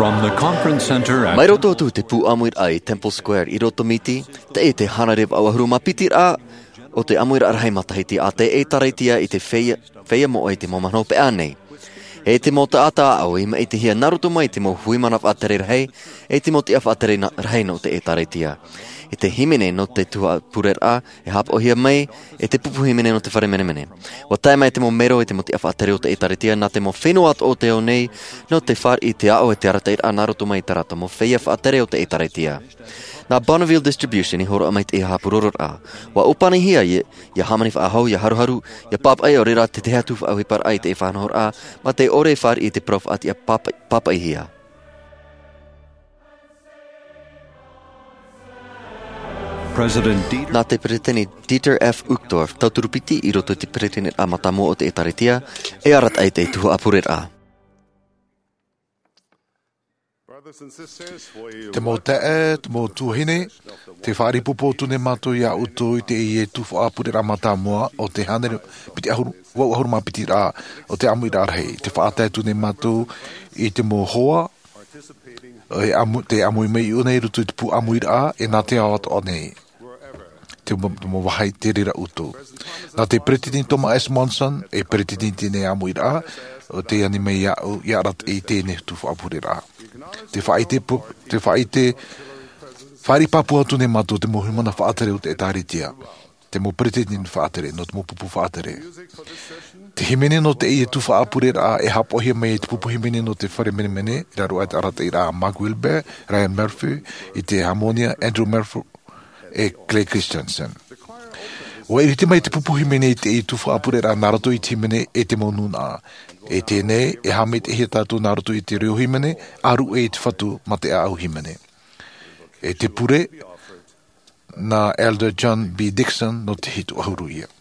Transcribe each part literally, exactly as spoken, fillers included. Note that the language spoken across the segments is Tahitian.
From the conference center at Mai roto atu i te pū ʻāmuiraʻa i Temple Square i roto Miti, teie te hānere vaʻu ʻahuru mā piti raʻa o te ʻāmuiraʻa rahi matahiti a te ʻĒtārētia i te feiā, feiā moʻa i te mau mahana hopeʻa nei. E te mau taʻata aʻo i maʻitihia nā roto mai i te mau hui mana faʻatere rahi, e te mau tiʻa faʻatere na-, rahi nō te ʻĒtārētia. E te hīmene nō te tuhaʻa pureraʻa, e haʻapaʻohia mai, e te pupu hīmene nō te fare menemene. ʻUa tae mai te mau mero e te mau tiʻa faʻatere o te ʻĒtārētia nā te mau fenua atoʻa o te ao nei, nō te fāriʻi i te aʻo e te arataʻiraʻa nā roto mai i tā rātou mau feiā faʻatere o te ʻĒtārētia. Nā Bonneville Distribution i hōroʻa mai i te haʻapurororaʻa. ʻUa ʻōpanihia ia, ia hāmani faʻahou, ia haruharu, ia pāpaʻi ʻo reira te tahi atu faʻaʻohiparaʻa i te faʻanahoraʻa, mā te ʻore e fāriʻi i te parau faʻatiʻa pāpaʻi, pāpaʻihia. President Dieter Nā te Peretiteni Dieter F. Uchtdorf, tauturu piti i roto i te Peretiteniraʻa mātāmua o te ʻĒtārētia, e arataʻi i te tuhaʻa pureraʻa. Te mau taeaʻe, te mau tuahine, tē faʻaʻite atu nei mātou ia ʻoutou i teie tuhaʻa pureraʻa mātāmua o te hānere piti ʻahuru, vaʻu ʻahuru mā piti raʻa o te ʻāmuiraʻa rahi. Tē faʻatae atu nei mātou i te mau hoa, e ʻāmui, tē ʻāmui mai iʻo nei i roto i te pū ʻāmuiraʻa, e nā te ao atoʻa nei. Te mau, te mau vāhi te reira ʻoutou. Nā te Peretiteni Thomas S. Monson, e Peretiteni i teie ʻāmuiraʻa, ʻo tē ani mai iāʻu, ia arataʻi i teie tuhaʻa pureraʻa. Tē faʻaʻite pu-, tē faʻaʻite, fāriʻi pāpū atu nei mātou te mau hui mana faʻatere o te ʻĒtārētia. Te mau peretiteni faʻatere, nō te mau pupu faʻatere. Te hīmene nō teie tuhaʻa pureraʻa e haʻapaʻohia mai e te pupu hīmene nō te fare menemene, i raro aʻe i te arataʻiraʻa a Mark Wilbert, Ryan Murphy, i te hāmōnia, Andrew Murphy, e Clay Christensen. ʻUa ʻiriti mai te pupu hīmene i teie tuhaʻa pureraʻa nā roto i te hīmene e te mau nūnaʻa. E teie nei, e haʻamaitaʻihia tātou nā roto i te reo hīmene, ʻĀruʻe i te Fatu mā te ʻāʻau hīmene. E te pure, nā Elder John B. Dixon nō te hitu ʻahuru ia.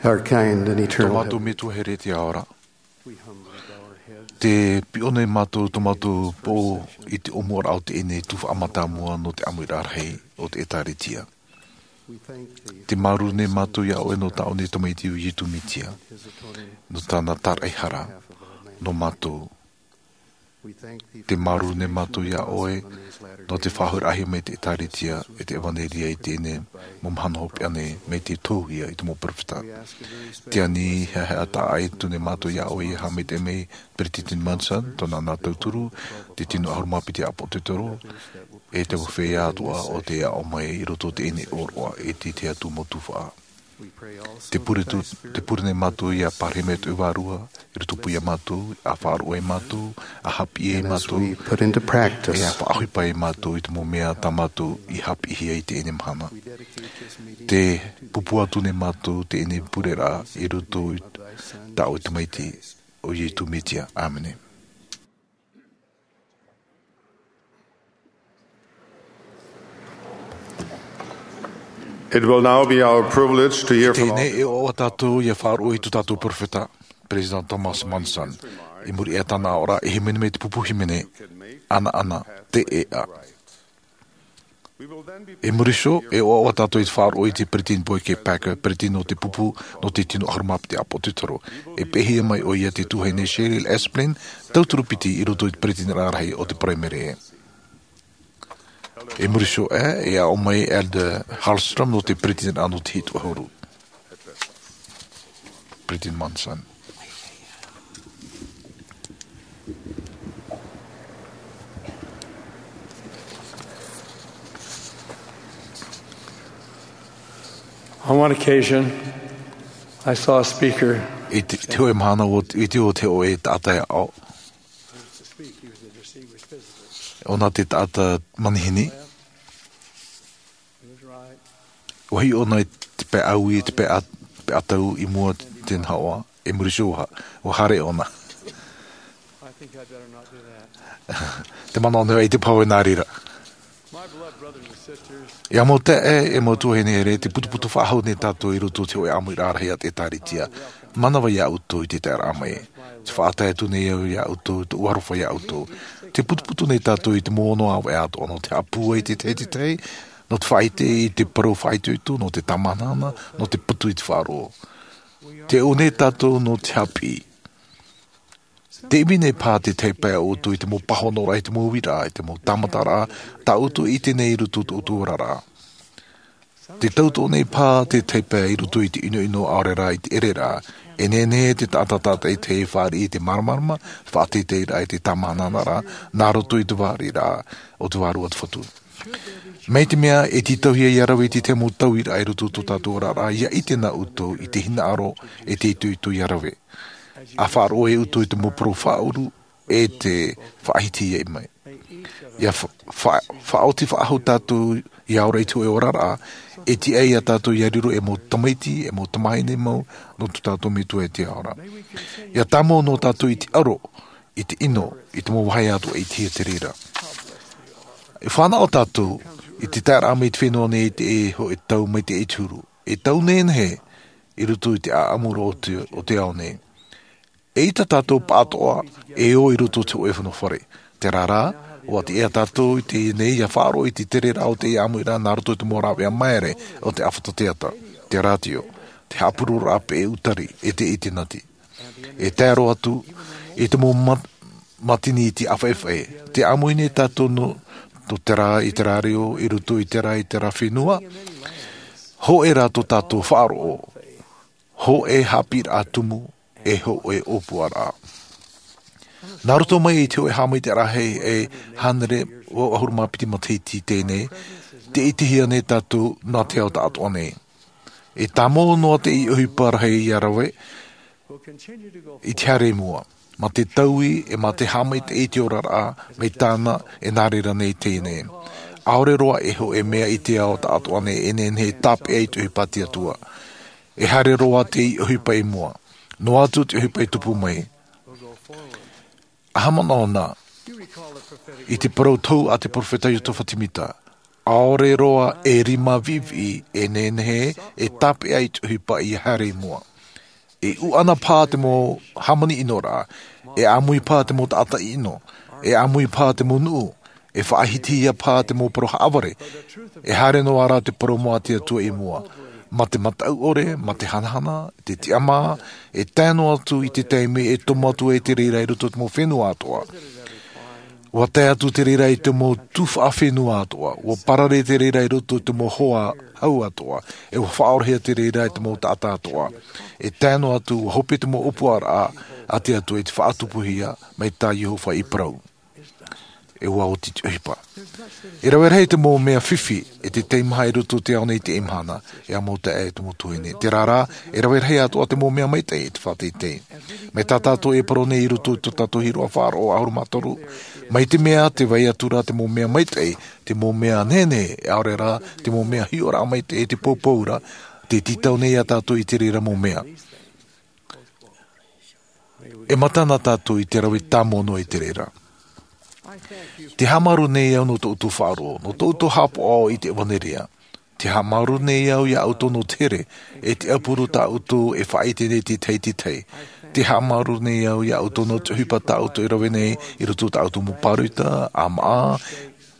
Our kind and Tō eternal mātou Heavenly Metua here i te ao ra. Te piʻo nei mātou tō mātou pō i te ʻōmuaraʻa o teie tuhaʻa mātāmua nō te ʻāmuiraʻa rahi o te ʻĒtārētia. Te māuruuru nei mātou iā ʻoe nō tā ʻō nei Tamaiti ʻo Ietu Metia, nō tāna tāraʻehara nō mātou. Te māuruuru nei mātou iā ʻoe nō te faʻahoʻiraʻahia mai te ʻĒtārētia e te ʻevanelia i teie nei mau mahana hopeʻa nei, mai te tōhia i te mau peropheta. Te ani hea hea taʻa atu nei mātou iā ʻoe ia haʻamaitaʻi mai Peretiteni Monson, tōna nā tauturu, te tino ʻahuru mā piti ʻāpōsetolo, e te mau feiā atoʻa o te aʻo mai i roto i teie nei ʻōroʻa e te te atu mau tufaʻa. Te pure tu te pure nei mātou ia pārahi mai tō vārua i roto pū iā mātou, a faʻaroʻo ai mātou, a haʻapiʻi ai mātou, e a faʻaʻohipa ai mātou i te mau mea tā mātou i haʻapiʻihia i teie nei mahana. Te pupu atu nei mātou teie nei pure rā i roto i tā ʻoe tamaiti, ʻo iesu mesia, ʻāmene. It will now be our privilege to hear from Teie nei e ʻoaʻoa tātou ia faʻaroʻo i tō tātou peropheta, Peresideni Thomas Monson. I muri iho i tāna aʻoraʻa e hīmene mai te pupu hīmene, ʻanaʻana, te ʻēʻa. I muri iho e ʻoaʻoa tātou i te faʻaroʻo i te Peretiteni Boyd K Packer, Peretiteni nō te pupu nō te tino ʻahuru mā piti ʻāpōsetolo. E pēhia mai ʻoia te tuahine Cheryl Esplin, tauturu piti i roto i te Peretiteniraʻa rahi o te Paraimere. I muri iho ā, e aʻo mai Elder Hallstrom nō te Peretiteniraʻa nō te hitu ʻahuru. Peretiteni Monson. On one occasion, I saw a speaker. I te, te hōʻē mahana ʻua, i te ʻua te hōʻē taʻata e aʻo. ʻOna te taʻata manihini. ʻUa hiʻo ʻōna i te pae ʻaui, te pae ʻa-, te pae ʻatau i mua i te nahoʻa, i muri iho ʻua, ʻua haere ʻōna. Te manaʻo nei ʻaita e pāhono nā reira. ʻE mau taeaʻe, ʻe mau tuahine here, te putuputu faʻahou nei tātou i roto i te hōʻē ʻāmuiraʻa rahi a te ʻĒtārētia. Mānava iā ʻoutou i te taeraʻa mai. Te faʻatae atu nei au iā ʻoutou, tōʻu aroha iā ʻoutou. Te putuputu nei tātou i te mau ʻōnoʻa ʻāvaʻe atoʻa nō te haʻapūai i te tahi, te tahi, nō te faʻaʻite i te parau faʻaitoito, nō te tāmahanahana, nō te patu i te faʻaroʻo. Te ʻō nei tātou nō te haʻapiʻi. Te ʻimi nei paha te tahi pae o ʻoutou i te mau pāhonoraʻa, i te mau uiraʻa, i te mau tāmataraʻa, tā ʻoutou i ʻite nei i roto i tō ʻoutou oraraʻa. Te tauturu nei paha te tahi pae i roto i te ʻinoʻino ʻaore rā i te ʻereraʻa. E nehenehe te taʻata tātaʻitahi e fāriʻi i te māramarama, faʻateiteiraʻa i te tāmahanahana, nā roto i te vāriraʻa o te Vārua o te Fatu. Mai te mea e tītauhia ia rave i te tahi mau tauiraʻa i roto i tō tātou oraraʻa, ia ʻite na ʻoutou i te hinaʻaro e te itoito ia rave. ʻA faʻaroʻo e ʻoutou i te mau parau faʻaʻuru e te faʻahiti ia mai. Ia fa-, fa-, faʻaoti faʻahou tātou ia ora i te hōʻē oraraʻa, e tiʻa ia tātou ia riro e mau tamaiti, e mau tamahine mau, nō tō tātou Metua e te Ao ra. Ia tāmau noa tātou i te aro, i te ʻino, i te mau vāhi atoʻa i te hiʻo te reira. E fānaʻo tātou i te taeraʻa mai i te fenua nei i te hōʻē tau mai te huru. E tau nehenehe i roto i te ʻāʻamuraʻa o te, o te ao nei. ʻEita tātou pāʻatoʻa e ō i roto i te hōʻē fenua fare. Terā rā, ʻua tiʻa tātou i teie nei ia faʻaroʻo i te tereraʻa o te ʻāmuiraʻa nā roto i te mau rāveʻa māere o te ʻāfata teata, te rātio, te haʻapurororaʻa peʻe ʻūtari, e te ʻitenati. E tae roa atu i te mau mat-, matini i te ʻāfaʻefaʻe, tē ʻāmui nei tātou nō, nō terā i terā reo, i roto i terā i terā fenua, hōʻē rā tō tātou faʻaroʻo, hōʻē haʻapiʻiraʻa tumu, e hōʻē ʻōpuaraʻa. Nā roto mai i te hōʻē haʻamaitaʻiraʻa e hānere ʻahuru mā piti matahiti i teie nei, tē ʻitehia nei tātou nā te ao taʻatoʻa nei. E tāmau noa te ʻohipa rahi ia rave i te haere i mua, mā te taui, e mā te haʻamaitaʻi i te oraraʻa, mai tāna e nā reira nei teie nei. ʻAore roa e hōʻē mea i te ao taʻatoʻa nei e nehenehe e tāpeʻa i te ʻohipa a te Atua. E haere roa te ʻohipa i mua. Noa atu te ʻohipa e tupu mai. ʻA haʻamanaʻo na i te parau tohu a te peropheta Iosepha Semita, ʻaore roa e rima viʻiviʻi e nehenehe e tāpeʻa i te ʻohipa ia haere i mua. E ʻuʻana paha te mau hāmani ʻino ra, e ʻāmui paha te mau taʻata ʻino, e ʻāmui paha te mau nuʻu, e faʻahitihia paha te mau parau haʻavare, e haere noa rā te parau mau a te Atua i mua. Mā te mataʻu ʻore, mā te hanahana, te tiʻamā, e tae noa atu i te taime e tomo atu ai te reira i roto i te mau fenua atoʻa. Ua tae atu te reira i te mau tū faʻafenua atoʻa, ua parare te reira i roto i te mau hoa hau atoʻa, e ua faʻaorahia te reira i te mau taʻata atoʻa. E tae noa atu, ua hope te mau ʻōpuaraʻa a te Atua i te faʻatupuhia mai tā Iehova i parau. E ua oti te ʻohipa. E rave rahi te mau mea fifi e te teimaha i roto i te ao nei i teie mahana, e ʻamu taʻe e te mau tuahine. Terā rā, e rave rahi atoʻa te mau mea maitaʻi e te faʻateitei. Mai tā tātou e parau nei i roto i tō tātou hiroʻa faʻaroʻo ʻahuru mā toru, mai te mea tē vai atu ra te mau mea maitaʻi, te mau mea nehenehe, ʻaore rā te mau mea hiʻoraʻa maitaʻi, te poupou ra, tē tītau nei iā tātou i te reira mau mea. E mata na tātou i te rave tāmau noa i te reira. Te haʻamāuruuru nei au nō tō ʻoutou faʻaroʻo, nō tō ʻoutou haʻapaʻo i te ʻevanelia. Te haʻamāuruuru nei au iā ʻoutou nō te here, e te ʻaupuru tā ʻoutou e faʻaʻite nei te tahi i te tahi. Te haʻamāuruuru nei au iā ʻoutou nō te ʻohipa tā ʻoutou e rave nei i roto i tā ʻoutou mau pāroita, ʻāmaʻa,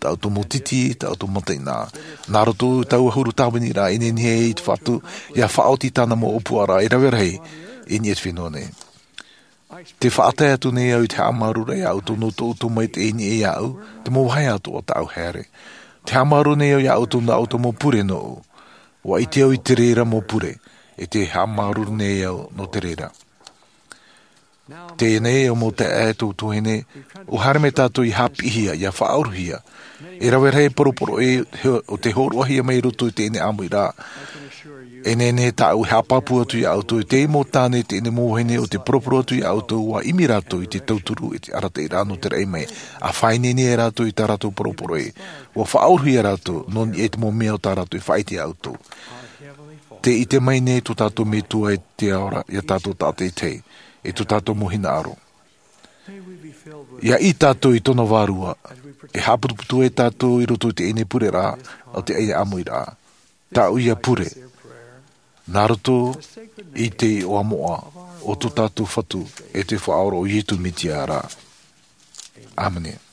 tā ʻoutou mau titi, tā ʻoutou mataʻeinaʻa. Nā roto i taua huru tāviniraʻa i nehenehe ai te Fatu, ʻia faʻaoti tāna mau ʻōpuaraʻa e rave rahi i niʻa i te fenua nei. Te faʻatae atu nei au i te haʻamāuruuru iā ʻoutou nō tō ʻoutou maitaʻi i niʻa iāʻu, te mau vāhi atoʻa tāʻu haere. Te haʻamāuruuru nei au iā ʻoutou nō ʻoutou mau pure nōʻu. ʻUa ʻite au i te reira mau pure, e te haʻamāuruuru nei au nō te reira. Teie nei, e mau taeaʻe, e tuahine, ʻua haere mai tātou ʻia haʻapiʻihia, ʻia faʻaʻohipa. E rave rahi e poroporoʻi, he, ʻo tē hōroʻahia mai i roto i teie ʻāmuiraʻa. E nehenehe tāʻu e haʻapāpū atu iā ʻoutou, i teie mau tāne, teie mau vahine, ʻo tē poroporo atu iā ʻoutou, ʻua ʻimi rātou i te tauturu, i te arataʻiraʻa nō te raʻi mai. ʻA faʻaineine rātou i tā rātou poroporoʻi. ʻUa faʻaʻohipa rātou, nō niʻa i te mau mea o tā rātou e faʻaʻite iā ʻoutou. Tē ʻite mai nei tō tātou Metua i te ao ra, iā tātou tātaʻitahi, i tō tātou mau hinaʻaro. ʻIa ʻī tātou i tōna vārua, e haʻaputuputu ai tātou i roto i teie pureraʻa, ʻo teie ʻāmuiraʻa. Tāʻu ia pure, nā roto i te iʻoa moʻa o tō tātou Fatu, e te Faʻaora ʻo Iesu Mesia ra. ʻĀmene.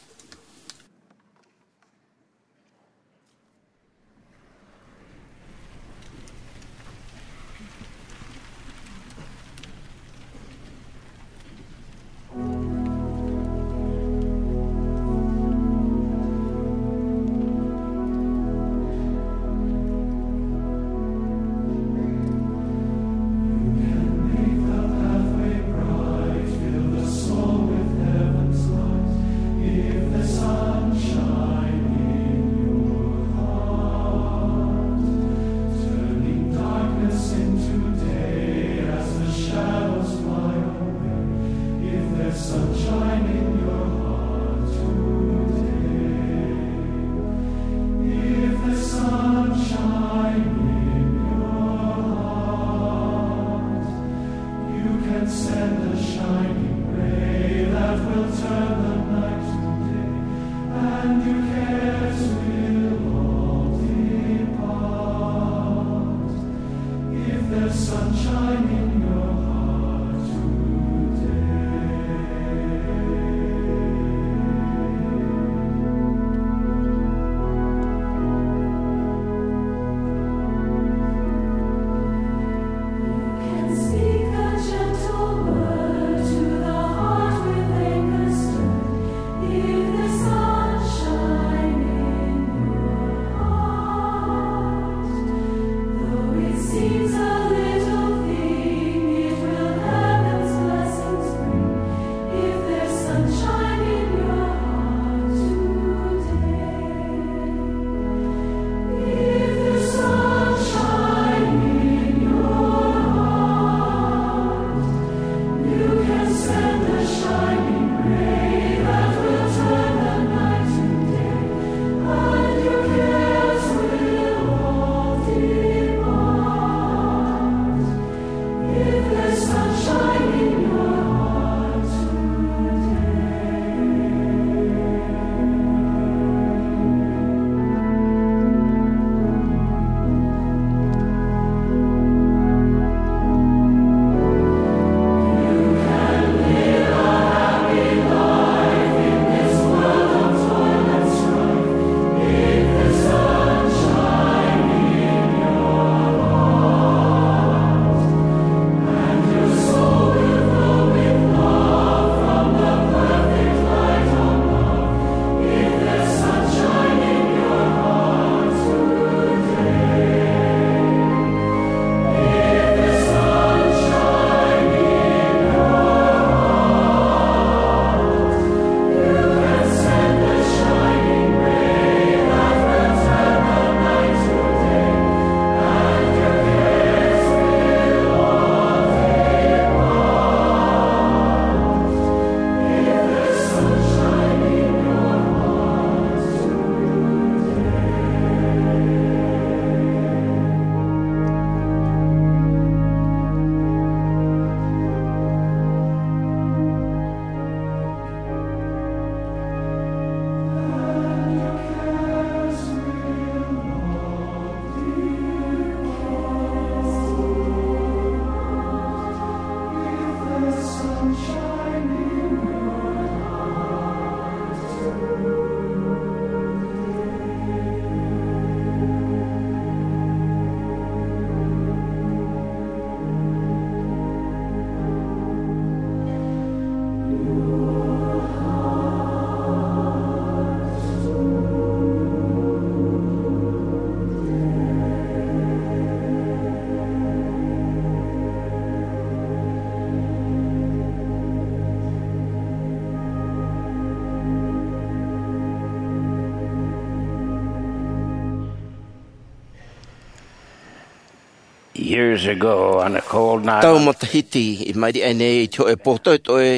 Years ago, on a cold night, tau matahiti i maʻiri aʻe nei i te hōʻē pō toʻetoʻe,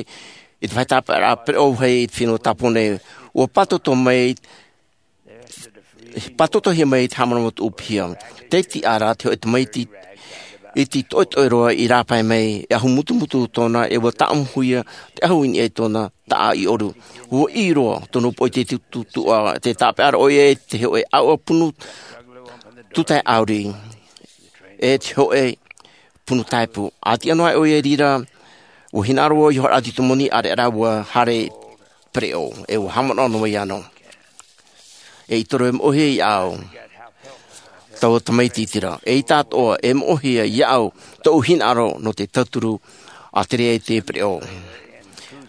i te vāhi tāpeʻaraʻa pereʻo vāhi i te fenua Tāpōnē, ua pātoto mai, pātotohia mai te haʻamanaʻo tuʻu piha. Tei tiʻa ra te hōʻē tamaiti iti toʻetoʻe roa i rāpae mai, e ahu mutumutu tōna, e ua tāʻamuhia te ahu i niʻa i tōna taʻa i ʻoru. Ua ʻī roa tōna poʻi i te tutuʻa, tē tāpeʻa ra ʻoia i te hōʻē ʻāuʻa punu tūtae ʻāuri, e te hōʻē punu taepu. ʻA tiʻa noa ʻoia i reira, ua hinaʻaro vau i hōroʻa atu i te moni, ʻāreʻa rā ua haere pereʻo, e ua haʻamanaʻo noa vau iāna. E ʻite roa e moʻehia iāʻu taua tamaiti iti ra. Eʻita atoʻa e moʻehia iāʻu tōʻu hinaʻaro nō te tauturu a te reira i te pereʻo.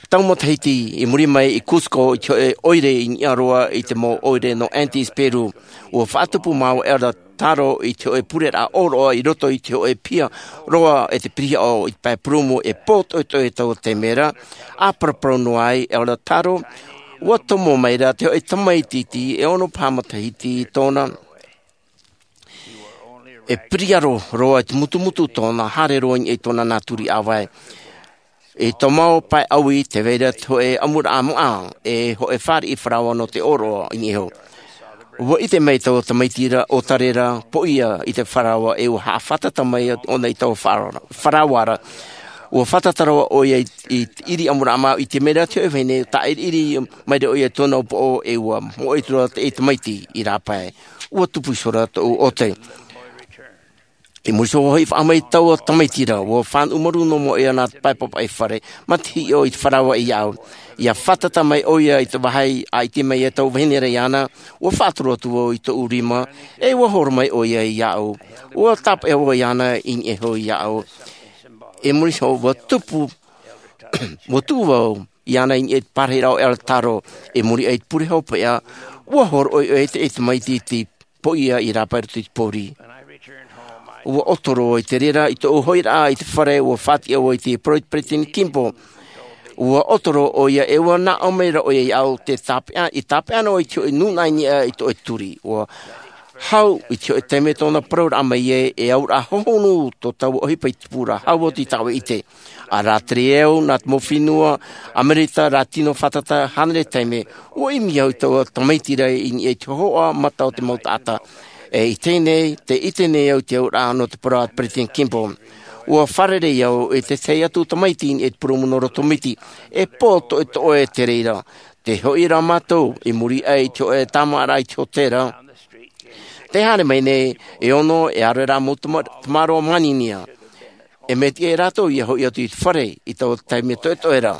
Tau matahiti i muri mai i Cusco, i te hōʻē ʻoire i niʻa roa i te mau ʻoire nō Andes, Peru, ua faʻatupu māua e Elder Taro i te hōʻē pureraʻa ʻōroʻa i roto i te hōʻē piha roa e te pirihaʻo i te pae purūmu. E pō toʻetoʻe taua taime ra, ʻa paraparau noa ai Elder Taro, ua tomo mai ra te hōʻē tamaiti iti e ono paha matahiti tōna. E piriaro roa i te mutumutu tōna, haere roa i niʻa i tōna nā turi ʻāvae. I tō mau pae ʻaui, tē vai ra te hōʻē ʻamuraʻa maʻa, e hōʻē fāriʻi faraoa nō te ʻōroʻa i niʻa iho. Ua ʻite mai taua tamaiti ra ʻōtare ra, poʻia i te faraoa, e ua haʻafātata mai ʻōna i taua faraoa ra. Ua fātata roa ʻoia i, i te ʻiri ʻamuraʻa maʻa, ʻite mai ra te hōʻē vahine, tāʻiriʻiri mai ra ʻoia i tōna upoʻo, e ua moʻe atu ra te tamaiti i rāpae. Ua tupu iho ra tōʻu ʻote. I muri iho hoʻi faʻaʻamu mai taua tamaiti ra, ua fānaʻo maru noa mai ʻoia nā te pae papaʻi fare, mā te hiʻo i te faraoa iāʻu. ʻIa fātata mai ʻoia i te vāhi, ʻa ʻite mai ai taua vahine ra iāna, ua faʻatoro atu vau i tōʻu rima, e ua horo mai ʻoia iāʻu. Ua tāpeʻa vau iāna i niʻa iho iāʻu. I muri iho, ua tupu, ua tuʻu vau iāna i niʻa i te parahiraʻa o Elder Taro, i muri aʻe i te pure hopeʻa, ua hōroʻa ʻoia i te tamaiti iti poʻia i rāpae i roto i te pōuri. Ua ʻoto roa i te reira, i tōʻu hoʻiraʻa i te fare, ua faʻatiʻa vau i te parau a te Peresideni Kimball. Ua ʻoto roa ʻoia, e ua nāʻō mai ra ʻoia iāʻu, tē tāpeʻa, i tāpeʻa noa i te hōʻē nūnaʻa i niʻa i tō ʻoe turi. Ua hau i te hōʻē taime tōna parauraʻa mai ai, e auraʻa hohonu tō taua ʻohipa i tupu ra, hau atu i tāʻu e ʻite. ʻA rātere au nā te mau fenua Amerika, rā tino fātata hānere taime, ua ʻimi au i taua tamaiti ra i niʻa i te hōhoʻa mata o te mau taʻata. E i teie nei, tē ʻite nei au i te auraʻa nō te parau a te Peresideni Kimball. Ua fārerei au i te tahi atu tamaiti i niʻa i te purūmu nō Rotomiti, e pō toʻetoʻe te reira. Tē hoʻi ra mātou i muri aʻe i te hōʻē tāmāʻaraʻa i te hōtēra. Tē haere mai nei e ono, e aro rā mau tama-, tamaroa māninia. E mea tiʻa ia rātou ʻia hoʻi atu i te fare i taua taime toʻetoʻe ra.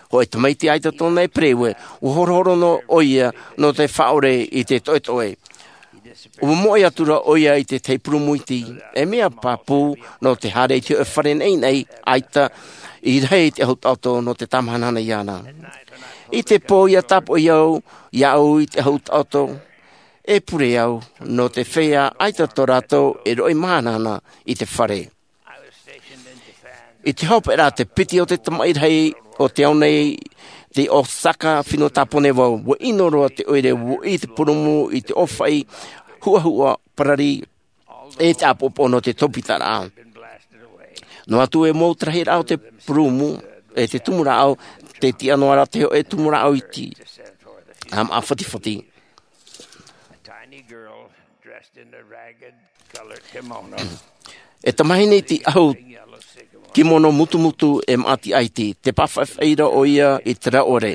Hōʻē tamaiti ʻaita tōna e pereue, ua horohoro noa ʻoia nō te faʻaʻore i te toʻetoʻe. Ua moʻe atu ra ʻoia i te tahi purūmu iti, e mea pāpū nō te haere i te hōʻē fare naʻinaʻi ʻaita i rahi i te ʻahu taʻoto nō te tāmahanahana iāna. I te pō ʻia tāpoʻi au, iāʻu i te ʻahu taʻoto, e pure au nō te feiā ʻaita tō rātou e roʻi mahanahana i te fare. I te hopeʻa ra te piti o te tamaʻi rahi o te ao nei, tei Osaka, fenua Tāpōnē vau, ua ʻino roa te ʻoire, ua ʻī te purūmu i te ʻōfaʻi huʻahuʻa parari, e te ʻāpoʻopoʻo nō te topitaraʻa. Noa atu e mau te rahiraʻa o te purūmu, e te tumu rāʻau, tē tiʻa noa ra te hōʻē tumu rāʻau iti, ʻa maʻa fatifati. E tamahine iti ʻahu kimono mutumutu e maʻa tiʻa iti, tē pāfaʻifaʻi ra ʻoia i te rauʻore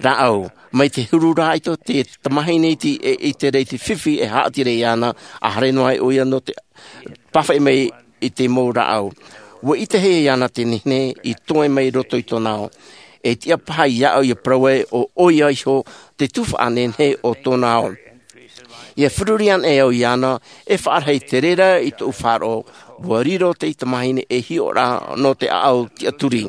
rāʻau. Mai te huru ra ʻaita te tamahine iti e ʻite ra i te fifi e haʻati ra iāna, ʻa haere noa ai ʻoia nō te pāfaʻi mai i te mau rāʻau. Ua ʻitehia iāna te nehenehe i toe mai i roto i tōna ao. E tiʻa paha iāʻu ʻia parau ai ʻo ʻoia iho te tuhaʻa nehenehe o tōna ao. ʻIa feruri anaʻe au iāna, e faʻarahi te reira i tōʻu faʻaroʻo, ua riro te tamahine e hiʻo ra nō te ʻāʻau tiʻaturi.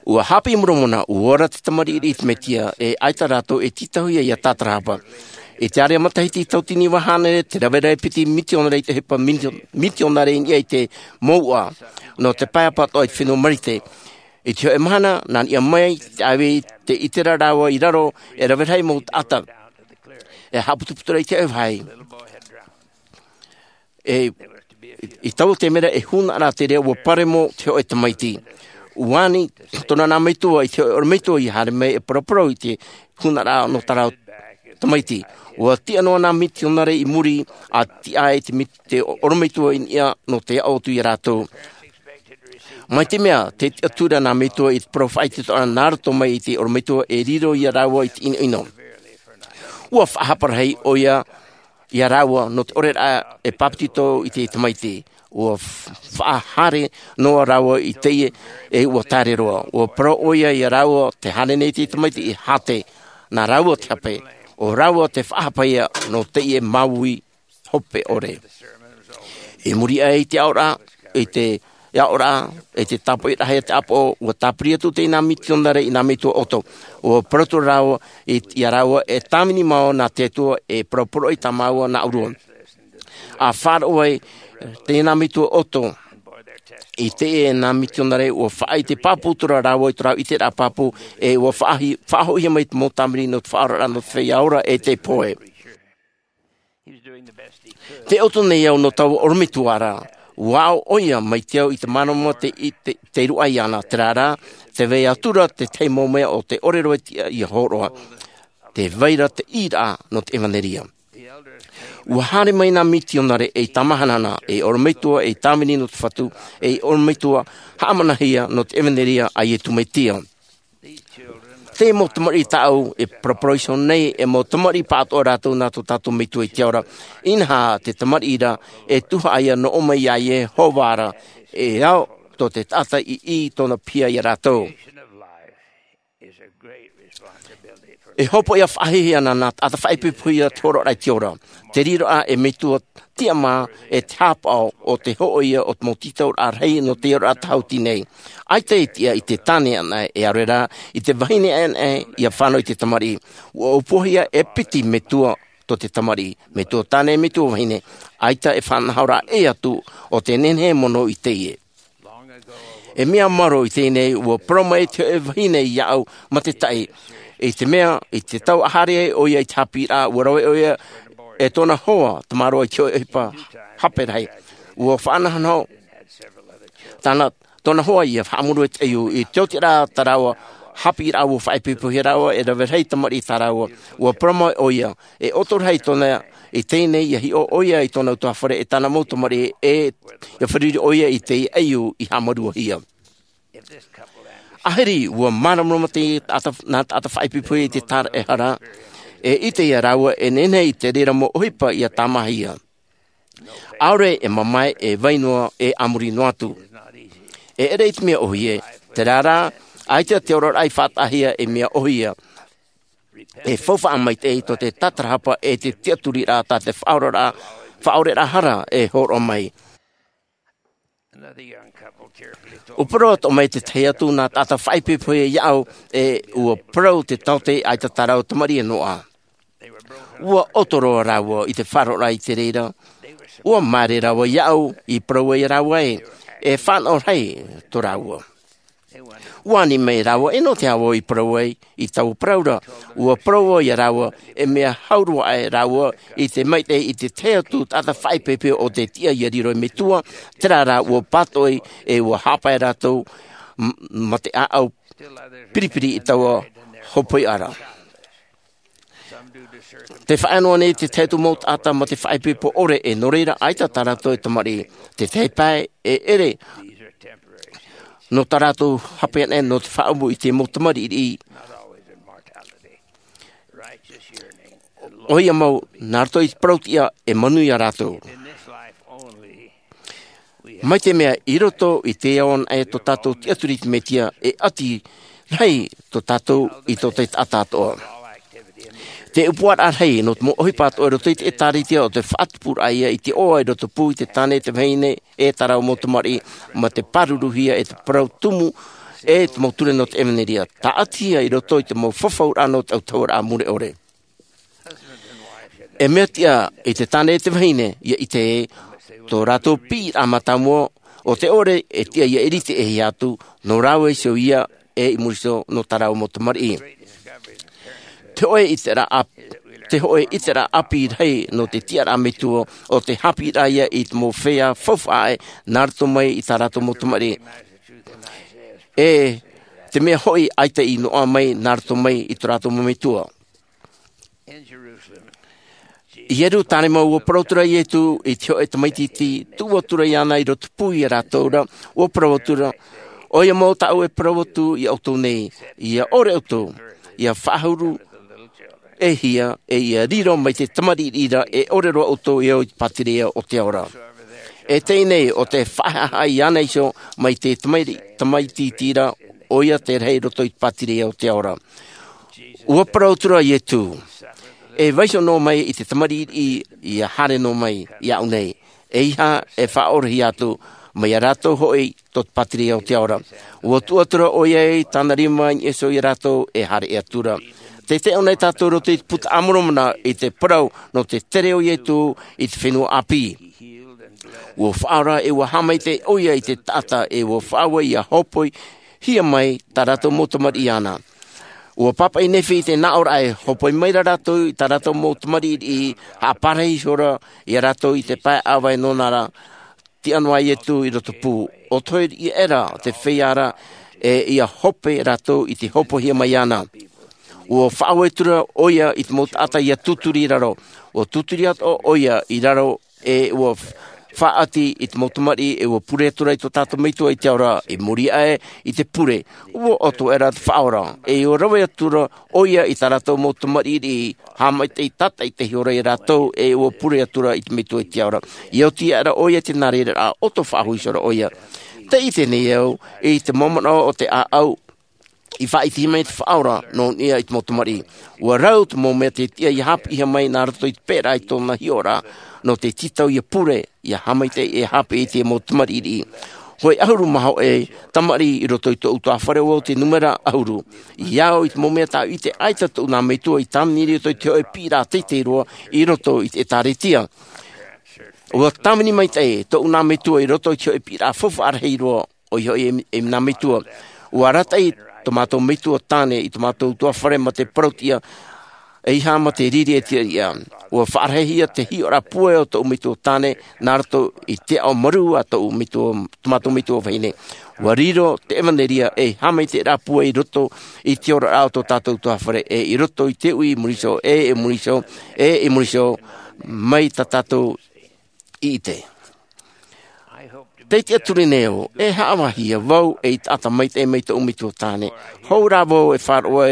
Ua haʻapiʻi Moromona, ʻua ora te tamariʻi i te Mesia, e ʻaita rātou e tītauhia ʻia tātarahapa. I te area matahiti tauatini iva hānere, te rave ra e piti mitionare i te ʻohipa mitio-, mitionare i niʻa i te mouʻa, nō te pae apatoʻa i te fenua Marite. I te hōʻē mahana, nā niʻa mai te ʻāvī, tē ʻite ra rāua i raro, e rave rahi mau taʻata. E haʻaputuputu ra i te hōʻē vāhi. E i taua taime ra e hūnaʻaraʻa te reira ua paremo te hoʻe tamaiti. Ua ani tōna nā metua i te hoʻe ʻorometua i haere mai e paraparau i te hūnaʻaraʻa nō tā rāua tamaiti. Ua tiʻa noa nā mitionare i muri a tiʻa ai te ʻorometua i niʻa nō te aʻo atu iā rātou. Mai te mea te tiʻaturi nā metua i te parau faʻaitoitoraʻa nā roto mai i te ʻorometua e riro iā rāua i te ʻinoʻino. Ua faʻahapa rahi ʻoia iā rāua nō te ʻoreraʻa e pāpetito i te tamaiti. Ua faʻahaere noa rāua i teie e ua taere roa. Ua parau ʻoia iā rāua te haere nei te tamaiti i hāte nā rāua te hape. ʻO rāua te faʻahapa ia nō teie māuiui hope ʻore. I muri aʻe i te aʻoraʻa i te aʻoraʻa i te tāpoʻi rahi a te ʻāpoʻo ua tāpiri atu tēnā mitionare i nā metua ʻoto. Ua parau atu rāua iā rāua e tāvini māua nā te atua e parauparau i tā māua nā ʻōrua. A faʻaroʻo ai tēnā metua ʻoto i teie nā mitionare ua faʻaʻite pāpū atu rāua i tō rāua ʻiteraʻa pāpū e ua faʻahoʻihia mai te mau tāvini nō te faʻaoraraʻa nō te feiā ora e te poe. Te ʻoto nei au nō taua ʻorometua ra. Ua aʻo ʻoia mai te au i te māramarama te ruʻa iāna te rārā te vai atu ra te tahi mau mea o te ʻore roa tiʻa ia hōroʻa. Te vai ra te ʻīraʻa nō te ʻevanelia. Ua haere mai nā mitionare ei tāmahanahana ei ʻorometua ei tāvini nō te fatu ei ʻorometua haʻamanahia nō te ʻevanelia a iesu mesia. Te mau tamariʻi tāʻau e paraparau nei e mau tamariʻi pāʻatoʻa rātou nā tō tātou metua i te ao ra. Inaha te tamariʻi ra e tuhaʻa ia nō ʻō mai iā iehova ra e ao tō te taʻata i ʻī tōna piha iā rātou. E hopoiʻa faʻahiahia nā taʻata faʻaipoipohia te horoʻaraʻa i te ora. Te riroʻa e metua tiʻamā e te hāpaʻo o te hoʻoia o te mau tītauraʻa rahi nō te oraraʻa tāhuti nei. ʻAita e tiʻa i te tāne ʻana e ʻaore rā i te vahine ʻana ia fānau i te tamariʻi. Ua ʻōpuahia e piti metua tō te tamariʻi metua tāne metua vahine. ʻAita e faʻanahoraʻa ʻē atu o te nehenehe mono i teie. E mea maro i teie nei ua parau mai te hoʻe vahine iāʻu ma te taʻi i te mea i te tau a haere ai ʻoia i te hāpiʻiraʻa ua rave ʻoia e tōna hoa tamaroa i te hoʻe ʻohipa hape rahi. Ua faʻanahonaho tōna hoa ia haʻamuru e te ʻaiū i te oti rā tā rāua hāpiʻiraʻa ua faʻaipoipohia rāua e rave rahi tamariʻi tā rāua. Ua parau mai ʻoia e ʻoto rahi tōna i teie nei ia hiʻo ʻoia i tōna utuafare e tāna mau tamariʻi e ia fāriʻi ʻoia i te ʻaiū i haʻamaruahia. ʻAhiri ua māramarama te taʻata nā taʻata faʻaipoipohia i te tāraʻehara e ʻite iā rāua e nehenehe i te reira mau ʻohipa ia tāmāhia. ʻAore e mamae e vai noa e a muri noa atu. E ʻere i te mea ʻohie te rārā ʻaita te oraraʻa i faʻataʻahia e mea ʻohie. E faufaʻa maitaʻi tō te tātarahapa e te tiʻaturiraʻa tā te faʻaoraraʻa faʻaoreraʻa hara e hōroʻa mai. Ua parau atoʻa mai te tahi atu nā taʻata faʻaipoipohia iāʻu e ua parau te taote ʻaita tā rāua tamariʻi e noaʻa. Ua ʻoto roa rāua i te faʻaroʻoraʻa i te reira. Ua māere rāua iāʻu i parau ai rāua ē e fānaʻo rahi tō rāua. Ua ani mai rāua e nō te ʻāvaʻe i parau ai i taua parau ra. Ua parau iā rāua e mea hau roa aʻe rāua i te maitaʻi i te tahi atu taʻata faʻaipoipohia o te tiʻa ia riro e metua. Terā rā ua pātoʻi e ua haʻapaʻo rātou ma te ʻāʻau piripiri i taua hopoiʻa ra. Te faʻaea noa nei te tahi atu mau taʻata ma te faʻaipoipo ʻore e nō reira ʻaita tā rātou e tamariʻi te tahi pae e ʻere nō tā rātou hape ʻana nō te faʻaʻumu i te mau tamariʻi. ʻOia mau nā roto i te parau tiʻa e manuia rātou. Mai te mea i roto i te ao anaʻe tō tātou tiʻaturi i te mesia e ʻati rahi tō tātou i tō te taʻata atoʻa. Te ʻupuaraʻa rahi nō te mau ʻohipa atoʻa i roto i te ʻēkālesia o te faʻatupuraʻa ia i te ʻoaʻoa i roto pū i te tāne te vahine e tā rāua mau tamariʻi ma te pāruruhia e te parau tumu e te mau ture nō te ʻevanelia tāʻatihia i roto i te mau fafauraʻa nō te autahuʻaraʻa mure ʻore. E mea tiʻa i te tāne e te vahine ia ʻite ē tō rātou piʻiraʻa mātāmua o te ʻore e tiʻa ia ʻiriti e hia atu nō rāua iho ia e i muri iho nō tā rāua mau tamariʻi. Te hoʻe ʻiteraʻa te hoʻē ʻiteraʻa ʻāpī rahi nō te tiʻaraʻa metua, ʻo te haʻapiʻiraʻa ia i te mau feiā faufaʻa ʻē nā roto mai i tā rātou mau tamariʻi. E te mea hoʻi ʻaita i noaʻa mai nā roto mai i tō rātou mau metua. I Ierutarema, ua parau atu ra Iesu i te hoʻē tamaiti iti tuʻu atu ra iāna i rotopū iā rātou ra, ua parau atu ra, ʻoia mau tāʻu e parau atu iā ʻoutou nei, ʻia ʻore ʻoutou, ʻia faʻahuru e hia, e ʻia riro mai te tamariʻi ra, e ʻore roa ʻoutou e ō i te pātireia o te ao ra. E teie nei, ʻo tē faʻahaʻehaʻa iāna iho mai te tamaiti, tamaiti iti ra, ʻoia te rahi i roto i te pātireia o te ao ra. Ua parau atu ra Iesu, e vaiiho noa mai i te tamariʻi, ʻia haere noa mai iāʻu nei. ʻEiaha e faʻaorahia atu, mai iā rātou hoʻi tō te pātireia o te ao ra. Ua tuʻu atu ra ʻoia i tāna rima i niʻa iho iā rātou e haere atu ra. Tē tae ʻō nei tātou i roto i te puta a Moromona i te parau nō te tere o Iesu i te fenua ʻāpī. Ua faʻaora e ua haʻamaitaʻi ʻoia i te taʻata e ua faʻaue ʻia hōpoihia mai tā rātou mau tamariʻi iāna. Ua pāpaʻi Nephi i te nāʻōraʻa e hōpoi mai ra rātou i tā rātou mau tamariʻi, haʻaparahi iho ra iā rātou i te pae ʻāvae nōna ra, tiʻa noa Iesu i rotopū. ʻO te hoʻi ʻē ra te feiā ra, e ʻia hope rātou i te hōpoihia mai iāna. Ua faʻaue atu ra ʻoia i te mau taʻata ʻia tūturi i raro. Ua tūturi atoʻa ʻoia i raro, e ua faʻaʻati i te mau tamariʻi, e ua pure atu ra i tō tātou Metua i te ao ra, i muri aʻe i te pure. Ua ʻoto aʻera te faʻaora, e ua rave atu ra ʻoia i tā rātou mau tamariʻi, haʻamaitaʻi tātaʻitahi ora iā rātou, e ua pure atu ra i te Metua i te ao ra. ʻIa oti aʻera ʻoia te nā reira ra, ʻoto faʻahou iho ra ʻoia. Tē ʻite nei au, i te mau manaʻo o te ʻāʻau, i faʻaʻitehia mai te faʻaora nō niʻa i te mau tamariʻi. Ua rau te mau mea tē tiʻa ʻia haʻapiʻihia mai nā roto i te pēraʻa i tōna hiʻoraʻa, nō te tītau ʻia pure, ʻia haʻamaitaʻi, e haʻapiʻi i te mau tamariʻi. Hoʻi ʻahuru mā hōʻē tamariʻi i roto i tōʻu ʻutuāfare, ʻo te nūmera ʻahuru. ʻIa au i te mau mea tāʻu i ʻite, ʻaita tōʻu nā metua i tāvini i roto i te hoʻē piʻiraʻa teitei roa i roto i te ʻĒtārētia. Ua tāvini maitaʻi tōʻu nā metua i roto i te hoʻē piʻiraʻa faufaʻa rahi roa, ʻoia hoʻi e, e nā metua. Ua arataʻi tō mātou metua tāne i tō mātou ʻutuāfare mā te parau-tiʻa, ʻeiaha mā te riri e te ariʻa. Ua faʻarahihia te hiʻoraʻa pūai o tōʻu metua tāne, nā roto i te ao marū a tōʻu metua, tō mātou metua vahine. Ua riro te ʻevanelia ei haʻamaitaʻiraʻa pūai i roto i te oraraʻa o tō tātou ʻutuāfare, e i roto i te uʻi i muri iho, e i muri iho, e i muri iho, mai tā tātou i ʻite. Tē tiʻaturi nei au, e haʻavāhia vau ei taʻata maitaʻi mai tōʻu metua tāne. Hou rā vau e faʻaroʻo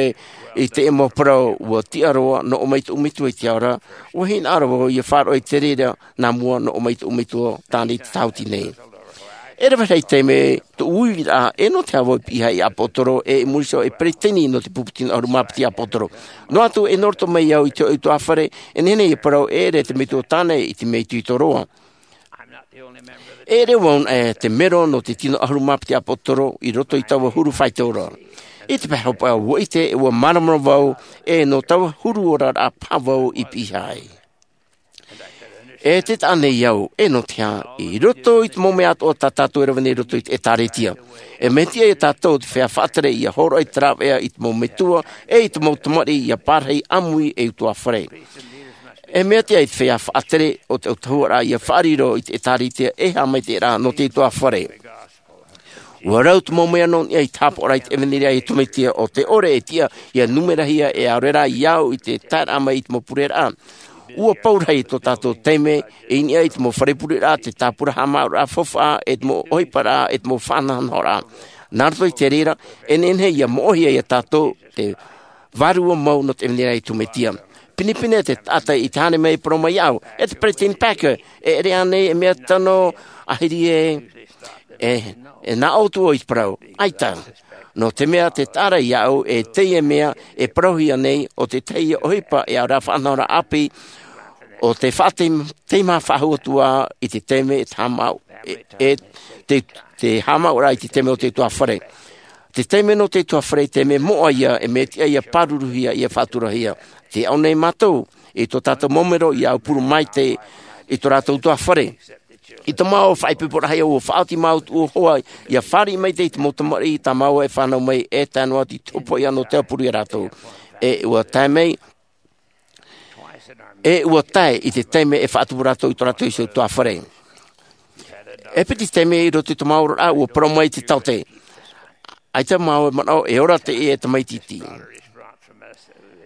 i teie mau parau, ua tiʻa roa, nō ʻō mai tōʻu metua i te ao ra, ua hinaʻaro vau ʻia faʻaroʻo i te reira nā mua nō ʻō mai tōʻu metua tāne i te tāhuti nei. E rave rahi taime tōʻu uiraʻa, e nō te aha vau i piʻihia ei ʻāpōsetolo, e i muri iho ei peretiteni nō te pupu tino ʻahuru mā piti ʻāpōsetolo. Noa atu, e nō roto mai au i te hoʻē ʻutuāfare, e nehenehe ʻia parau e ʻere te metua tāne i te mea itoito roa. E ʻere vau anaʻe te mero nō te tino ʻahuru mā piti ʻāpōsetolo i roto i taua huru faito ra. I te pae hopeʻa ua ʻite, e ua māramarama vau, e nō taua huru oraraʻa paha vau i piʻihia ai. E te taʻa nei au, e nō te aha, i roto i te mau mea atoʻa tā tātou e rave nei i roto i te ʻĒtārētia. E mea tiʻa ia tātou te feiā faʻatere ʻia hōroʻa i te rāveʻa i te mau metua, e i te mau tamariʻi ʻia parahi ʻāmui ei ʻutuāfare. E mea tiʻa ia te feiā faʻatere o te ʻautahuʻaraʻa ʻia faʻariro i te ʻĒtārētia ei haʻamaitaʻiraʻa nō te ʻutuāfare. Ua rau te mau mea nō niʻa i te haʻapaʻoraʻa i te ʻevanelia a Iesu Mesia, ʻo te ʻore e tiʻa ʻia numerahia e ʻaore rā ia au i te taeraʻa mai i te mau pureraʻa. Ua pau rahi tō tātou taime i niʻa i te mau fare pureraʻa, te tāpura haʻamāuʻaraʻa faufaʻa, e te mau ʻohiparaʻa, e te mau faʻanahonahoraʻa. Nā roto i te reira, e nehenehe ʻia moʻehia ia tātou te vārua mau nō te ʻevanelia a Iesu Mesia. Pinepine te taʻata i te haere mai e parau mai iāʻu, e te Peresideni Packer, e ʻere ānei e mea tano ʻāhiri ē, e, e nā ʻō atu vau i te parau, ʻaita. Nō te mea tē taʻa ra iāʻu, e teie mea e parauhia nei, ʻo te tahi ʻohipa e ʻaore rā faʻanahoraʻa ʻāpī, ʻo te faʻateim-, teimaha faʻahou atu ā i te taime e te haʻamāuʻa, e, e te, te haʻamāuʻaraʻa i te taime o te ʻutuāfare. Te taime nō te ʻutuāfare, te mea moʻa ia, e mea tiʻa ʻia pāruruhia, ʻia faʻaturahia. Tē ʻite nei mātou, i tō tātou mau mero ʻia aupuru maitaʻi i tō rātou ʻutuāfare. I tō māua faʻaipoiporaʻa, ua faʻaoti māua tuʻu hoa, ʻia fāriʻi maitaʻi i te mau tamariʻi tā māua e fānau mai, e tae noa atu i te hopoiʻa nō te aupuru ia rātou. E ua tae mai, E ua tae i te taime e faʻatupu rātou i tō rātou iho tuāfare. E piti taime i roto i tō māua oraraʻa ua parau mai te taote, ʻaita māua e manaʻo e ora teie tamaiti iti.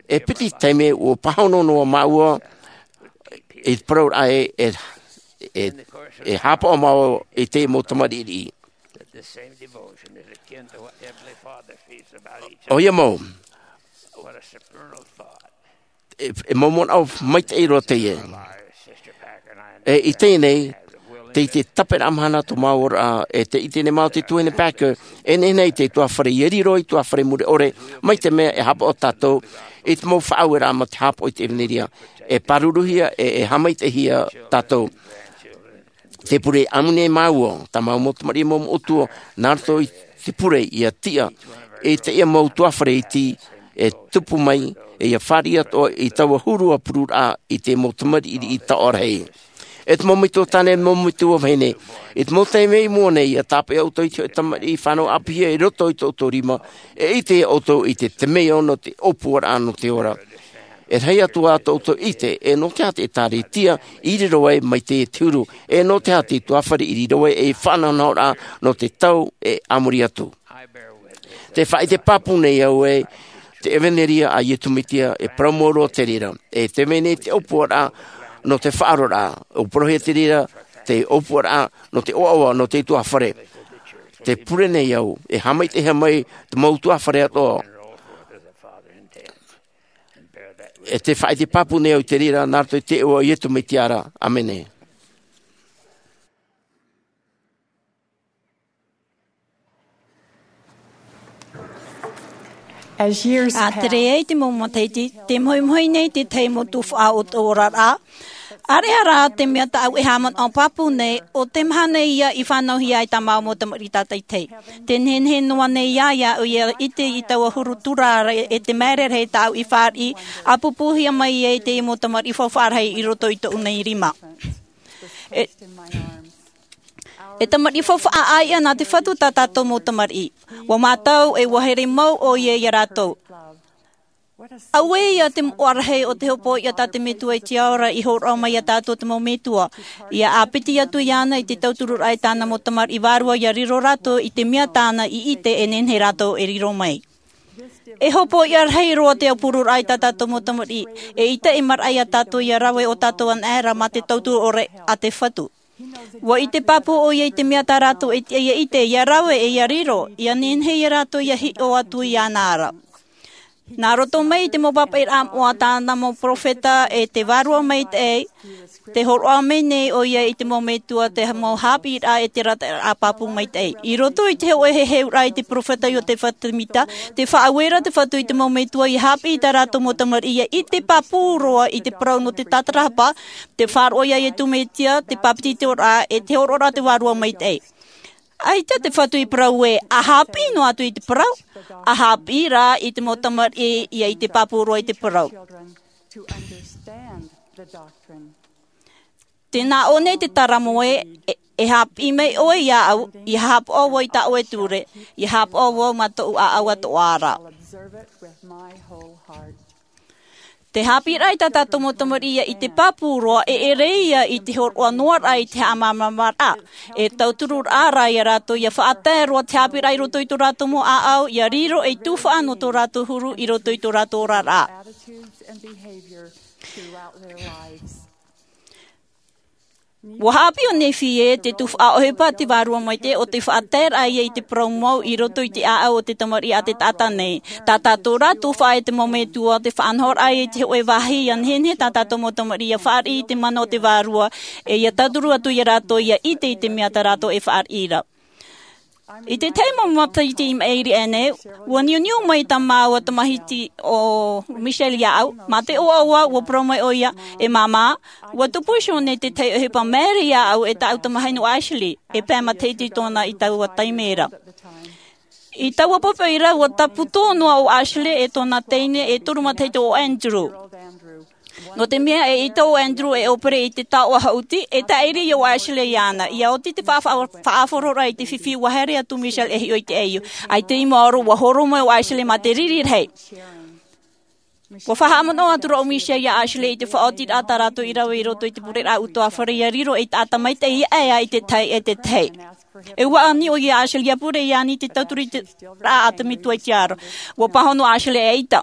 E piti taime ua pāhono noa māua i te parauraʻa e, e, e, e hāpaʻo māua i te mau tamariʻi. ʻOia mau, e, e mau manaʻo maitaʻi roa teie. E i teie nei, tei te taperaʻa mahana tō māua oraraʻa, e tē ʻite nei māua te tuahine Packer, e nehenehe i te tuāfare ia riro i tuāfare mure ʻore, mai te mea e hāpaʻo tātou i te mau faʻaueraʻa mā te hāpaʻo i te ʻevanelia, e pāruruhia, e, e haʻamaitaʻihia tātou. Te pure ʻāmui nei māua, tā māua mau tamariʻi mau moʻotua, nā roto i te pure ia tiʻa i teie mau tuāfare iti e tupu mai, e ia fāriʻi atoʻa i taua huru a pururaʻa i te mau tamariʻi taoʻa rahi. E te mau metua tāne, mau metua vahine, i te mau taime i mua nei, ia tāpeʻa ʻoutou i te hōʻē tamariʻi fānau ʻāpīhia i roto i tō ʻoutou rima, e ʻite ʻoutou i te temeio nō te ʻōpuaraʻa nō te ora. E rahi atu ā tō ʻoutou ʻite, e nō te aha te ʻĒtārētia i riro ai mai te huru, e nō te aha te tuāfare i riro ai ei faʻanahonahoraʻa nō te tau e a muri atu. Te faʻaʻite pāpū nei au e te ʻevanelia a Iesu Mesia e parau mau roa te reira, e te mea nei te ʻōpuaraʻa nō te faʻaroraʻa, ʻua parauhia te reira te ʻōpuaraʻa nō te ʻoaʻoa nō te tuāfare. Te pure nei au, e haʻamaitaʻihia mai te mau tuāfare atoʻa. E te faʻaʻite pāpū nei au i te reira, nā roto i te iʻoa o Iesu Mesia ra. ʻĀmene. As years A tere pass, ai te mau matahiti, te mohimohi nei te tahi mau tuhaʻa o tō oraraʻa. ʻAreʻa rā te mea tāʻu e haʻamanaʻo pāpū nei, ʻo te maha nei ia i fānauhia ai tā māua mau tamariʻi tātaʻitahi. Te nehenehe noa nei ia, ia au ia ʻite i taua huru tura ra e te maere rahi tāʻu i fāriʻi, ʻāpūpūhia mai ai te mau tamariʻi faufaʻa rahi i roto i tōʻu nei rima. E, e tamariʻi faufaʻa ʻāiʻa nā te Fatu tā tātou mau tamariʻi. ʻUa mātau e ʻua here mau ʻoia ia rātou. Auē ia te moʻa rahi o te hopoiʻa tā te Metua i te ao ra i hōroʻa mai ia tātou te mau metua. ʻIa ʻāpiti atu iāna i te tautururaʻa i tāna mau tamariʻi vārua ʻia riro rātou i te mea tāna i ʻite e nehenehe rātou e riro mai. E hopoiʻa rahi roa te aupururaʻa i tā tātou mau tamariʻi, eʻita e maraʻa ia tātou ʻia rave ʻo tātou anaʻe ra mā te tauturu ʻore a te Fatu. ʻUa ʻite pāpū ʻoia i te mea tā rātou e tiʻa ʻia ʻite, ʻia rave, e ʻia riro, ʻia nehenehe ia rātou ʻia hiʻo atu iāna ra. Nā roto mai i te mau pāpaʻiraʻa moʻa a tāna mau perofeta e te Vārua Maitaʻi, tē hōroʻa mai nei ʻoia i te mau metua te mau haʻapiʻiraʻa e te arataʻiraʻa pāpū maitaʻi. I roto i te hōʻē heheuraʻa i te perofeta Iotefa Semita, tē faʻaue ra te Fatu i te mau metua ʻia haʻapiʻi i tā rātou mau tamariʻi ʻia ʻite pāpū roa i te parau nō te tātarahapa, te faʻaroʻo ia Iesu Mesia, te bāpetizoraʻa, e te hōroʻaraʻa a te Vārua Maitaʻi. ʻAita te Fatu i parau ē, ʻa haʻapiʻi noa atu i te parau, ʻa haʻapiʻi rā i te mau tamariʻi ʻia ʻite pāpū roa i te parau. Tē nā ʻō nei te taramo ē, e, e haʻapiʻi mai ʻoe iāʻu, ʻia haʻapaʻo vau i tā ʻoe ture, ʻia haʻapaʻo vau mā tōʻu ʻāʻau atoʻa ra. Te haʻapiʻiraʻa i tā tātou mau tamariʻi ʻia ʻite pāpū roa, e ʻere ia i te hōroʻa noa ra i te haʻamāmāraʻa. E tautururaʻa rā ia rātou ʻia faʻatae roa te haʻapiʻiraʻa i roto i tō rātou mau ʻāʻau, ʻia riro ei tuhaʻa nō tō rātou huru i roto i tō rātou oraraʻa. ʻUa haʻapiʻi ʻo Nefi ē, te tuhaʻa ʻohipa a te Vārua Maitaʻi ʻo te faʻataeraʻa ia i te parau mau i roto i te ʻāʻau o te tamariʻi a te taʻata nei. Tā tātou rā tuhaʻa e te mau metua, te faʻanahoraʻa i te hōʻē vāhi ʻia nehenehe tā tātou mau tamariʻi ʻia fāriʻi i te mana o te Vārua, e ʻia tauturu atu ia rātou ʻia ʻite i te mea tā rātou e fāriʻi ra. I te tahi mau matahiti i maʻiri aʻe nei, ʻua niuniu mai tā māua tamahiti ʻo Michelle iāʻu, mā te ʻoaʻoa, ʻua parau mai ʻoia, e māmā, ʻua tupu iho nei te tahi ʻohipa maere iāʻu e tāʻu tamahine ʻo Ashley, e pae matahiti tōna i taua taime ra. I taua poʻipoʻi ra, ʻua tāpūtō noa ʻo Ashley e tōna teine e toru matahiti ʻo Andrew. Nō te mea e ʻita ʻo Andrew e ʻōpere i te taoʻa haʻuti, e tāʻiri ʻo Ashley iāna, ʻia oti te faʻa-, faʻa-, faʻaʻāfaro ra i te fifi ʻua haere atu Michelle e hiʻo i te ʻaiū. ʻAita i maoro ʻua horo mai ʻo Ashley mā te riri rahi. Ua faʻahaʻamanaʻo atu ra ʻo Michelle iā Ashley i te faʻaotiraʻa tā rātou i rave i roto i te pureraʻa ʻutuāfare, ʻia riro ei taʻata maitaʻi ia ʻae i te tahi e te tahi. E ʻua ani ʻoia iā Ashley ʻia pure iāna i te tauturu i te rā a te Metua i te ao ra. Ua pāhono Ashley ʻaita.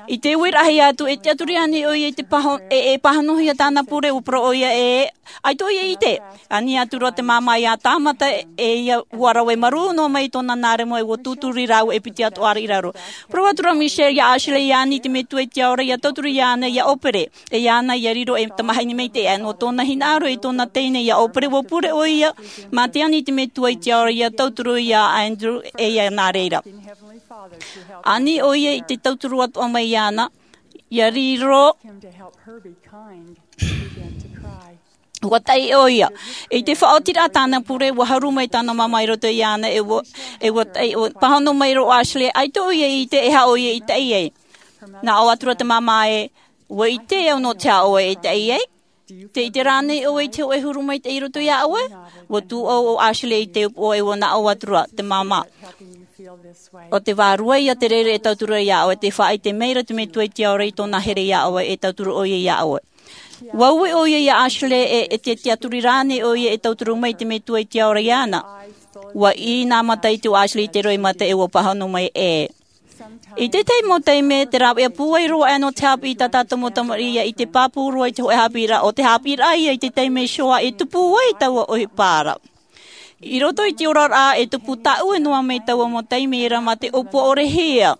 I te uiraʻahia atu, e tiʻaturi ānei ʻoia i te pāho-, e, e pāhonohia tāna pure? ʻUa parau ʻoia, ʻe, ʻaita ʻoia i ʻite. Ani atu ra te māmā iā tāmata, e ia ʻua rave marū noa mai i tōna nā remo, e ʻua tūturi rāua e piti atoʻa ra i raro. Parau atu ra Michelle iā Ashley, ʻia ani i te Metua i te ao ra ʻia tauturu iāna ʻia ʻōpere. E iāna ʻia riro ei tamahine maitaʻi, ʻae nō tōna hinaʻaro i tōna teine ʻia ʻōpere, ʻua pure ʻoia mā te ani i te Metua i te ao ra ʻia tauturu iā Andrew, e ia nā reira. Ani ʻoia i te tauturu atoʻa mai iāna, ʻia riro. ʻUa taʻi ʻoia. I te faʻaotiraʻa tāna pure, ʻua haru mai tāna māmā i roto iāna, e ʻua, e ʻua taʻi, ʻua pāhono mai ra ʻo Ashley, ʻaita ʻoia i ʻite e aha ʻoia i taʻi ai. Naʻo atu ra te māmā, ē, ʻua ʻite au nō te aha ʻoe e taʻi ai. Tē ʻite ra ānei ʻoe i te hōʻē huru maitaʻi i roto iā ʻoe? ʻUa tūʻau ʻo Ashley i te upoʻo, e ʻua naʻo atu ra te māmā. ʻO te vārua ia te reira e tauturu iā ʻoe, tē faʻaʻite mai ra te Metua i te ao ra i tōna here iā ʻoe, e tauturu ʻoia iā ʻoe. ʻUa ui ʻoia iā Ashley, e, e te tiʻaturi ra ānei ʻoia e tauturu mai te Metua i te ao ra iāna? ʻUa ʻī nā mata iti o Ashley i te roimata, e ʻua pāhono mai, ʻē. I te tahi mau taime, tē rāveʻa pūai roa aʻe nō te haʻapiʻi i tā tātou mau tamariʻi, ʻia ʻite pāpū roa i te hōʻē haʻapiʻiraʻa, ʻo te haʻapiʻiraʻa ia i te taime Shoah e tupu ai taua ʻohipa ra. I roto i te oraraʻa, e tupu tāʻue noa mai taua mau taime ra mā te ʻōpua ʻore hia.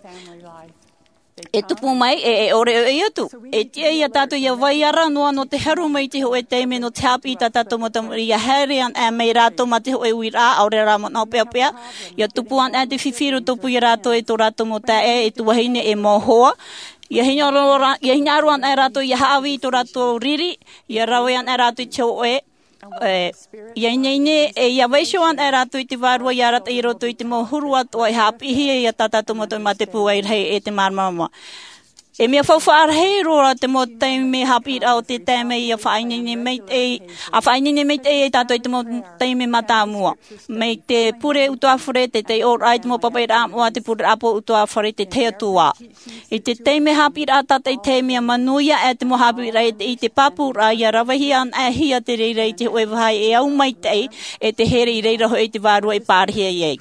E tupu mai, e, e ʻore ʻoia atu. E tiʻa ia tātou ʻia vai ara noa nō te haru mai i te hōʻē taime nō te haʻapiʻi i tā tātou mau tamariʻi, ʻia haere anaʻe mai rātou mā te hōʻē uiraʻa, ʻaore rā manaʻo peʻapeʻa, ʻia tupu anaʻe te fifi i rotopū ia rātou e tō rātou mau taeaʻe, e tuahine, e mau hoa. ʻIa hinaʻaro ra-, ʻia hinaʻaro anaʻe rātou ʻia haʻavī i tō rātou riri, ʻia rave anaʻe rātou i te hōʻē, e, ʻia ineine, e ʻia vaiiho anaʻe rātou i te vārua ʻia arataʻi i roto i te mau huru atoʻa e haʻapiʻihia ia tā tātou mau tamariʻi mā te pūai rahi e te māramarama. E mea faufaʻa rahi roa te mau taime haʻapiʻiraʻa o te taime ʻia faʻaineine maitaʻi, ʻa faʻaineine maitaʻi ia tātou i te mau taime mātāmua. Mai te pure ʻutuāfare, te taiʻoraʻa i te mau pāpaʻiraʻa moʻa, te pureraʻa ʻutuāfare, te tahi atu ā. I te taime haʻapiʻiraʻa tātaʻitahi, mea manuia aʻe te mau haʻapiʻiraʻa e te, i te pāpūraʻa ʻia ravehia anaʻe hia te reira i te hōʻē vāhi e au maitaʻi, e te here i reira hoʻi te vārua e pārahi ai.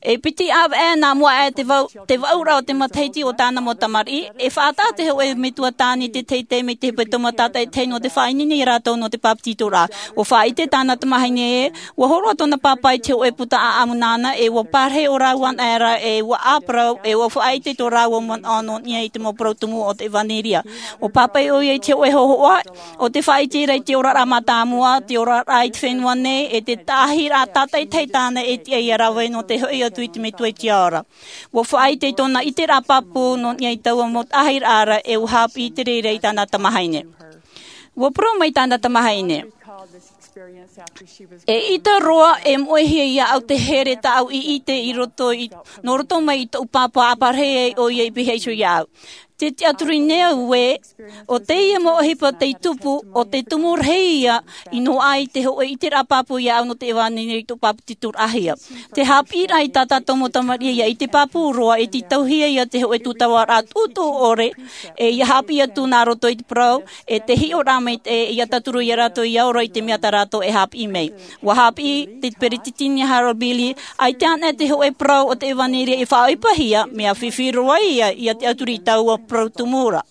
E piti ʻāvaʻe nā mua aʻe te vau-, te vaʻuraʻa o te matahiti o tāna mau tamariʻi, e faʻataʻa te hōʻē metua tāne i te tahi taime i te hepetoma tātaʻitahi nō te faʻaineine ia rātou nō te bāpetizoraʻa. ʻUa faʻaʻite tāna tamahine ē, ʻua hōroʻa tōna pāpā i te hōʻē puta ʻāʻamu nāna, e ʻua pārahi ʻo rāua anaʻe ra, e ʻua ʻāparau, e ʻua faʻaʻite tō rāua manaʻo nō niʻa i te mau parau tumu o te ʻevanelia. ʻUa pāpaʻi ʻoia i te hōʻē hōhoʻa, ʻo te faʻaʻiteraʻa i te oraraʻa mātāmua, te oraraʻa i te fenua nei, e te taʻahiraʻa tātaʻitahi tāna e tiʻa ʻia rave nō te hoʻi atu i te Metua i te ao ra. ʻUa faʻaʻite i tōna ʻiteraʻa pāpū nō niʻa i taua mau taʻahiraʻa ra, e ʻua haʻapiʻi te reira i tāna tamahine. ʻUa parau mai tāna tamahine, e ʻita roa e moʻehia iāʻu te here tāʻu i ʻite i roto i, nō roto mai i tōʻu pāpā, ʻa pārahi ai ʻoia i pihaʻi iho iāʻu. Tē tiʻaturi nei au ē, ʻo teie mau ʻohipa tei tupu, ʻo te tumu rahi ia, i noaʻa i te hōʻē ʻiteraʻa pāpū iāʻu nō te ʻevanelia i tōʻu bāpetizoraʻahia. Te haʻapiʻiraʻa i tā tātou mau tamariʻi ʻia ʻite pāpū roa, e tītauhia ia te hōʻē tūtavaraʻa tuʻutuʻu ʻore, e ʻia haʻapiʻi atu nā roto i te parau, e te hiʻoraʻa mai te, e ʻia tauturu ia rātou ʻia ora i te mea tā rātou e haʻapiʻi mai. ʻUa haʻapiʻi te peretiteni Harold B. Lee, ʻaita anaʻe te hōʻē parau o te ʻevanelia e faʻaʻohipahia, mea fifi roa ia, ʻia tiʻaturi i taua parau tumu ra.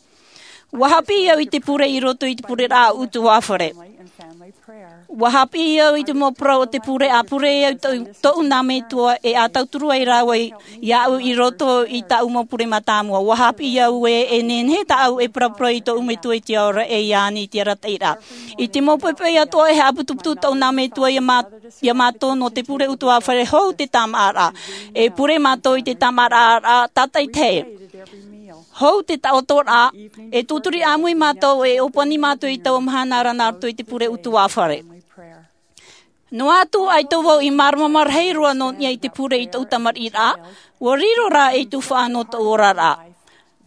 ʻUa haʻapiʻi au i te pure i roto i te pureraʻa ʻutuāfare. ʻUa haʻapiʻi au i te mau parau o te pure, ʻa pure au i tō-, tōʻu nā metua, e ʻa tauturu ai rāua i, iāʻu i roto i tāʻu mau pure mātāmua. ʻUa haʻapiʻi au ē, e nehenehe tāʻu e paraparau i tōʻu Metua i te ao ra, e ia ani i te arataʻiraʻa. I te mau poʻipoʻi atoʻa e haʻaputuputu tōʻu nā metua ia mā-, ia mātou nō te pure ʻutuāfare, hou te tāmāʻaraʻa. E pure mātou i te tāmāʻaraʻa tātaʻitahi. Hou te taʻotoraʻa, e tūturi ʻāmui mātou, e ʻōpani mātou i taua mahana ra nā roto i te pure ʻutuāfare. Noa atu ʻaita vau i māramarama rahi roa nō niʻa i te pure i tōʻu tamariʻiraʻa, ʻua riro rā ei tuhaʻa nō tōʻu oraraʻa.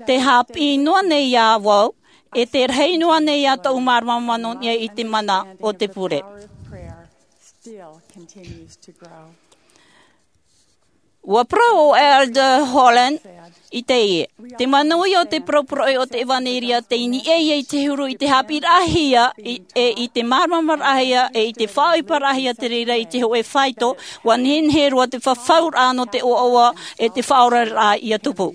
Tē haʻapiʻi noa nei iā vau, e tē rahi noa nei ā tōʻu māramarama nō niʻa i te mana o te pure. ʻUa parau ʻo Elder Holland, I teie, te manaʻo ia o te parauparau o te ʻevanelia, tei niʻa ia i te huru i te haʻapiʻiraʻahia, i, e i te māramaramaʻiraʻahia, e i te faʻaʻohiparaʻahia te reira i te hōʻē faito, ʻua nehenehe roa te fafauraʻa nō te ʻoaʻoa, e te faʻaoraraʻa ia tupu.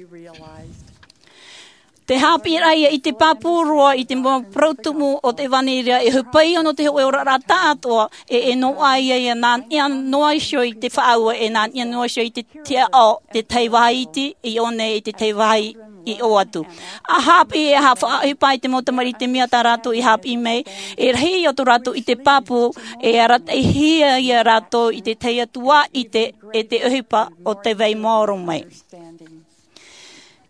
Te haʻapiʻiraʻahia i te pāpū roa i te mau parau tumu o te ʻevanelia, e ʻohipa ia nō te hōʻē oraraʻa taʻatoʻa, e, e noaʻa ia, ia nā niʻa noa iho i te faʻaue, e nā niʻa noa iho i te tiaʻau, te tahi vāhi iti, i ʻō nei i te tahi vāhi i ʻō atu. ʻA haʻapiʻi, e ʻa faʻaʻohipa i te mau tamariʻi i te mea tā rātou i haʻapiʻi mai, e rahi ia tō rātou i te pāpū, e arataʻihia ia rātou i te tahi atu ā ʻite, e te ʻohipa o te vai maoro mai.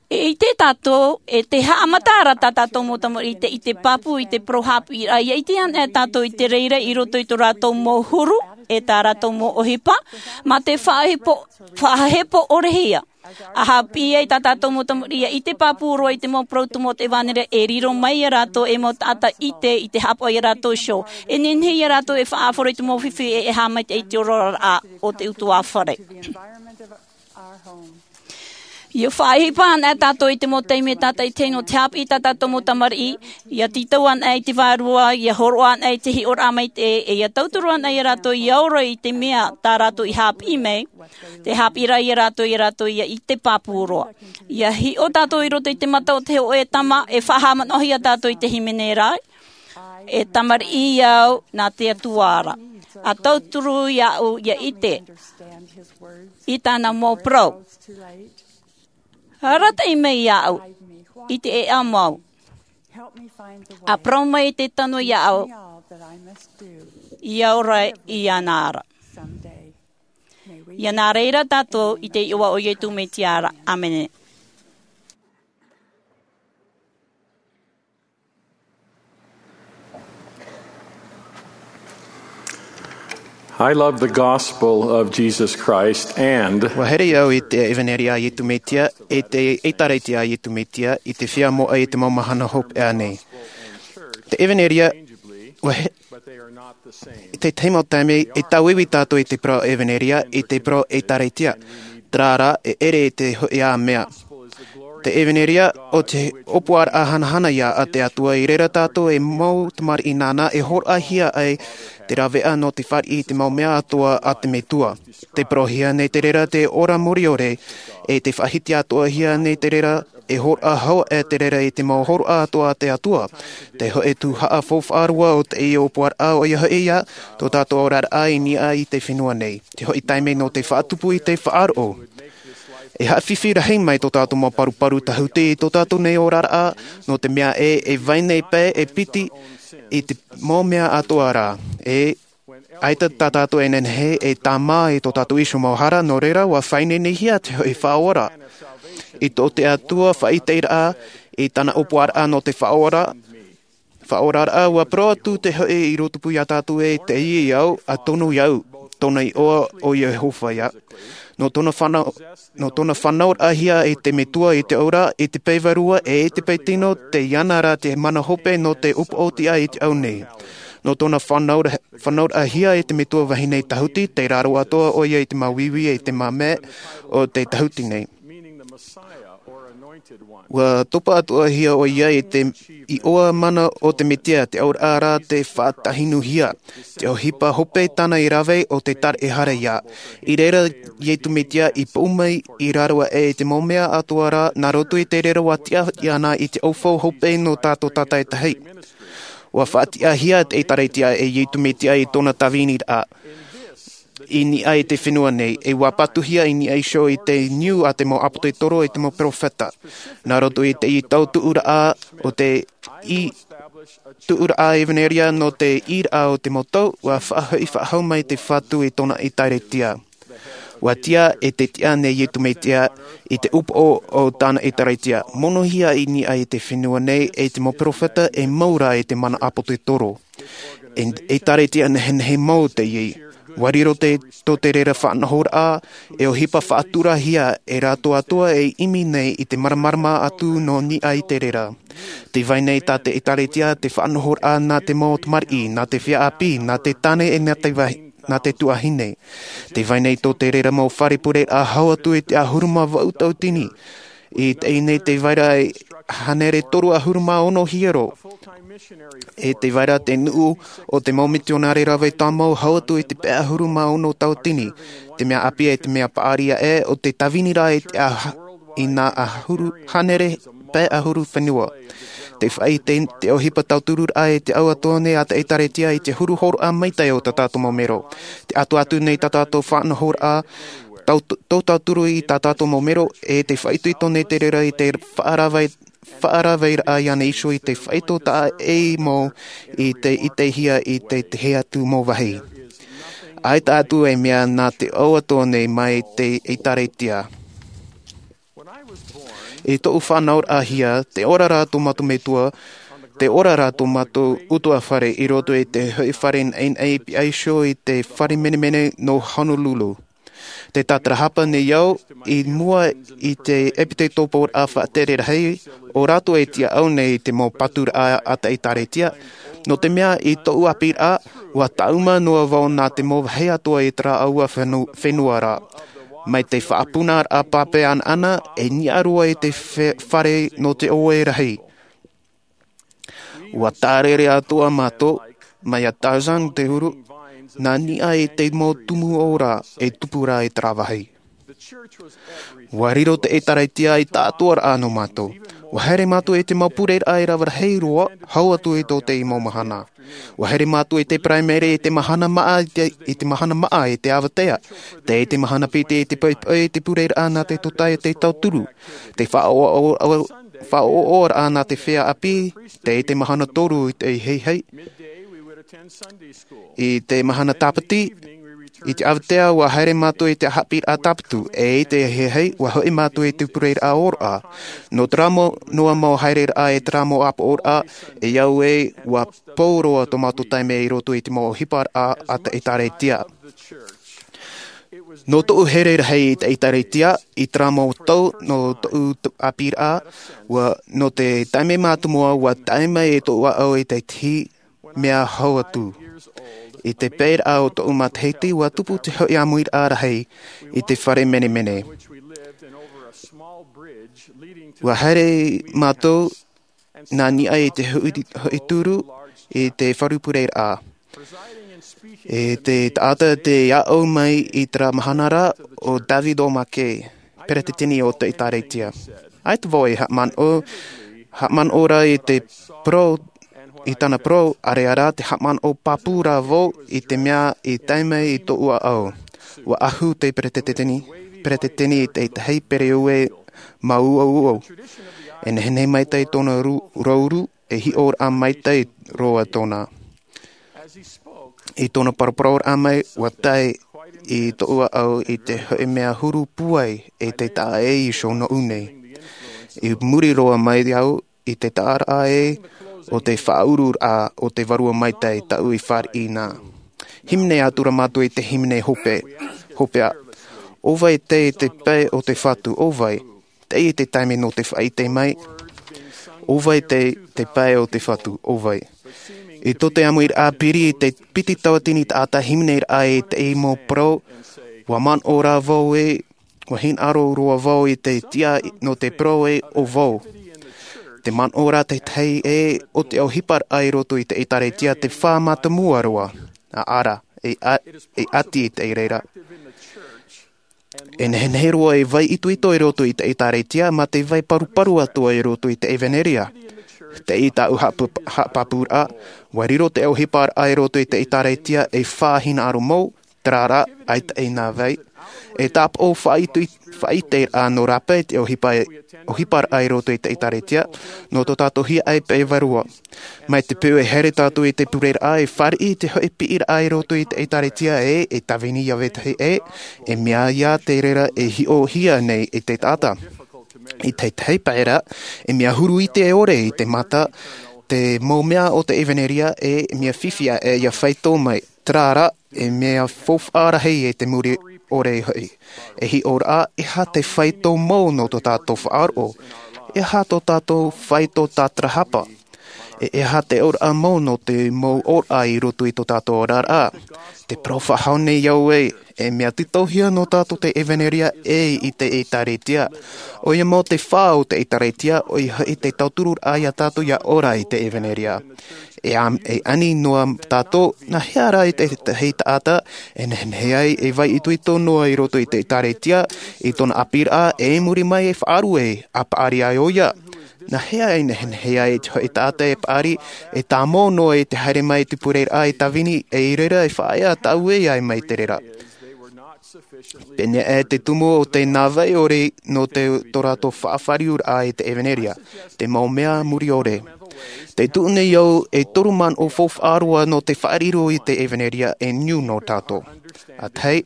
E ʻite tātou, e te haʻamata ra tā tātou mau tamariʻi i te, i te pāpū, i te parau haʻapiʻiraʻa, ʻia ʻite anaʻe tātou i te reira i roto i tō rātou mau huru, e tā rātou mau ʻohipa, mā te faʻahepo, faʻahepo ʻore hia. ʻA haʻapiʻi ai tā tātou mau tamariʻi, ʻia ʻite pāpū roa i te mau parau tumu o te ʻevanelia, e riro mai ia rātou ei mau taʻata ʻite i te haʻapaʻo ia rātou iho. E nehenehe ia rātou e faʻaʻāfaro i te mau fifi e, e haʻamaitaʻi i te oraraʻa o te ʻutuāfare. ʻIa faʻaʻohipa anaʻe tātou i te mau taime tātaʻitahi nō te haʻapiʻi i tā tātou mau tamariʻi, ʻia tītau anaʻe i te vārua, ʻia hōroʻa anaʻe i te hiʻoraʻa maitaʻi, e ʻia tauturu anaʻe ia rātou ʻia ora i te mea tā rātou i haʻapiʻi mai, te haʻapiʻiraʻa ia rātou, ia rātou ʻia ʻite pāpū roa. ʻIa hiʻo tātou i roto i te mata o te hōʻē tama, e faʻahaʻamanaʻohia tātou i te hīmene ra, e tamariʻi au nā te Atua ra. ʻA tauturu iāʻu ʻia ʻite i tāna mau parau. Arataʻi mai iāʻu i te ʻēʻa mau. ʻA parau mai te tano iāʻu ʻia ora iāna ra. ʻIa nā reira tātou i te iʻoa o Iesu Mesia ra. ʻĀmene. I love the gospel of Jesus Christ and ʻUa here au i te ʻevanelia a Iesu Mesia, e te ʻĒtārētia a Iesu Mesia, i te feiā moʻa i te mau mahana hopeʻa nei. Te ʻevanelia, ʻua he-, i te tahi mau taime, e tauiui tātou i te parau ʻevanelia, i te parau ʻĒtārētia. Terā rā, e ʻere i te hōʻē mea. Te ʻevanelia, ʻo te ʻōpuaraʻa hanahana ia a te Atua, i reira tātou ei mau tamariʻi nāna e hōroʻahia ai te rāveʻa nō te fāriʻi i te mau mea atoʻa a te Metua. Tē parauhia nei te reira te ora mure ʻore, e tē faʻahiti atoʻahia nei te reira, e hōroʻa hau aʻe te reira i te mau hōroʻa atoʻa a te Atua. Te hōʻē tuhaʻa faufaʻa roa o teie ʻōpuaraʻa, ʻoia hoʻi ïa, tō tātou oraraʻa i niʻa i te fenua nei. Te hōʻē taime nō te faʻatupu i te faʻaroʻo. E haʻafifi rahi mai tō tātou mau paruparu tāhuti i tō tātou nei oraraʻa, nō te mea ē, e vai nei paʻi e piti i te mau mea atoʻa ra. E ʻaita tā tātou e nehenehe e tāmā i tō tātou iho mau hara, nō reira, ʻua faʻaineinehia te hōʻē Faʻaora. I tō te Atua faʻaʻiteraʻa, i tāna ʻōpuaraʻa nō te Faʻaora, Faʻaoraraʻa, ʻua parau atu te hōʻē ʻīrotupū ia tātou ē, teie au, ʻa tōna au, tōna iʻoa ʻo Iehova ïa. Nō tōna fānau, nō tōna fānauraʻahia e te Metua i te ʻāura, i te pae vārua, e i te pae tino, teie na rā te mana hope nō te ʻōpuaraʻa i te ao nei. Nō tōna fānaura-, fānauraʻahia e te Metua vahine tāhuti, tei raro atoʻa ʻoia i te māuiui e te māmē o te tāhuti nei. ʻUa topa atoʻahia ʻoia i te iʻoa mana o te Mesia, te ʻauraʻa rā tē faʻatahinuhia, te ʻohipa hope tāna i rave ʻo te taraehara ïa. I reira Iesu Mesia i pū mai i raro aʻe i te mau mea atoʻa ra, nā roto i te reira ʻua tiʻa iāna i te ʻaufau hope nō tātou tātaʻitahi. ʻUa faʻatiʻahia te ʻĒtārētia e Iesu Mesia i tōna tāviniraʻa. I niʻa i te fenua nei, e ʻua patuhia i niʻa iho i te niu a te mau ʻāpōsetolo e te mau perofeta. Nā roto i te tautuʻuraʻa o te i tuʻuraʻa ʻevanelia nō te ʻīraʻa o te mau tau, ʻua faʻahoʻi faʻahou mai te Fatu i tōna ʻĒtārētia. ʻUa tiʻa e te tiʻa nei Iesu Mesia i te ʻōpuaraʻa o tāna ʻĒtārētia. Monohia i niʻa i te fenua nei e te mau perofeta e mau rā e te mana ʻāpōsetolo. E, ʻĒtārētia nehenehe mau teie. ʻUa riro te, tō te reira faʻanahoraʻa, e ʻohipa faʻaturahia e rātou atoʻa e ʻimi nei i te māramarama atu nō niʻa i te reira. Tē vai nei tā te ʻĒtārētia te faʻanahoraʻa nā te mau tamariʻi, nā te feiā ʻāpī, nā te tāne e nā te vahi-, nā te tuahine. Tē vai nei tō te reira mau fare pureraʻa hau atu i te ʻahuru mā vaʻu tauatini. I teie nei te vaira e hānere toru ʻahuru mā ono hiero. E te vaira te nuʻu o te mau mitionare rave tāmau hau atu i te pae ʻahuru mā ono tauatini. Te mea ʻāpī e te mea paʻari aʻe o te tāvini rā i te aha, i nā ʻahuru, hānere pae ʻahuru fenua. Te fai te, te ʻohipa tauturu rā e te au atoa nei a te ʻEkālesia i te huru hōroʻa maitaʻi o tā tātou mau mero. Te atu atu nei tā tātou faʻanahoraʻa, tau, tō tauturu i tā tātou mau mero, e te faʻaitoito nei te reira i te faʻarave, faʻaraveraʻa iāna iho i te faʻaitoitoraʻa e mau i te itehia i te, te hea atu mau vāhi. ʻAita atu e mea nā te au atoa nei mai te ʻEkālesia. I tōʻu faʻanahoraʻahia, te ora rā tō mātou metua, te ora rā tō mātou ʻutuāfare i roto i te hoʻi fare naʻinaʻi pihaʻi iho i te fare menemene nō Honolulu. Te tātarahapa nei au, i mua i te ʻepitekopo faʻatere rahi, ʻo rātou e tiʻaʻau nei i te mau paturaʻa a te ʻEkālesia, nō te mea i tōʻu ʻāpīraʻa, ʻua tāʻuma noa vau nā te mau vāhi atoa i terā ʻaua fenu-, fenua ra. Mai te faʻapunaraʻa pāpaʻi anaʻana, e niʻa roa i te fe-, fare nō te ʻoe rahi. ʻUa tārere atoʻa mātou, mai iā Tarzan te huru, nā niʻa i te mau tumu ora e tupu ra i terā vāhi. ʻUa riro te ʻEkālesia i tāʻatoʻaraʻa nō mātou. ʻUa haere mātou i te mau pureraʻa e rave rahi roa, hau atu i tō te mau mahana. ʻUa haere mātou i te Paraimere i te mahana maʻa, i te, i te mahana maʻa i te avatea. Tei te mahana piti i te poʻipoʻi i te pureraʻa nā te tōtaiete tauturu. Te faʻaʻoʻoʻo-, faʻaʻoʻoʻoraʻa nā te feiā ʻāpī, tei te mahana toru i te heihei. I te mahana tāpati, i te avatea ʻua haere mātou i te haʻapiʻiraʻa tāpati, e i te heihei, ʻua hoʻi mātou i te pureraʻa ʻōroʻa. Nō terā mau, noa mau haereraʻa e terā mau ʻāpoʻoraʻa, e au ē, ʻua pou roa tō mātou taime i roto i te mau ʻohiparaʻa a te ʻEkālesia. Nō tōʻu here rahi i te ʻEkālesia, i terā mau tau nō tōʻu t-, ʻāpīraʻa, ʻua, nō te taime mātāmua, ʻua tae mai e tōʻu ʻāʻau i te tahi mea hau atu. I te paeraʻa o tōʻu matahiti, ʻua tupu te hoʻi ʻāmuiraʻa rahi i te fare menemene. ʻUa haere mātou nā niʻa i te hoʻi, hoʻi turu i te faru pureraʻa. E te taʻata tei ʻāʻau mai i terā mahana ra ʻo David O. McKay, peretiteni o te ʻEkālesia. ʻAita vau e haʻamanaʻo, haʻamanaʻo ra i te parau, i tāna parau, ʻaore rā te haʻamanaʻo pāpū rā vau i te mea i tae mai i tōʻu ʻāʻau. ʻUa ʻahu te peretiteni, peretiteni i te tahi pereue māuʻauʻau. E nehenehe maitaʻi tōna ru-, rouru, e hiʻoraʻa maitaʻi roa tōna. I tōna paraparau mai, ʻua tae i tōʻu ʻāʻau i te hoʻi mea huru pūai e te taʻa ʻē iho nōʻu nei. I muri roa mai au i te taʻaraʻa ē o te faʻaururaʻa o te Vārua Maitaʻi tāʻu i fāriʻi na. Hīmene atu ra mātou i te hīmene hope, hopeʻa. ʻO vai tei te pae o te Fatu, ʻo vai? Teie te taime nō te faʻaʻite mai. ʻO vai tei te pae o te Fatu, ʻo vai? I tō te ʻāmuiraʻa piri i te piti tauatini taʻata hīmeneraʻa i teie mau parau, ʻua manaʻo rā vau ē, ʻua hinaʻaro roa vau i te tiʻa nō te parau ē ʻo vau. Te manaʻo ra te tahi ē o te ʻohiparaʻa i roto i te ʻEkālesia te fā mātāmua roa. ʻĀ rā, e ʻa-, e ʻati i te reira. E nehenehe roa e vai itoito i roto i te ʻEkālesia, mā te vai paruparu atoa i roto i te ʻevanelia. Teie tāʻu haʻap-, haʻapāpūraʻa, ʻua riro te ʻohiparaʻa i roto i te ʻEkālesia e fā hinaʻaro mau, terā rā, ʻaita e nā vai. E tāpaʻo faʻaitoito, faʻaʻiteraʻa nō rāpae te ʻohipa-, ʻohiparaʻa i roto i te ʻEkālesia, nō tō tātou hiaʻai pae vārua. Mai te peu e haere tātou i te pureraʻa e fāriʻi i te hoʻi piʻiraʻa i roto i te ʻEkālesia ē, e tāvini iā vetahi ē, e mea ia te reira e hiʻohia nei e te taʻata. I te tahi pae ra, e mea huru ʻite ʻore i te mata, te mau mea o te ʻevanelia ē, e mea fifi aʻe ia faito mai. Terā rā, e mea faufaʻa rahi e te muri ʻore hoʻi. E hiʻoraʻa, e aha te faito mau nō tō tātou faʻaroʻo? E aha tō tātou faito tātarahapa? E, e aha te ʻōraʻa mau nō te mau ʻōraʻa i roto i tō tātou oraraʻa? Te parau faʻahou nei au ē, E mea tītauhia nō tātou te ʻevanelia ʻē i te ʻĒtārētia. ʻOia mau te fā o te ʻĒtārētia, ʻoia hoʻi te tauturu raʻa ia tātou ia ora i te ʻevanelia. E am-, e ani noa tātou, nā hea rā i te, te hei taʻata, e nehenehe ai, e vai itoito noa i roto i te ʻĒtārētia, i tōna ʻāpī raʻa, e muri mai e faʻaruʻe, a paʻari ai ʻoia. Nā hea e nehenehe ai te hoʻi taʻata e paʻari, e tāmau noa i te haere mai te pure raʻa e tāvini, e i reira e faʻaea tāuʻe ai mai te reira. Pēnei e te tumu o te nā vai ʻore nō te tō rātou faʻafāriu raʻa i te ʻevanelia, te mau mea muri ʻore. Te tuʻu nei au e toru manaʻo faufaʻa roa nō te faʻariro i te ʻevanelia e niu nō tātou. A tahi,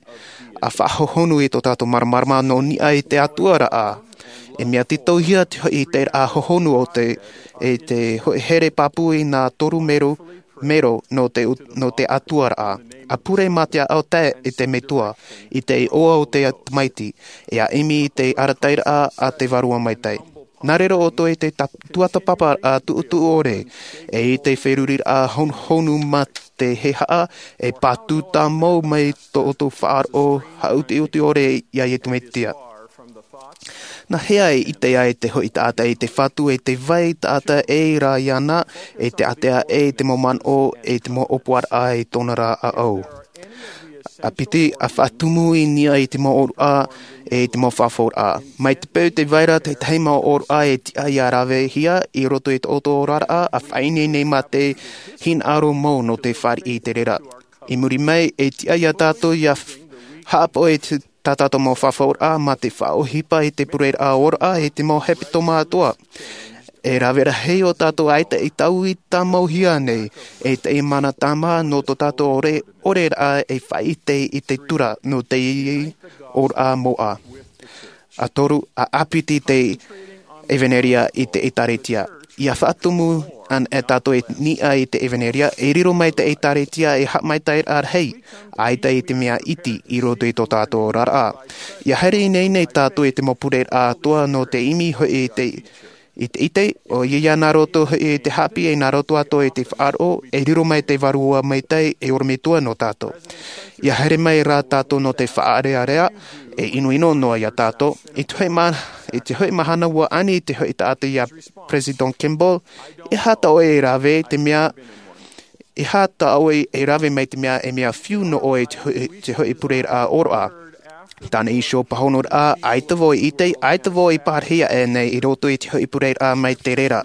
a faʻahohonu i tō tātou māramarama nō niʻa i te Atua raʻa. E mea tītauhia te hoʻi te raʻa hohonu o te, e te hoʻi here pāpū i nā toru mero, mero nō te ut-, nō te Atua raʻa. A pure mā te ʻāʻau tae i te metua, i te iʻoa o te tamaiti, e a ʻimi i te arataʻiraʻa a te Vārua Maitaʻi. Nā reira ʻoutou e te ta-, tuatāpapa raʻa tuʻutuʻu ʻore, e i te feruri raʻa hon-, honu mā te hehaʻa, e pātū tāmau mai tō ʻoutou faʻaroʻo haʻutiʻuti ʻore ia Iesu Mesia. Nā hea e ʻite ai te hoʻi taʻata i te Fatu e te vai taʻata e rā iāna, e te ātea e te mau manaʻo, e te mau ʻōpuaraʻa i tōna rā ʻāʻau. A piti, a faʻatumu i niʻa i te mau ʻōroʻa, e te mau fafauraʻa. Mai te peu tē vai ra te tahi mau ʻōroʻa e tiʻa ia ravehia i roto i tō ʻoutou oraraʻa, a faʻaineine mā te hinaʻaro mau nō te fāriʻi i te reira. I muri mai, e tiʻa ia tātou ia f-, haʻapaʻo i te tā tātou mau fafauraʻa mā te faʻaʻohipa i te pureraʻa ʻōroʻa e te mau hepetoma atoʻa. E rave rahi ō tātou ʻaita i taui tāmauhia nei, e te mana tāmā nō tō tātou ʻore, ʻoreraʻa e faʻaʻite i te tura nō te ʻōroʻa moʻa. A toru, a ʻāpiti te ʻevanelia i te ʻĒtārētia. Ia faʻatumu ana e tātou i niʻa i te ʻevanelia, e riro mai te ʻĒtārētia e haʻamaitaʻiraʻa rahi, ʻaita i te mea iti i roto i tō tātou oraraʻa. Ia haere ineine tātou i te mau pureraʻa atoʻa nō te ʻimi hoʻi i te, i te ʻite, ʻoia ia nā roto hoʻi i te haʻapiʻi e nā roto atoʻa i te faʻaroʻo, e riro mai te Vārua Maitaʻi e ʻorometua nō tātou. Ia haere mai rā tātou nō te faʻaʻareʻarea, e ʻinoʻino noa ia tātou. I te hoʻi ma-, i te hoʻi mahana ua ani te hoʻi taʻata ia President Kimball, e aha tā ʻoe e rave te mea, e aha tā ʻoe e rave mai te mea, e mea fiu nō ʻoe te hoʻi, te hoʻi pureraʻa ʻōroʻa. Tāna iho pāhonoraʻa, ʻaita vau i ʻite, ʻaita vau i pārahi aʻe nei i roto i te hoʻi pureraʻa mai te reira.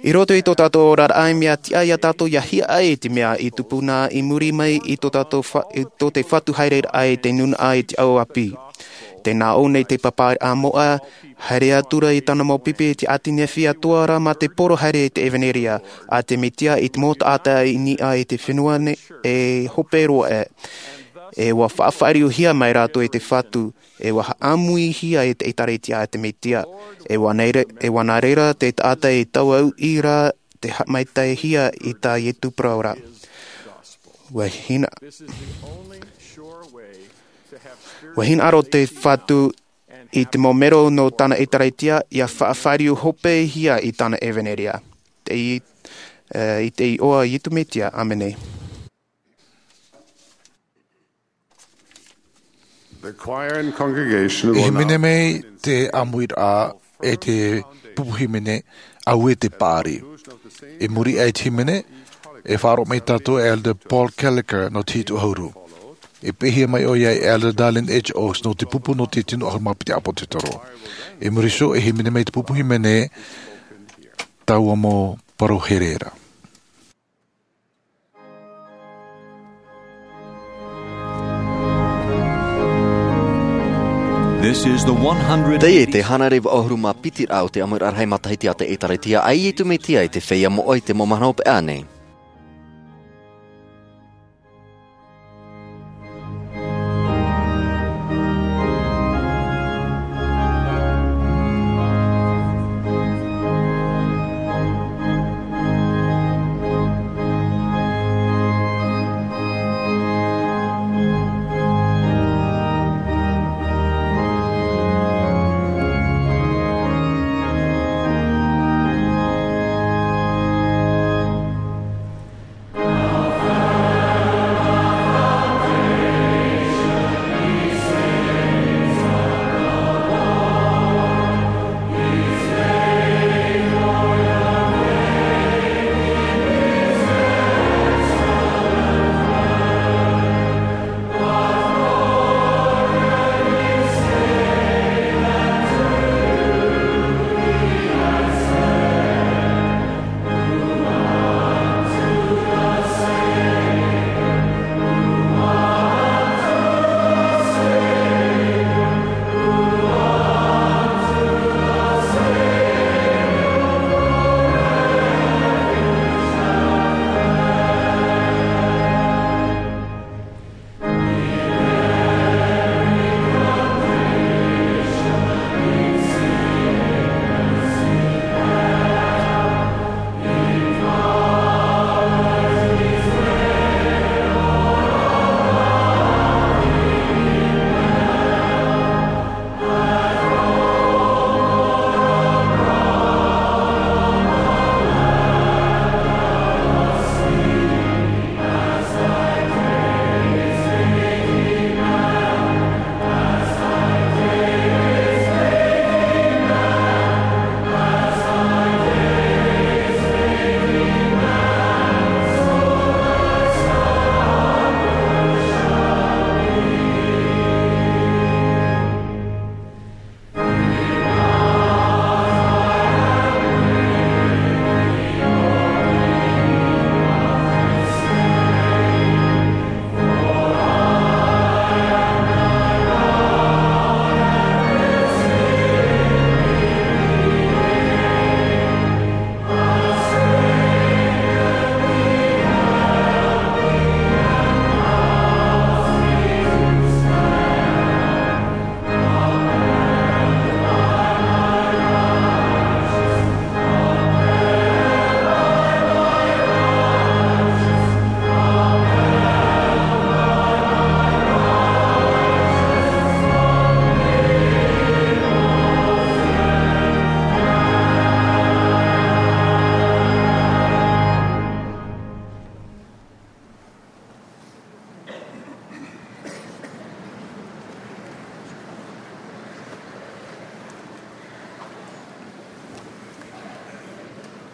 I roto i tō tātou oraraʻa e mea tiʻa ia tātou ia hiaʻai i te mea i tupu na i muri mai i tō tātou fa-, i tō te Fatu haereraʻa i te nūnaʻa i te ʻāʻau ʻāpī. Tē nā ʻō nei te pāpaʻiraʻa moʻa, haere atu ra i tāna mau pipi i te ʻāti nehenehe atoʻa ra mā te poro haere i te ʻevanelia a te Mesia i te mau taʻata i niʻa i te fenua nei e hope roa aʻe. E ua faʻafāriuhia mai rātou e te Fatu, e ua haʻamuihia e te ʻĒtārētia a te Mesia. E ua nā re-, e ua nā reira te taʻata e tauaʻi ra te haʻamaitaʻihia i tā Iesu parau ra. Ua hina-, ua hinaʻaro te Fatu i te mau mero nō tāna ʻĒtārētia, ia faʻafāriu hopehia i tāna ʻevanelia. Te i-, eh, i te iʻoa Iesu Mesia, ʻāmene. The choir and congregation will now hīmene mai te ʻāmuiraʻa e te pupu hīmene, Auē te Paʻari. I muri aʻe i te hīmene, e faʻaroʻo mai tātou e Elder Paul Kelliher nō te Hitu ʻAhuru. E pēhia mai ʻoia e Elder Dallin H. Oaks nō te pupu nō te Tino ʻAhuru Mā Piti ʻĀpōsetolo. I muri iho, e hīmene mai te pupu hīmene, taua mau parau here ra. This is the one hundred Teie te hānere vaʻu ʻahuru mā piti raʻa o te ʻāmuiraʻa rahi matahiti a te ʻĒtārētia a Iesu Mesia i te feiā moʻa i te mau mahana hopeʻa nei.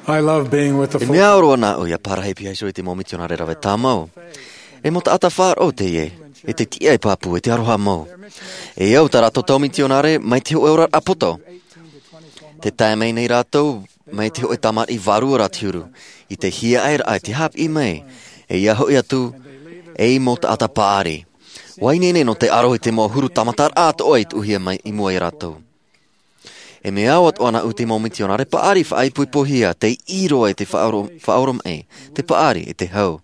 I love being with the E mea ʻoro ana au ia pārahi piha iho i te mau mitionare rave tāmau. E mau taʻata faʻaroʻo teie, e te tiʻa e pāpū, e te aroha mau. E au tā rātou tau mitionare mai te hōʻē ora poto. Tē tae mai nei rātou mai te hōʻē tamariʻi vārua rā te huru, i te hiaʻai raʻa, i te hāpiʻi mai, e ia hoʻi atu, ei mau taʻata paʻari. ʻUa ineine nō te aro i te mau huru tāmata raʻa atoʻa i tuʻuhia mai i mua ia rātou. E mea au atoʻa ana au te mau mitionare paʻari faʻaipoipohia, tei ʻī roa i te faʻaoro-, faʻaoromaʻi, te paʻari, e te hau.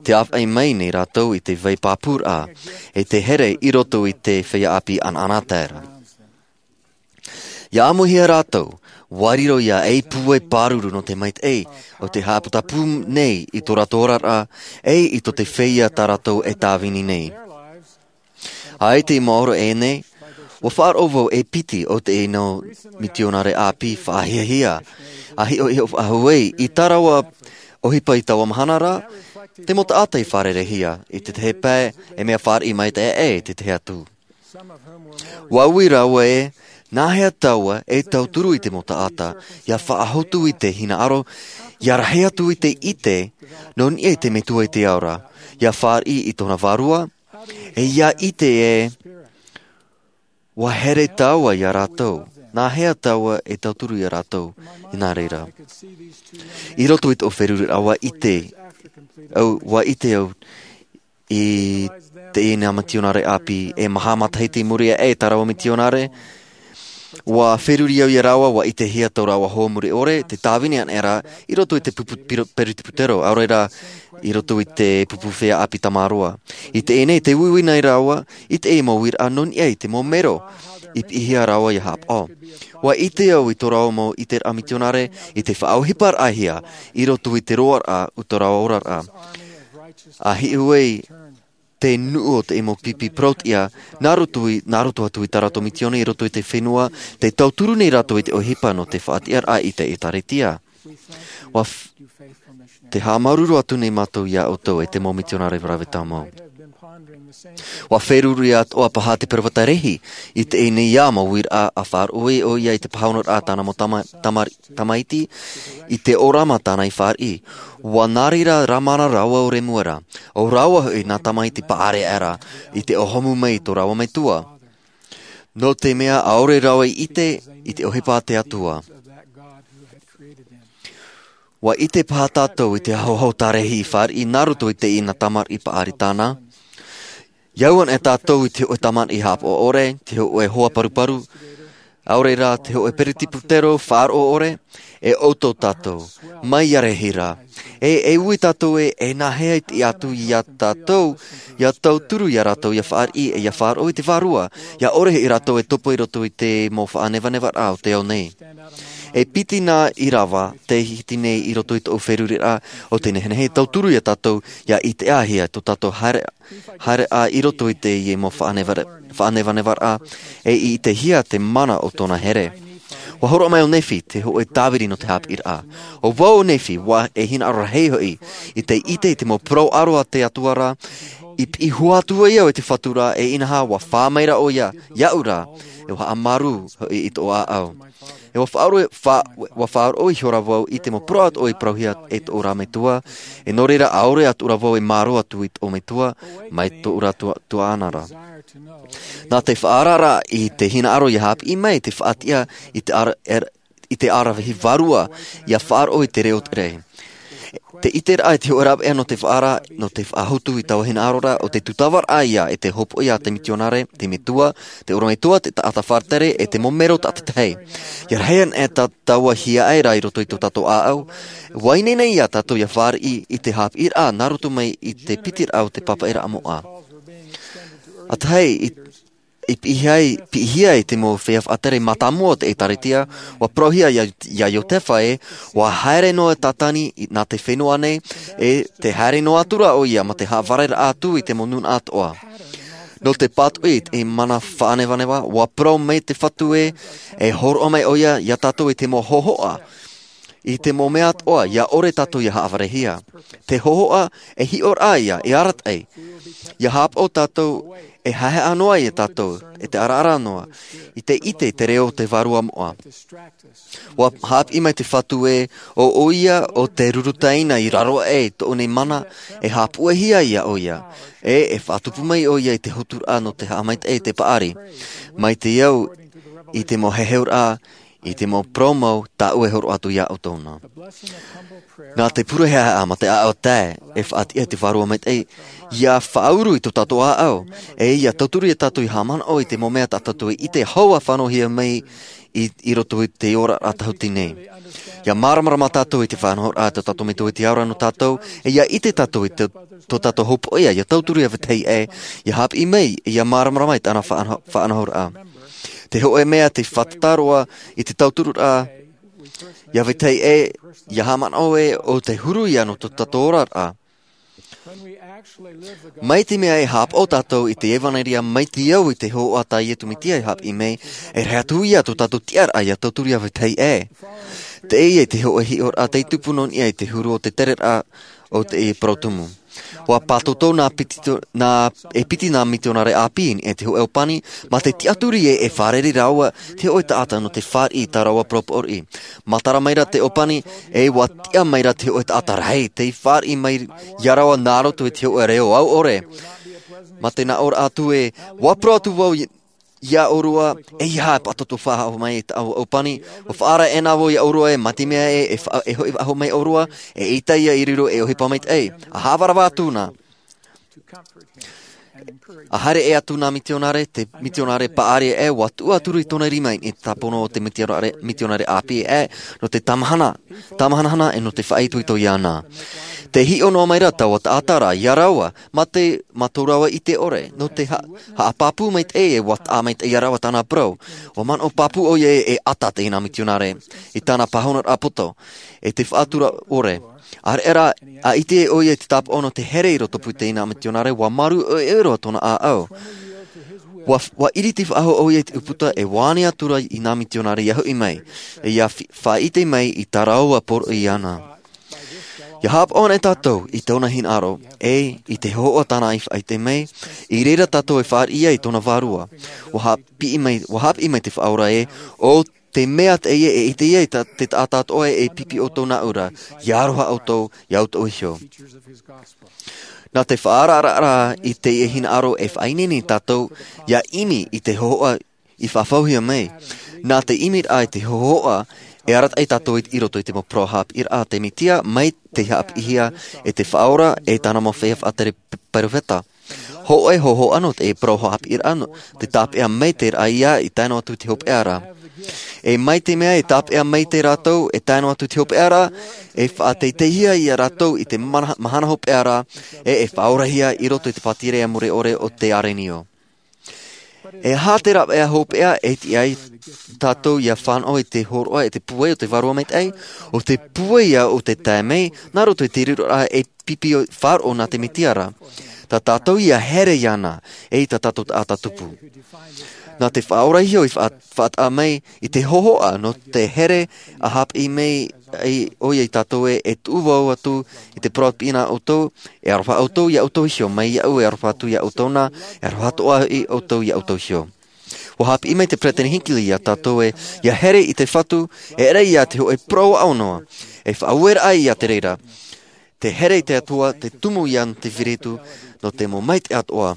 Tē ʻāfaʻi mai nei rātou i te vai pāpū raʻa, e te here i roto i te feiā ʻāpī ʻanaʻanatae ra. ʻIa ʻāmuihia rātou, ʻua riro ia ei pūai pāruru nō te maitaʻi, ʻo tē haʻaputapū nei i tō rātou oraraʻa, e i tō te feiā tā rātou e tāvini nei. ʻAita i maoro ʻēnei, ʻua faʻaroʻo vau e piti o teie mau mitionare ʻāpī faʻahiahia, ʻa hiʻohiʻo faʻahou ai, i tā rāua ʻohipa i taua mahana ra, te mau taʻata i fārereihia, i te tahi pae, e mea fāriʻi maitaʻi aʻe i te tahi atu. ʻUa ui rāua ē, nāhea tāua e tauturu i te mau taʻata, ʻia faʻahotu i te hinaʻaro, ʻia rahi atu i te ʻite, nō niʻa i te Metua i te ao ra, ʻia fāriʻi i tōna vārua, e ʻia ʻite ē, ʻua here tāua ia rātou, nāhea tāua e tauturu ia rātou, i nā reira. I roto i tōʻu feruriraʻa ʻua ʻite, au, ʻua ʻite au, i teie nei mitionare ʻāpī, e maha matahiti i muri aʻe tā rāua mitionare, ʻua feruri au ia rāua, ʻua ʻitehia tō rāua hoa mure ʻore, tē tāvini ana ra, i roto i te pupu piro-, peretiputero, ʻaore rā, i roto i te pupu feiā ʻāpī tamaroa. I teie nei, tē uiui nei rāua, i teie mau uiraʻa nō niʻa i te mau mero, i piʻihia rāua ʻia haʻapaʻo. ʻUa ʻite au i tō rāua mau ʻiteraʻa mitionare, i te faʻaʻohiparaʻahia, i roto i te roaraʻa o tō rāua oraraʻa. ʻA hiʻo ai te nuʻu o te mau pipi parau-tiʻa, nā roto i, nā roto atu i tā rātou mitiona i roto i te fenua, tē tauturu nei rātou i te ʻohipa nō te faʻatiʻaraʻa i te ʻĒtārētia. ʻUa f-, tē haʻamāuruuru atu nei mātou ia ʻoutou e te mau mitionare rave tāmau. ʻUa feruri atoʻa paha te peropheta Lehi, i teie nei mau uiraʻa ʻa faʻaroʻo ʻoia i te pāhonoraʻa a tāna mau tama-, tama-, tamaiti, i te ʻōrama tāna i fāriʻi. ʻUa nā reira rāmana rāua ʻo Lemuera, ʻo rāua hoʻi nā tamaiti paʻari aʻera, i te ʻōhomu mai i tō rāua metua. Nō te mea ʻaore rāua i ʻite, i te ʻohipa a te Atua. ʻUa ʻite paha tātou i te ahoaho tā Lehi i fāriʻi nā roto i teie nā tamariʻi paʻari tāna. ʻIa au ana e tātou i te hōʻē tamariʻi haʻapaʻo ʻore, te hōʻē hoa paruparu, ʻaore rā te hōʻē peretiputero faʻaroʻo ʻore, e ʻoutou tātou, mai ia Lehi ra. E, e ui tātou ē, e nāhea i te ʻite atu ia tātou, ʻia tauturu ia rātou, ʻia fāriʻi, e ʻia faʻaroʻo i te Vārua, ʻia ʻore hoʻi rātou e topa i roto i te mau faʻanevanevaraʻa o te ao nei. E piti nā ʻīrava, tē hiti nei i roto i tōʻu feruriraʻa, ʻo te nehenehe e tauturu ia tātou, ʻia ʻitehia tō tātou haere, haereʻa i roto i teie mau faʻanevare-, faʻanevanevaraʻa, e i ʻitehia te mana o tōna here. ʻUa hōroʻa mai ʻo Nephi, te hōʻē tāviri nō te haʻapiʻiraʻa. ʻO vau ʻo Nephi, ʻua e hinaʻaro rahi hoʻi, i te ʻite i te mau parau ʻaro a te Atua ra, i piʻi hua atu ai au e te Fatu ra, e inaha ʻua fā mai ra ʻoia, iāʻu ra, e ʻua haʻamāuruuru hoʻi i tōʻu ʻāʻau. E ʻua faʻaroʻo, fa-, ʻua faʻaroʻo ihora vau i te mau parau atoʻa i parauhia e tōʻu ra metua, e nō reira ʻaore atu ra vau e mārō atu i tōʻu metua, mai tōʻu ra tua-, tuaʻana ra. Nā te faʻaararaʻa i te hinaʻaro ʻia haʻapiʻi mai, te faʻatiʻa i te ara-, er-, i te aravihi vārua, ʻia faʻaroʻo i te reo tere. Te ʻiteraʻa i te hōʻē rāveʻa nō te faʻaara, nō te faʻahotu i taua hinaʻaro ra, ʻo te tūtavaraʻa ïa e te hopoiʻa a te mitionare, te metua, te ʻorometua, te taʻata faʻatere, e te mau mero tātaʻitahi. ʻIa rahi ana e tā-, taua hiaʻai ra i roto i tō tātou ʻāʻau, ʻua ineine ia tātou ʻia fāriʻi i te haʻapiʻiraʻa nā roto mai i te pitiraʻa o te pāpaʻiraʻa moʻa. ʻA tahi, i, i piʻihia ai, piʻihia ai te mau feiā faʻatere mātāmua o te ʻĒtārētia, ʻua parauhia ia, ia Iotefa ē, ʻua haere noa Tātani i, nā te fenua nei, e tē haere noa atu ra ʻoia mā te haʻavāreraʻa atu i te mau nūnaʻa atoʻa. Nō te pātoʻi i te mana faʻanevaneva, ʻua parau mai te Fatu ē, e hōroʻa mai ʻoia ia tātou i te mau hōhoʻa. I te mau mea atoʻa ia ʻore tātou ia haʻavarehia. Te hōhoʻa e hiʻoraʻa ia e arataʻi. Ia hāpaʻo tātou e haehaʻa noa ia tātou e te araara noa i te ʻite i te reo o te vārua moʻa. Ua hāpiʻi mai te fatu ē ʻo ʻoia o te rurutaina i raro aʻe i tōʻu nei mana e hāpuʻehia ia ʻoia, e e faʻatupu mai ʻoia i te hoturaʻa nō te haʻamaitaʻi i te paʻari mai te au i te mau heheuraʻa i te mau parau mau tāʻu e horoʻa atu ia ʻoutou na. Nā te pure haʻahaʻa ma te ʻaʻau tae e faʻatiʻa i te vārua maitaʻi ia faʻauru i tō tātou ʻāʻau, e ia tauturu ia tātou i haʻamanaʻo i te mau mea tā tātou i ʻite hau a fānauhia mai i roto i te oraraʻa tahuti nei. Ia māramarama tātou i te faʻanahoraʻa tō tātou metua i te aora nō tātou, e ia ʻite tātou i tō tātou hōpoiʻa ia tauturu ia vetahi ʻē ia hāpiʻi mai ia māramarama i tāna faʻanahoraʻa. Te hoʻe mea te fātata roa i te tauturuʻraʻa ia vetahi ʻē ia haʻamanaʻo ē o te huru ia nō tō tātou oraraʻa. Mai te mea e hāpaʻo tātou i te ʻevanelia mai te au i te hōhoʻa tā iesu mesia e hāpiʻi mai, e rahi atu ia tō tātou tiʻaraʻa ia tauturu ia vetahi ʻē. Teie te hoʻe hiʻoraʻa tei tupu nō niʻa i te huru o te tereraʻa o te parau tumu. Ua pātōtō nā piti nā e piti nā mitionare ʻāpī i niʻa i te hoʻe ʻōpani ma te tiʻaturi ē e fārerei rāua te hoʻe taʻata nō te fāriʻi i tā rāua poroʻi. Matara mai rā te ʻōpani, e ua tiʻa mai rā te hoʻe taʻata rahi tei fāriʻi mai ia rāua nā roto i te hoʻe reo au ʻore. Ma te nā ʻōraʻa atu ē ua parau atu vau ia ʻōrua, e ia e pātōtō faʻahou mai i tāʻu ʻōpani. Ua faʻaara ʻē nā vau ia ʻōrua ē ma te mea ē e hoʻi faʻahou mai ʻōrua, e ʻita ia i riro e ʻohipa maitaʻi a haʻavarava atu na. A haere ʻē atu nā mitionare te mitionare paʻari ʻē ua tuʻu atu i tōna rima i te tāpono o te mitionare ʻāpī ʻē nō te tamahanahana e nō te faʻaitoito iāna. Te hiʻo noa mai rā taua taʻata rā ia rāua ma te ma tō rāua ʻite ʻore nō te haʻapāpū maitaʻi e ua taʻa maitaʻi ia rāua tāna parau. Ua manaʻo pāpū ʻoia e ʻata teie nā mitionare i tāna pāhonoraʻa poto e te faʻatura ʻore. Areʻa rā a ʻite ʻoia i te tāpaʻo nō te here i roto pū teie nā mitionare ua marū ʻoiʻoi roa tōna ʻāʻau. Ua ʻiriti faʻahou ʻoia i te ʻūputa e ua ani atu rā i nā mitionare ia hoʻi mai e ia faʻaʻite mai i tā rāua poroʻi iāna. Ia hāpaʻo ana e tātou i tōna hinaʻaro e i te hōhoʻa tāna i faʻaʻite mai, i reira tātou e fāriʻi ai i tōna vārua. Ua hāpiʻi mai ua hāpiʻi mai te faʻaora ē o te mea teie e ʻite ia i te taʻata atoʻa e pipi ʻoutou nā ʻura ia aroha ʻoutou ia ʻoutou iho. Nā te faʻaararaʻa i teie hinaʻaro e faʻaineine tātou ia ʻimi i te hōhoʻa i faʻafauhia mai. Nā te ʻimiraʻa i te hōhoʻa e arataʻi tātou i roto i te mau parau hāpiʻiraʻa a te mesia mai te hāpiʻihia e te faʻaora e tāna mau feiā faʻatere peropheta. Hoʻe hōhoʻa nō te parau hāpiʻiraʻa nō te tāpeʻa mai te raʻa ia i tae noa atu i te hopeʻa ra. E mai te mea e tāpeʻa mai te rātou e tae noa atu i te hopeʻa ra e faʻateiteihia ia rātou i te mahana hopeʻa ra e e faʻaorahia i roto i te pātireia mure ʻore o te arenio. E aha te rāveʻa hopeʻa e tiʻa ai tātou ia fānaʻo i te hōroʻa e te pūai o te vārua maitaʻi? O te pūai ia o te tae mai nā roto i te riroraʻa e pipi faʻaroʻo nā te mesia ra. Tā tātou ia here iāna e i tā tātou taʻata tupu. Nā te faʻaora iho i faʻataʻa mai i te hōhoʻa nō te here a hāpiʻi mai ʻoia i tātou e e tuʻu vau atu i te parau pīʻina ʻoutou e aroha ʻoutou ia ʻoutou iho mai iaʻu e aroha atu ia ʻoutou na e aroha atoʻa hoʻi ʻoutou ia ʻoutou iho. Ua hāpiʻi mai te peresideni hinckley ia tātou e ia here i te fatu e ʻere ia te hoʻe parau aʻo noa e faʻaueraʻa ia te reira. Te here i te atua te tumu ia nō te firitu nō te mau maitaʻi atoʻa.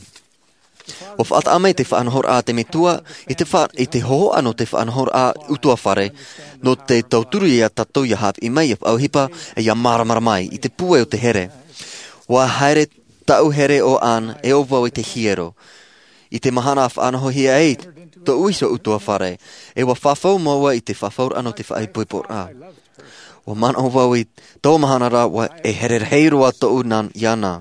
Ua faʻataʻa mai te faʻanahoraʻa a te metua i te hōhoʻa nō te faʻanahoraʻa utuafare nō te tauturu ia tātou ia hāpiʻi mai ia faʻaʻohipa e ia māramarama ai i te pūai o te here. Ua haere taʻu here o anne e o vau i te hiero i te mahana a faʻanahohia ai tōʻu iho utuafare e ua fafau māua i te fafauraʻa nō te faʻaipoiporaʻa. Ua manaʻo vau i taua mahana rā ua e here rahi roa tōʻu nā iāna.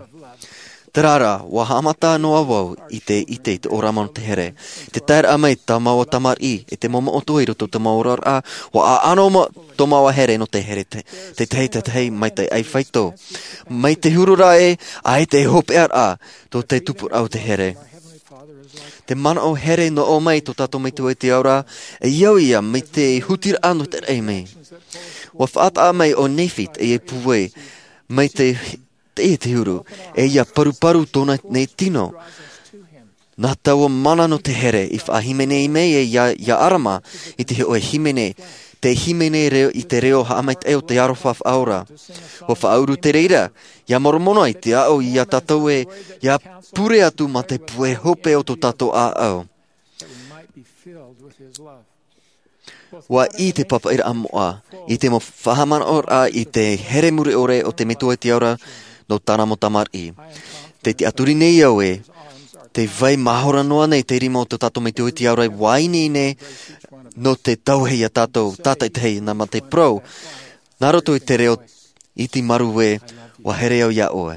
Terā rā ua haʻamata noa vau i te ʻite i te ʻōrama nō te here i te taeraʻa mai tā māua tamariʻi e te momoʻo atoʻa i roto i tā māua oraraʻa. Ua ʻaʻano tō māua here nō te here tētahi tētahi mai te ʻai faito mai te huru rā e ʻaita e hopeʻaraʻa tō te tupuraʻa o te here. Te manaʻo here nō ʻō mai tō tātou metua i te ao ra, e au ia mai te hutiraʻa nō te raʻi mai. Ua faʻataʻa mai ʻo Nefi teie pūai mai te teie te huru, e ia paruparu tōna nei tino. Nā taua mana nō te here i faʻahīmene mai e ia, ia ʻarama i te hoʻe hīmene, te hīmene reo, i te reo haʻamaitaʻi o te aroha faʻaora. Ua faʻauru te reira ia moromona i te aʻo ia tātou e ia pure atu mā te pūai hope o tō tātou ʻāʻau. Ua i te papaʻiraʻa moʻa i te mau faʻamanaʻoraʻa i te here mure ʻore o te metua i te ao ra nō tāna mau tamariʻi. Te tiʻaturi nei au e te vai mahora noa nei te rima o tō tātou metua i te ao ra, ua ineine nō te tauhia tātou tātaitahi nā mā te parau nā roto i te reo iti maru e ua here au iā ʻoe.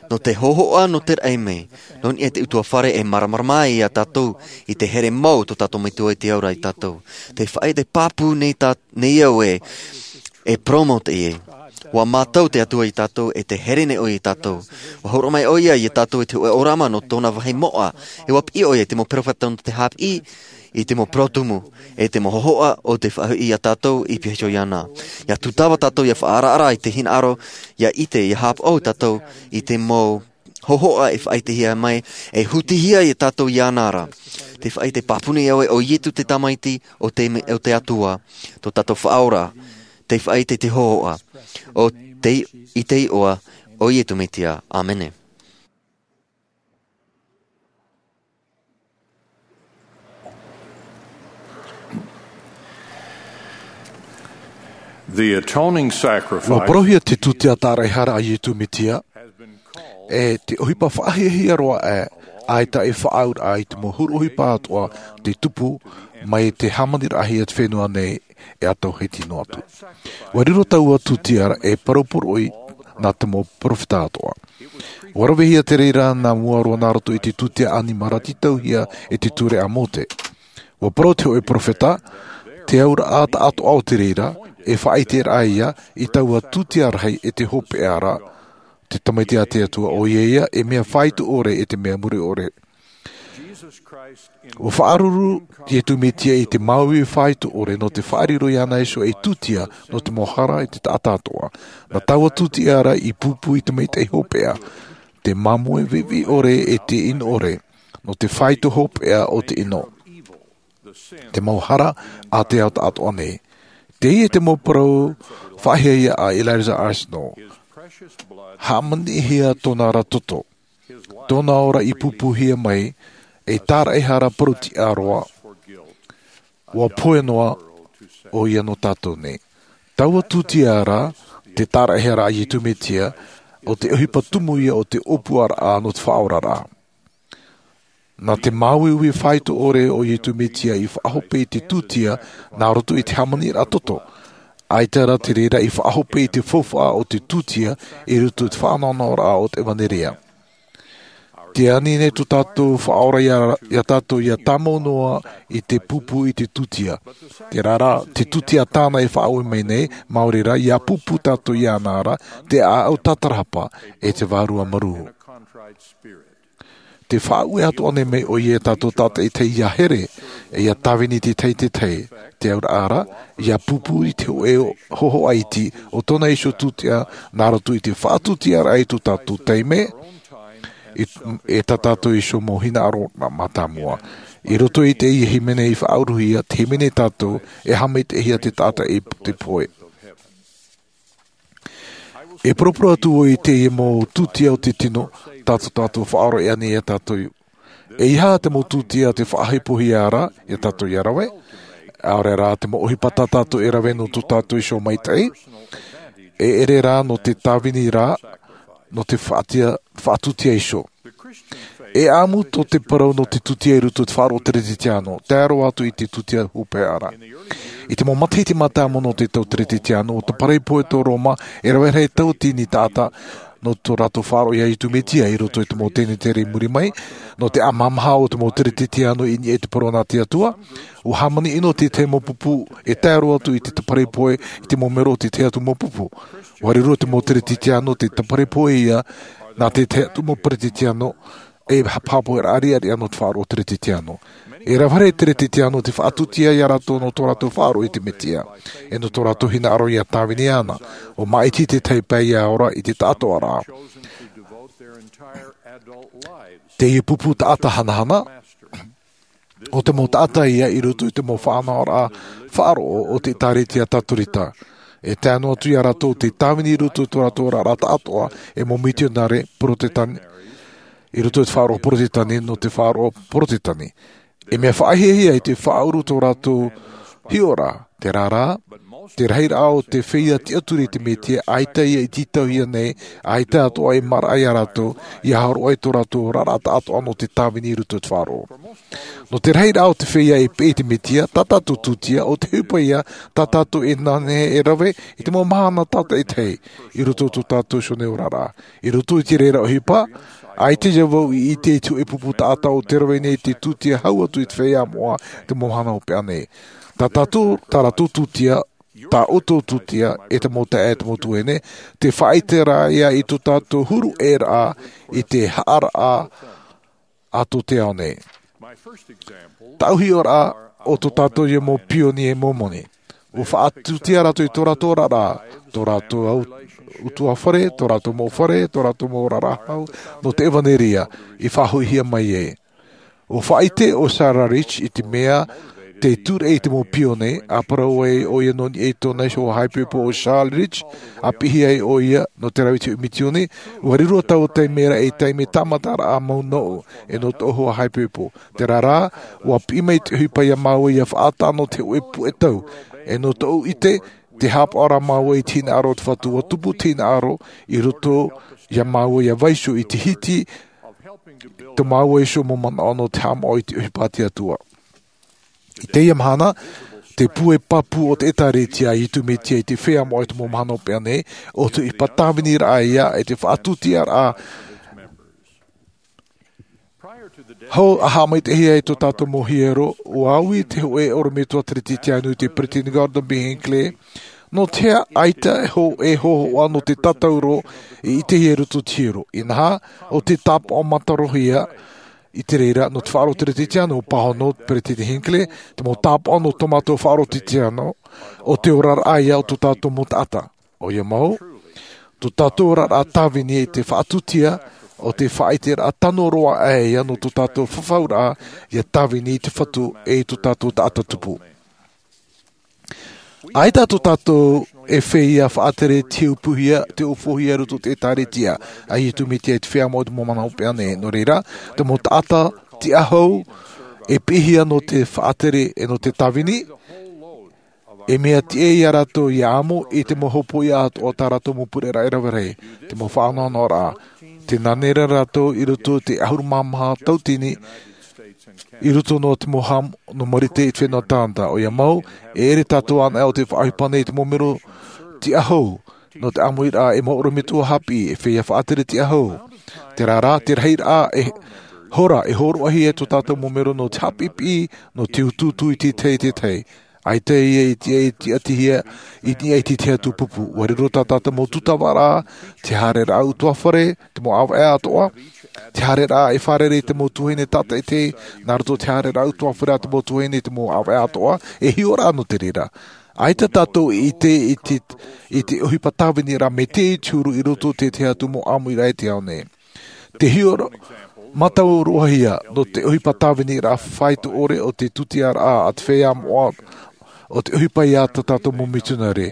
Nō te hohoʻa nō te raʻi mai, nō niʻa i te utuafare e māramarama ai iā tātou i te here mau tō tātou metua i te ao ra iā tātou. Te faʻaʻite pāpū nei tā nei au e e promote e ua mātau te atua iā tātou e te here nei ʻoia iā tātou. Ua hōroʻa mai ʻoia iā tātou i te hoʻe ʻōrama nō tōna vāhi moʻa, e ua piʻi ʻoia i te mau peropheta nō te hāpiʻi i te mau parau tumu e te mau hohoʻa o te faʻahoʻi iā tātou i piha iho iāna. Ia tūtava tātou ia faʻaaraʻara i te hinaʻaro, ia ʻite ia hāpaʻo tātou i te mau hohoʻa e faʻaʻitehia mai e hutihia iā tātou iāna ra. Te faʻaʻite pāpū nei au e ʻo iesu te tamaiti o te o te atua, tō tātou faʻaora. Te faʻaʻite te hohoʻa o te i te iʻoa o iesu mesia, ʻāmene. The atoning sacrifice. Ua parauhia te tūtia tāraʻehara a iesu mesia e te ʻohipa faʻahiahia roa ʻā, ʻaita e faʻaauraʻa i te mau huru ʻohipa atoʻa te tupu mai te hāmaniraʻahia te fenua nei e ʻatau hiti noa atu. Ua riro taua tūtia e parau poroʻi nā te mau peropheta atoʻa. Ua ravehia te reira nā mua roa nā roto i te tūtia ʻanimara tītauhia e te ture a mose. Ua parau te hoʻe peropheta te auraʻa taʻatoʻa o te reira e faʻaʻiteraʻa ia i taua tūtia rahi e te hopeʻa ra, te tamaiti a te atua ʻoia ia e mea faito ʻore e te mea mure ʻore. Ua faʻaruru iesu mesia i te māuiui faito ʻore nō te faʻariro iāna iho ei tūtia nō te mau hara i te taʻata atoʻa. Nā taua tūtia ra i pūpū i te maitaʻi hopeʻa, te māmoe viʻiviʻi ʻore e te ʻino ʻore nō te faito hopeʻa o te ʻino, te mau hara a te ao taʻatoʻa nei. Teie te mau parau faʻahiahia a eliza arsenault. Hāmaniʻihia tōna ra toto, tōna ora i pūpūhia mai ei tāraʻehara parau tiʻa roa. Ua pohe noa ʻoia nō tātou nei. Taua tūtia ra te tāraʻehara a iesu mesia, o te ʻohipa tumu ia o te ʻōpuaraʻa nō te faʻaoraraʻa. Nā te māuiui faito ʻore o iesu mesia i faʻahope i te tūtia nā roto i te hāmaniraʻa toto, ʻaita rā te reira i faʻahope i te faufaʻa o te tūtia i roto i te faʻanahonahoraʻa o te ʻevanelia. Te ani nei tō tātou faʻaora iā tātou ia tāmau noa i te pūpū i te tūtia. Tērā rā te tūtia tāna e faʻaue mai nei, māori rā ia pūpū tātou iāna ra te ʻāʻau tātarahapa e te vārua marū. Te faʻaue atu ʻānei mai ʻoia iā tātou tātaitahi ia here e ia tāvini te tahi te tahi, te auraʻa ra ia pūpū i te hoʻe hohoʻa iti o tōna iho tūtia nā roto i te faʻatūtiaraʻa i tō tātou taime e tā tātou iho mau hinaʻaro mātāmua. I roto i teie hīmene i faʻauruhia te hīmene tātou e hāmani te hia te taʻata i te pohe. E poroporo atu vau i teie mau tūtia o te tino tā tō tātou faʻaora i ani iā tātou. E aha te mau tūtia te faʻahepohia ra iā tātou ia rave? ʻAore rā te mau ʻohipa tā tātou e rave nō tō tātou iho maitaʻi, e ʻere rā nō te tāvini rā nō te faʻatūtia iho. E ʻamu tō te parau nō te tūtia i roto i te faʻaroʻo teretetiano tae roa atu i te tūtia hopeʻa ra. I te mau matahiti mātāmua nō te tau teretetiano o te paraipohe tō roma e rave rahi tauatini taʻata nō tō rātou faʻaroʻo iā iesu mesia i roto i te mau tenetere i muri mai. Nō te ʻamahamaha o te mau teretetiano i niʻa i te parau nā te atua, ua hāmani ʻino te tahi mau pupu e tae roa atu i te paraipohe i te mau mero o te tahi atu mau pupu. Ua riro te mau teretetiano te paraipohe ia nā te tahi atu mau teretetiano e hāpaʻo e rāʻau riʻariʻa nō te faʻaroʻo teretetiano. E rave rahi teretetiano te faʻatūtia iā rātou nō tō rātou faʻaroʻo i te mesia, e nō tō rātou hinaʻaro ia tāvini ana. ʻUa māʻiti te tahi pae ia ora i te taʻatoʻaraʻa. Te ia pupu taʻata hanahana o te mau taʻata ia i roto i te mau faʻanahoraʻa faʻaroʻo o te ʻēkālesia tatorita. E tae noa atu iā rātou te tāvini i roto i tō rātou oraraʻa taʻatoʻa e mau mitionare porotetani i roto i te faʻaroʻo porotetani nō te faʻaroʻo porotetani. E mea faʻahiahia i te faʻaʻuru tō rātou hiʻoraʻa. Te rārā, te rahiraʻa o te feiā tiʻaturi i te mesia ʻaita ia i tītauhia nei, ʻaita atoʻa e maraʻa iā rātou ia horoʻa i tō rātou oraraʻa taʻatoʻa nō te tāvini i roto i te faʻaroʻo. Nō te rahiraʻa o te feiā e peʻe i te mesia tā tātou tūtia o te ʻohipa ia tā tātou e nānā e rave i te mau mahana tātaʻitahi i roto i tō tātou sione oraraʻa. I roto i te reira ʻohipa, ʻaita ia vau i ʻite i te hoʻē pupu taʻata o te rave nei te tūtia hau atu i te feiā moʻa te mau mahana hopeʻa nei. Tā tātou tā rātou tūtia tā ʻoutou tūtia e te mau taeaʻe e te mau tuahine, te faʻaʻite rā ia i tō tātou huru ʻēraʻa i te haʻaraʻa a tō te ao nei. Taʻu hiʻoraʻa o tō tātou ia mau pionie momoni. ʻUa faʻatūtia rātou i tō rātou oraraʻa, tō rātou au utuafare, tō rātou mau fare, tō rātou mau oraraʻa hau nō te ʻevanelia i faʻahoʻihia mai ai. ʻUa faʻaʻite ʻo Sarah Rich i te mea te tūreʻi i te mau pionie, a parau ai ʻoia nō niʻa i tōna iho haʻaipoipo ʻo Charles Rich, a piʻi ai ʻoia nō te rave i te hoʻē mitioni. ʻUa riro taua taime ra ei taime tāmataraʻa mau nōʻu e nō tōʻu hoa haʻaipoipo. Te rārā, ʻua piʻi mai te ʻohipa iā māua ia faʻaʻata nō te hoʻē puʻe tau, e nō tōʻu ʻite, te hāpaʻo ra māua i te hinaʻaro o te Fatu, ʻua tupu te hinaʻaro i roto iā māua ia vaiiho i te hiti tō māua iho mau manaʻo nō te haʻamāuʻa i te ʻohipa a te Atua. I teie mahana, te puʻe pāpū o te ʻēkālesia a Iesu Mesia i te feiā moʻa i te mau mahana hopeʻa nei, ʻo te ʻohipa tāviniraʻa ia e te faʻatūtiaraʻa. Hou a haʻamaitaʻihia e tō tātou mau hiero, ʻua ui te hōʻē ʻorometua teretetiano i te Peresideni Gordon B. Hinckley, nō te aha ʻaita e hō-, e hōhoʻa nō te tātauro i ʻitehia i roto i te hiero. Inaha, ʻo te tāpaʻo matarohia i te reira nō te faʻaroʻo teretetiano, pāhono Peresideni Hinckley, te mau tāpaʻo nō tō mātou faʻaroʻo teretetiano, ʻo te oraraʻa ia o tō tātou mau taʻata. ʻOia mau, tō tātou oraraʻa tāvini i te faʻatūtia, ʻo te faʻaʻiteraʻa tano roa aʻe ia nō tō tātou fafauraʻa ia tāvini i te Fatu e i tō tātou taʻata tupu. ʻAita tō tātou e feiā faʻatere te ʻōpuahia, te ʻōpuahia i roto i te ʻēkālesia a Iesu Mesia i te feiā moʻa i te mau mahana hopeʻa nei. Nō reira, te mau taʻata tiʻahou e piʻihia nō te faʻatere e nō te tāvini, e mea tiʻa iā rātou ia amo i te mau hopoiʻa atoʻa tā rātou mau pureraʻa e rave rahi, te mau faʻanahonahoraʻa. Tē nānā ra rātou i roto i te ʻahuru mā maha tauatini, i roto nō te mau hā nō Marite i te fenua Kanata. ʻOia mau, e ʻere tātou anaʻe o te faʻaʻohipa nei i te mau mero tiʻahou, nō te ʻāmuiraʻa e mau ʻorometua haʻapiʻi, e feiā faʻatere tiʻahou. Te rārā, te rahiraʻa e hora, e hōroʻahia e tō tātou mau mero nō te haʻapiʻipiʻi, nō te utuutu i te tahi, te tahi. ʻAita ia i te, i te tiʻatihia, i te, i te tahi atu pupu. ʻUa riro tā tātou mau tūtavaraʻa, te haereraʻa utuafare, te mau ʻāvaʻe atoʻa, te haereraʻa e fārerei i te mau tuahine tātaʻitahi, nā roto i te haereraʻa utuafare a te mau tuahine i te mau ʻāvaʻe atoʻa, e hiʻoraʻa nō te reira. ʻAita tātou i ʻite i te, i te ʻohipa tāviniraʻa mai te huru i roto i te tahi atu mau ʻāmuiraʻa i te ao nei. Te hiʻo-, mātauroʻahia nō te ʻohipa tāviniraʻa faito ʻore o te tūtiaraʻa a te feiā moʻa, o te ʻohipa ia tā tātou mau mitionare.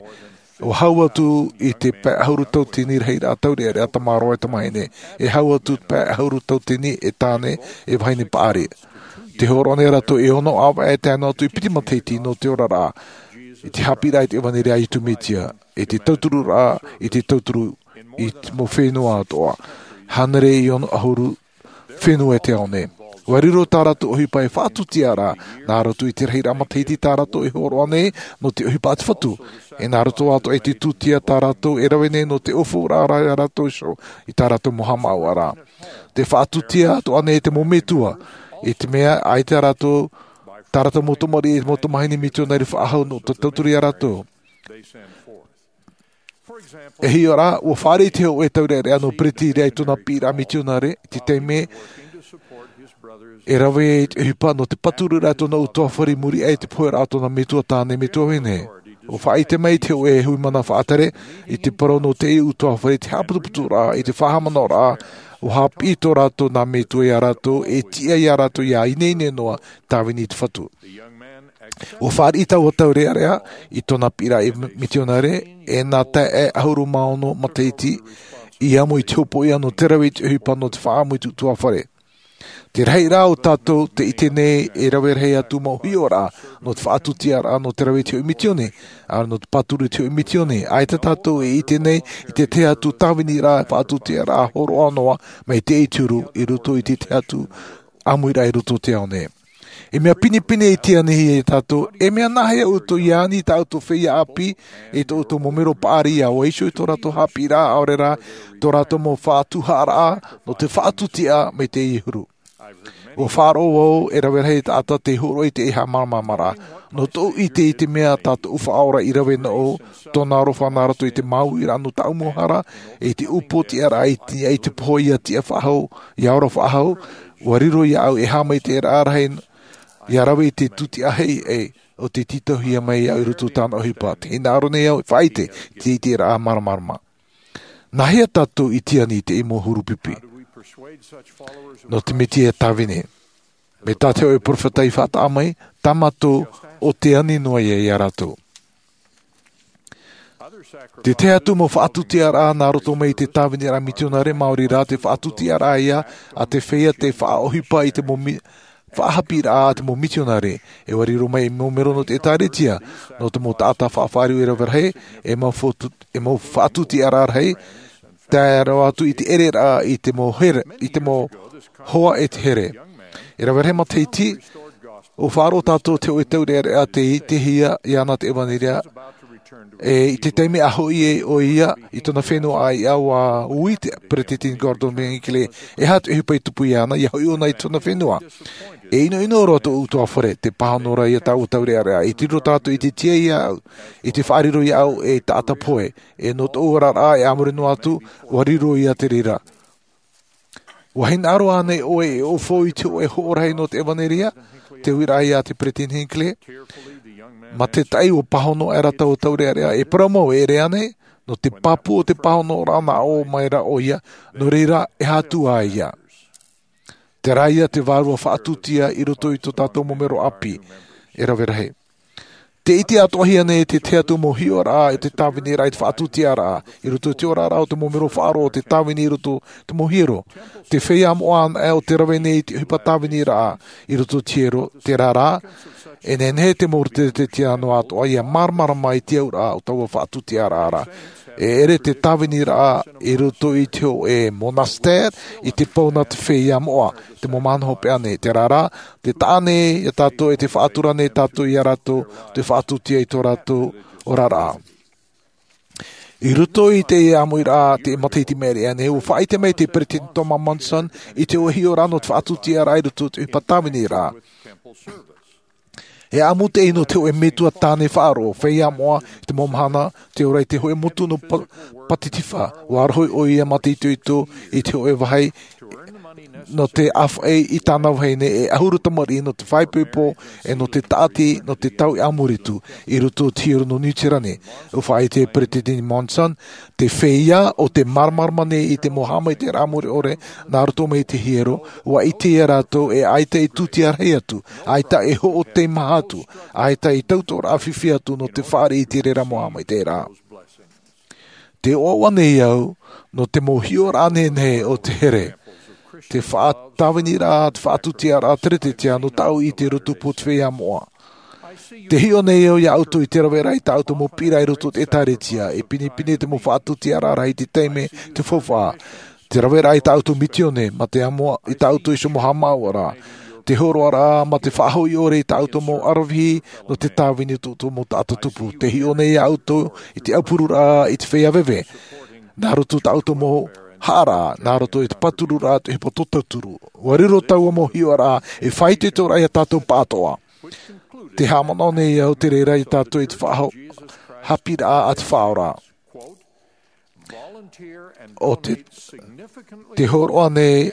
ʻUa hau atu i te pae ʻahuru tauatini rahiraʻa taureʻareʻa tamāroa e tamāhine, e hau atu te pae ʻahuru tauatini e tāne e vahine paʻari. Tē hōroʻa nei rātou e ono ʻāvaʻe e tae noa atu i piti matahiti nō te oraraʻa, i te haʻapiʻiraʻa i te ʻevanelia a Iesu Mesia, i te tauturu ra, i te tauturu i te mau fenua atoʻa. Hānere e ono ʻahuru fenua i te ao nei. ʻUa riro tā rātou ʻohipa e faʻatūtiaraʻa, nā roto i te rahiraʻa matahiti tā rātou e hōroʻa nei nō te ʻohipa a te Fatu. E nā roto atoʻa i te tūtia tā rātou e rave nei nō te ʻōfauraʻa iā rātou iho i tā rātou mau haʻamāuʻaraʻa. Tē faʻatūtia atoʻa nei te mau metua, i te mea ʻaita rātou, tā rātou mau tamariʻi e te mau tamāhine mitionare faʻahou nō te tauturu iā rātou. E hiʻo ra, ʻua fāriʻi te hōʻē taureʻareʻa nō Peretirā i tōna piʻiraʻa mitionare, i te taime E rave i te ʻohipa nō te pāturu ra tōna ʻutuāfare i muri aʻe i te pohe ra tōna metua tāne, metua vahine. ʻUa faʻaʻite mai te hōʻē hui mana faʻatere i te parau nō te ʻutuāfare, te haʻaputuputu ra i te faʻahaʻamanaʻo ra. ʻUa haʻapiʻi tō rātou nā metua iā rātou e tiʻa iā rātou ia ineine noa tāvini i te Fatu. ʻUa fāriʻi taua taurearea i tōna piʻiraʻa mitionare e nā taeaʻe ʻahuru mā ono matahiti i amo i te hopoiʻa nō te rave i te ʻohipa nō te faʻaʻamu i te ʻutuāfare. Te rahiraʻa o tātou te ʻite nei e rave rahi atu mau hiʻoraʻa nō te faʻatūtiaraʻa nō te rave i te hōʻē mitione, ʻaore nō te pāturu i te hōʻē mitione. ʻAita tātou e ʻite nei i te tahi atu tāviniraʻa faʻatūtiaraʻa hōroʻa noa mai te ʻituru i roto i te tahi atu ʻāmuiraʻa i roto o te ao nei. E mea pinepine e tiʻa nei iā tātou, e mea nāhea ʻoutou ia ani i tā ʻoutou feiā ʻāpī, i tō ʻoutou mau mero paʻari ia ʻua iho i tō rātou haʻapiʻiraʻa ʻaore rā tō rātou mau faʻatuhaʻaraʻa nō te faʻatūtiaraʻa mai teie huru. ʻUa faʻaroʻo vau e rave rahi taʻata tei hōroʻa i te haʻamāramaramaraʻa. Nō tōʻu ʻite i te mea tā tōʻu Faʻaora i rave noa, tōna aroha nā roto i te māuiʻaraʻa nō tāʻu mau hara, i te upootiʻaraʻa i te, i te pohe ia tiʻa faʻahou, ia ora faʻahou, ʻua riro iāʻu e haʻamaitaʻiraʻa rahi ia rave i te tūtiʻa heʻe o te tītauhia mai iāʻu i roto i tāna ʻohipa. Tē hinaʻaro nei au e faʻaʻite i te iteraʻa māramarama. Nāhea tātou i tiʻa nei i teie mau huru pipi nō te Metia e tāvini? Mai tā te hōʻē peropheta i faʻataʻa mai, tā mātou ʻo te ani noa ia iā rātou. Te tahi atu mau faʻatūtiaraʻa nā roto mai i te tāviniraʻa mitionare, maori rā te faʻatūtiaraʻa ia a te feiā tei faʻaʻohipa i te mau mi-, faʻahaʻapiʻiraʻa a te mau mitionare. E ʻua riro mai e mau mero nō te ʻētāretia, nō te mau taʻata faʻafāriu e rave rahi, e mau faʻatū-, e mau faʻatūtiaraʻa rahi, tae roa atu i te ʻereraʻa i te mau here, i te mau hoa e te here. E rave rahi matahiti, ʻua faʻaroʻo tātou te hōʻē taureʻareʻa tei ʻitehia iāna te ʻevanelia, e i te taime a hoʻi ai ʻoia i tōna fenua ʻāiʻa, ʻua ui te Peresideni Gordon B. Hinckley, e aha te ʻohipa i tupu iāna, ʻia hoʻi ʻōna i tōna fenua. E ʻinoʻino roa tōʻu ʻutuāfare, tē pāhono ra ia tāua taureʻareʻa, i te riro tātou i te tiʻa iāʻu, i te faʻariro iāʻu ei taʻata pohe, e nō tōʻu oraraʻa e a muri noa atu, ʻua riro ia te reira. ʻUa hinaʻaro ānei ʻoe e ʻaufau i te hōʻē hoʻo rahi nō te ʻevanelia? Te uiraʻa ia a te Peresideni Hinckley. Matataʻi ʻua pāhono aʻera taua taureʻareʻa, e parau mau, e ʻere ānei? Nō te pāpū o te pāhonoraʻa nā ʻō mai ra ʻoia, nō reira, e aha atu ā ia. Terā ia te vārua faʻatūtia i roto i tō tātou mau mero ʻāpī e rave rahi. Tē ʻite atoʻahia nei te tahi atu mau hiʻoraʻa i te tāviniraʻa i te faʻatūtiaraʻa, i roto i te oraraʻa o te mau mero faʻaroʻo o te tāvini i roto i te mau hiero. Te feiā moʻa anaʻe ʻo tē rave nei i te ʻohipa tāviniraʻa i roto i te hiero, terā rā, e nehenehe te mau reteretetia noa atoʻa ʻia māramarama i te auraʻa o taua faʻatūtiaraʻa ra. E ʻere te tāviniraʻa i roto i te hōʻē monastère i te pau nā te feiā moʻa, te mau mahana hopeʻa nei, terā rā, tē taʻa nei ia tātou e tē faʻatura nei tātou ia rātou, tē faʻatūtia i tō rātou oraraʻa. I roto i teie ʻāmuiraʻa, te matahiti maʻiri aʻe nei, ʻua faʻaʻite mai te Peresideni Thomas Monson i te hōʻē hiʻoraʻa nō te faʻatūtiaraʻa i roto i te ʻohipa tāviniraʻa. E ʻamu teie nō te hōʻē metua tāne faʻaroʻo, feiā moʻa, i te mau mahana, tē ora i te hōʻē motu nō Pa-, Pātitifā, ʻua rohi ʻoia mātaʻitoito i te hōʻē vāhi, nō te ʻāfaʻi i tāna vahine, e ʻahuru tamariʻi nō te faʻaipoipo, e nō te tāʻati, nō te tau i ʻāmuri atu, i roto i te hiero nō Niu Sirani. ʻUa faʻaʻite e Peresideni Monson, te feiā ʻo tē māramarama nei i te mau haʻamaitaʻiraʻa mure ʻore, nā roto mai i te hiero, ʻua ʻite ia rātou e ʻaita e tūtia rahi atu, ʻaita e hoʻo teimaha atu, ʻaita e tautoʻoraʻa fifi atu nō te fāriʻi i te reira mau haʻamaitaʻiraʻa. Tē ʻoaʻoa nei au, nō te mau hiʻoraʻa nehenehe o te here, te faʻatāviniraʻa, te faʻatūtiaraʻa teretete nō tāʻu i te roto pū o te feiā moʻa. Tē hiʻo nei au ia ʻoutou i te raveraʻa i tā ʻoutou mau piʻiraʻa i roto i te ʻētāretia, e pinepine te mau faʻatūtiaraʻa i te taime, te faufaʻa. Te raveraʻa i tā ʻoutou misiōni, mā te amo i tā ʻoutou iho mau haʻamāuʻaraʻa. Te hōroʻaraʻa, mā te faʻahoʻi ʻore i tā ʻoutou mau ʻaravihi, nō te tāvini tō ʻoutou mau taʻata tupu. Tē hiʻo nei ia ʻoutou i te ʻaupururaʻa i te feiā veve. Nā roto i tā ʻoutou mau haʻaraʻa, nā roto i te pātururaʻa te ʻohipa tō tauturu. ʻUa riro taua mau hiʻoraʻa, e faʻaitoitoraʻa ia tātou pāʻatoʻa. Tē haʻamanaʻo nei au te reira ia tātou i te faʻaho-, haʻapiʻiraʻa a te Faʻaora. ʻO te, te hōroʻa nei,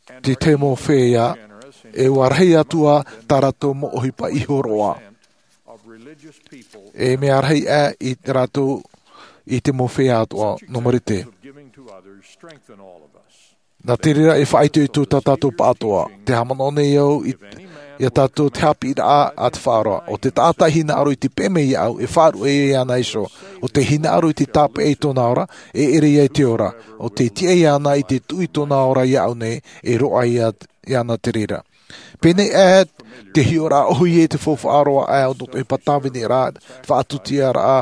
Te tahi mau feiā, e ua rahi atu ā tā rātou mau ʻohipa i hōroʻa. E mea rahi ā i tā rātou i te mau feiā atoʻa nō Marite. Nā te reira e faʻaitoito tā tātou pāʻatoʻa. Te haʻamanaʻo nei au i, iā tātou te haʻapiʻiraʻa a te Faʻaora. ʻO te taʻata e hinaʻaro i te peʻe mai iāʻu, e faʻaruʻe iāna iho. ʻO te hinaʻaro i te tāpeʻa i tōna ora, e ʻere ia i te ora. ʻO te tiʻa iāna i te tuʻu i tōna ora iāʻu nei, e roaʻa ia, iāna te reira. Pēnei ā te hiʻoraʻa ʻohie i te faufaʻa roa ʻā o te ʻohipa tāvini ra, faʻatutiaraʻa,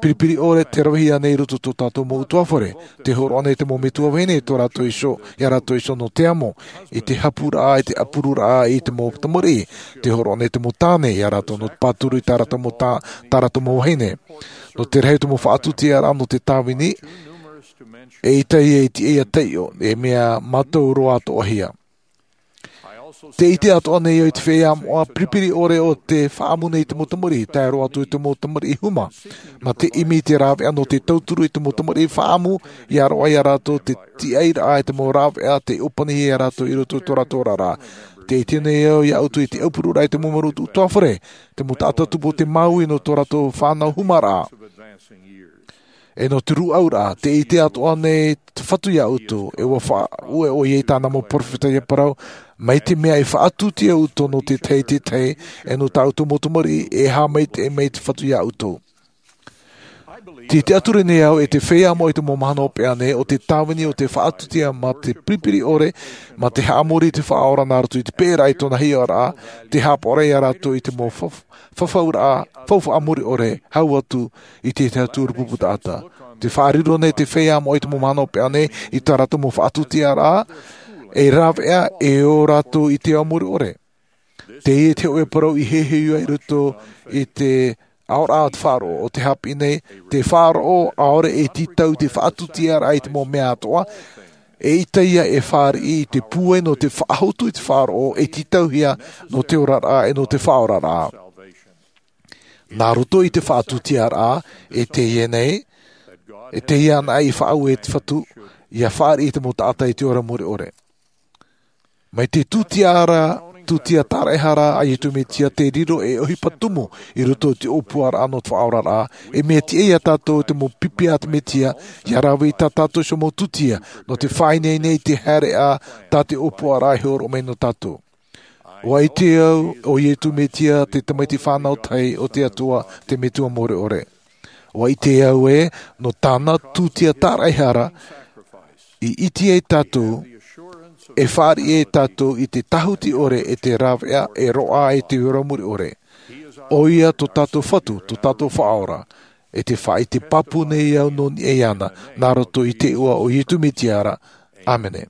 piripiri ʻore te ravehia nei i roto i tō tātou mau ʻutuāfare. Tē hōroʻa nei te mau metua vahine i tō rātou iho, iā rātou iho nō te amo, i te hapuraʻa, i te ʻapururaʻa i te mau tamariʻi. Tē hōroʻa nei te mau tāne iā rātou nō te pāturu i tā rātou mau tā, tā rātou mau vahine. Nō te rahi o te mau faʻatutiaraʻa nō te tāvini, eʻita ia e tiʻa ia taiʻo, e mea mātau roa atoʻahia. Tē ʻite atoʻa nei au i te feiā moʻa piripiri ʻore o te faʻaʻamu nei i te mau tamariʻi, tae roa atu i te mau tamariʻi huma. Mā te ʻimi i te rāveʻa nō te tauturu i te mau tamariʻi faʻaʻamu, ʻia roaʻa iā rātou te tiʻairaʻa i te mau rāveʻa tei ʻōpanihia iā rātou i roto i tō rātou oraraʻa. Tē ʻite nei au iā ʻoutou i te ʻaupururaʻa i te mau marauturu ʻutuāfare, te mau taʻata tupu o te Māui nō tō rātou fānau humaraʻa. E nō te rūʻauraʻa, tē ʻite atoʻa nei te Fatu iā ʻoutou, e ua faʻaue ʻoia i tāna mau perofeta ʻia parau, mai te mea e faʻatūtia ʻoutou nō te tahi i te tahi, e nō tā ʻoutou mau tamariʻi, e haʻamaitaʻi mai te Fatu iā ʻoutou. Tē ʻite atu ra nei au e te feiā moʻa i te mau mahana hopeʻa nei, ʻo te tāvini o te faʻatūtia mā te piripiri ʻore, mā te haʻamori i te Faʻaora nā roto i te peʻeraʻa i tōna hiʻoraʻa, te haʻapaʻoraʻa iā rātou i te mau faf-, fafauraʻa, faufaʻa muri ʻore, hau atu i te tahi atu ʻurupupu taʻata. Tē faʻariro nei te feiā moʻa i te mau mahana hopeʻa nei, i tā rātou mau faʻatūtiaraʻa, e rāveʻa, e ō rātou i te ao muri ʻore. Teie te hōʻē parau i heheu ai i roto i te aoraʻa o te faʻaroʻo, ʻo te haʻapiʻi nei, te faʻaroʻo ʻaore e tītau i te faʻatūtiaraʻa i te mau mea atoʻa, eʻita ia e fāriʻi i te pūai nō te faʻahotu i te faʻaroʻo e tītauhia nō te oraraʻa e nō te faʻaoraraʻa. Nā roto i te faʻatūtiaraʻa, e teie nei, e teie anaʻe i faʻaue e te Fatu, ʻia fāriʻi i te mau taʻata i te ora muri ʻore. Mai te tūtia ra, tūtia tāraʻehara a Iesu Mesia tē riro ei ʻohipa tumu i roto i te ʻōpuaraʻa nō te faʻaoraraʻa, e mea tiʻa iā tātou te mau pipi a te Mesia, ʻia rave i tā tātou iho mau tūtia, nō te faʻaineine i te haereʻa tā te ʻōpuaraʻa e hōroʻa mai nō tātou. ʻUa ʻite au, ʻo Iesu Mesia te Tamaiti fānau tahi o te Atua, te Metua Mure ʻore. ʻUa ʻite au ē, nō tāna tūtia tāraʻehara, i ʻite ai tātou, e fāriʻi ai tātou i te tāhuti ʻore e te rāveʻa e roaʻa i te ora muri ʻore. ʻOia tō tātou Fatu, tō tātou Faʻaora, e te faʻaʻite pāpū nei au nō niʻa iāna, nā roto i te iʻoa o Iesu Mesia ra. ʻĀmene.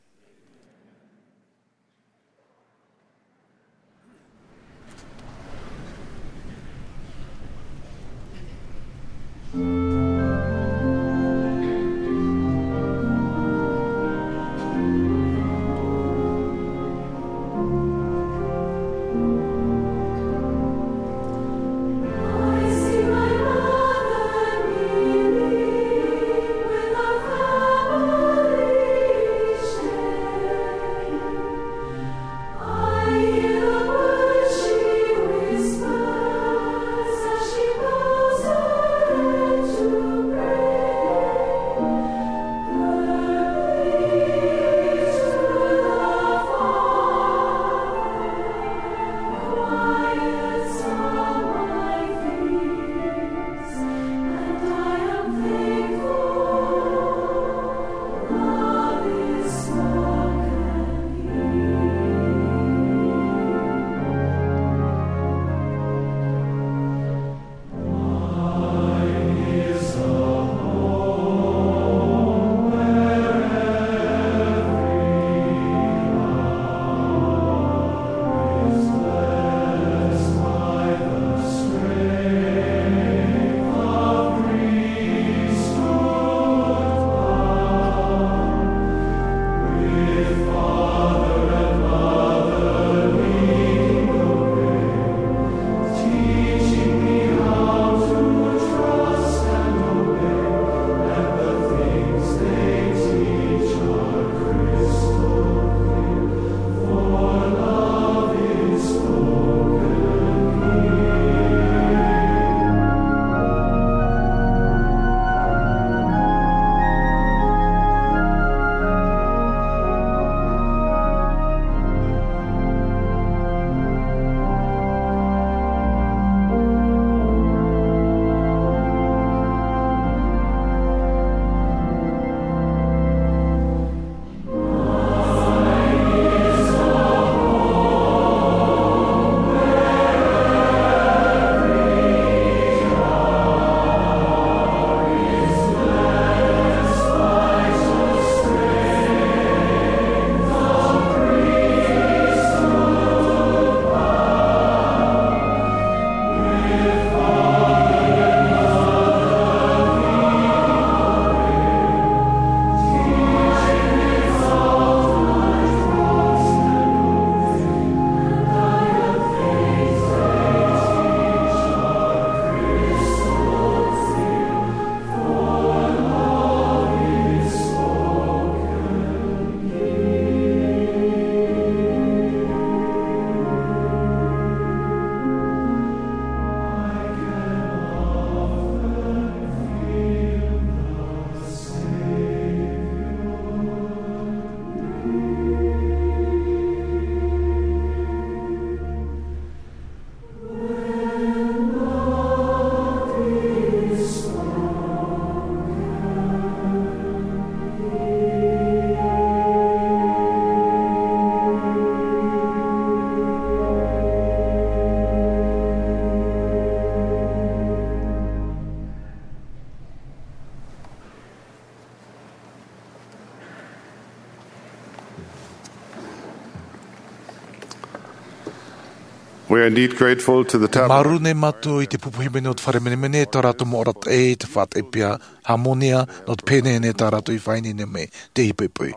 We are indeed grateful to the tabernacle. Māuruuru nei mātou i te pupu hīmene o te fare menemene, tā rātou mau arataʻi, te faʻataʻi pea, hāmōnia, nō te pēneienei tā rātou i faʻaineine mai, te hipepe.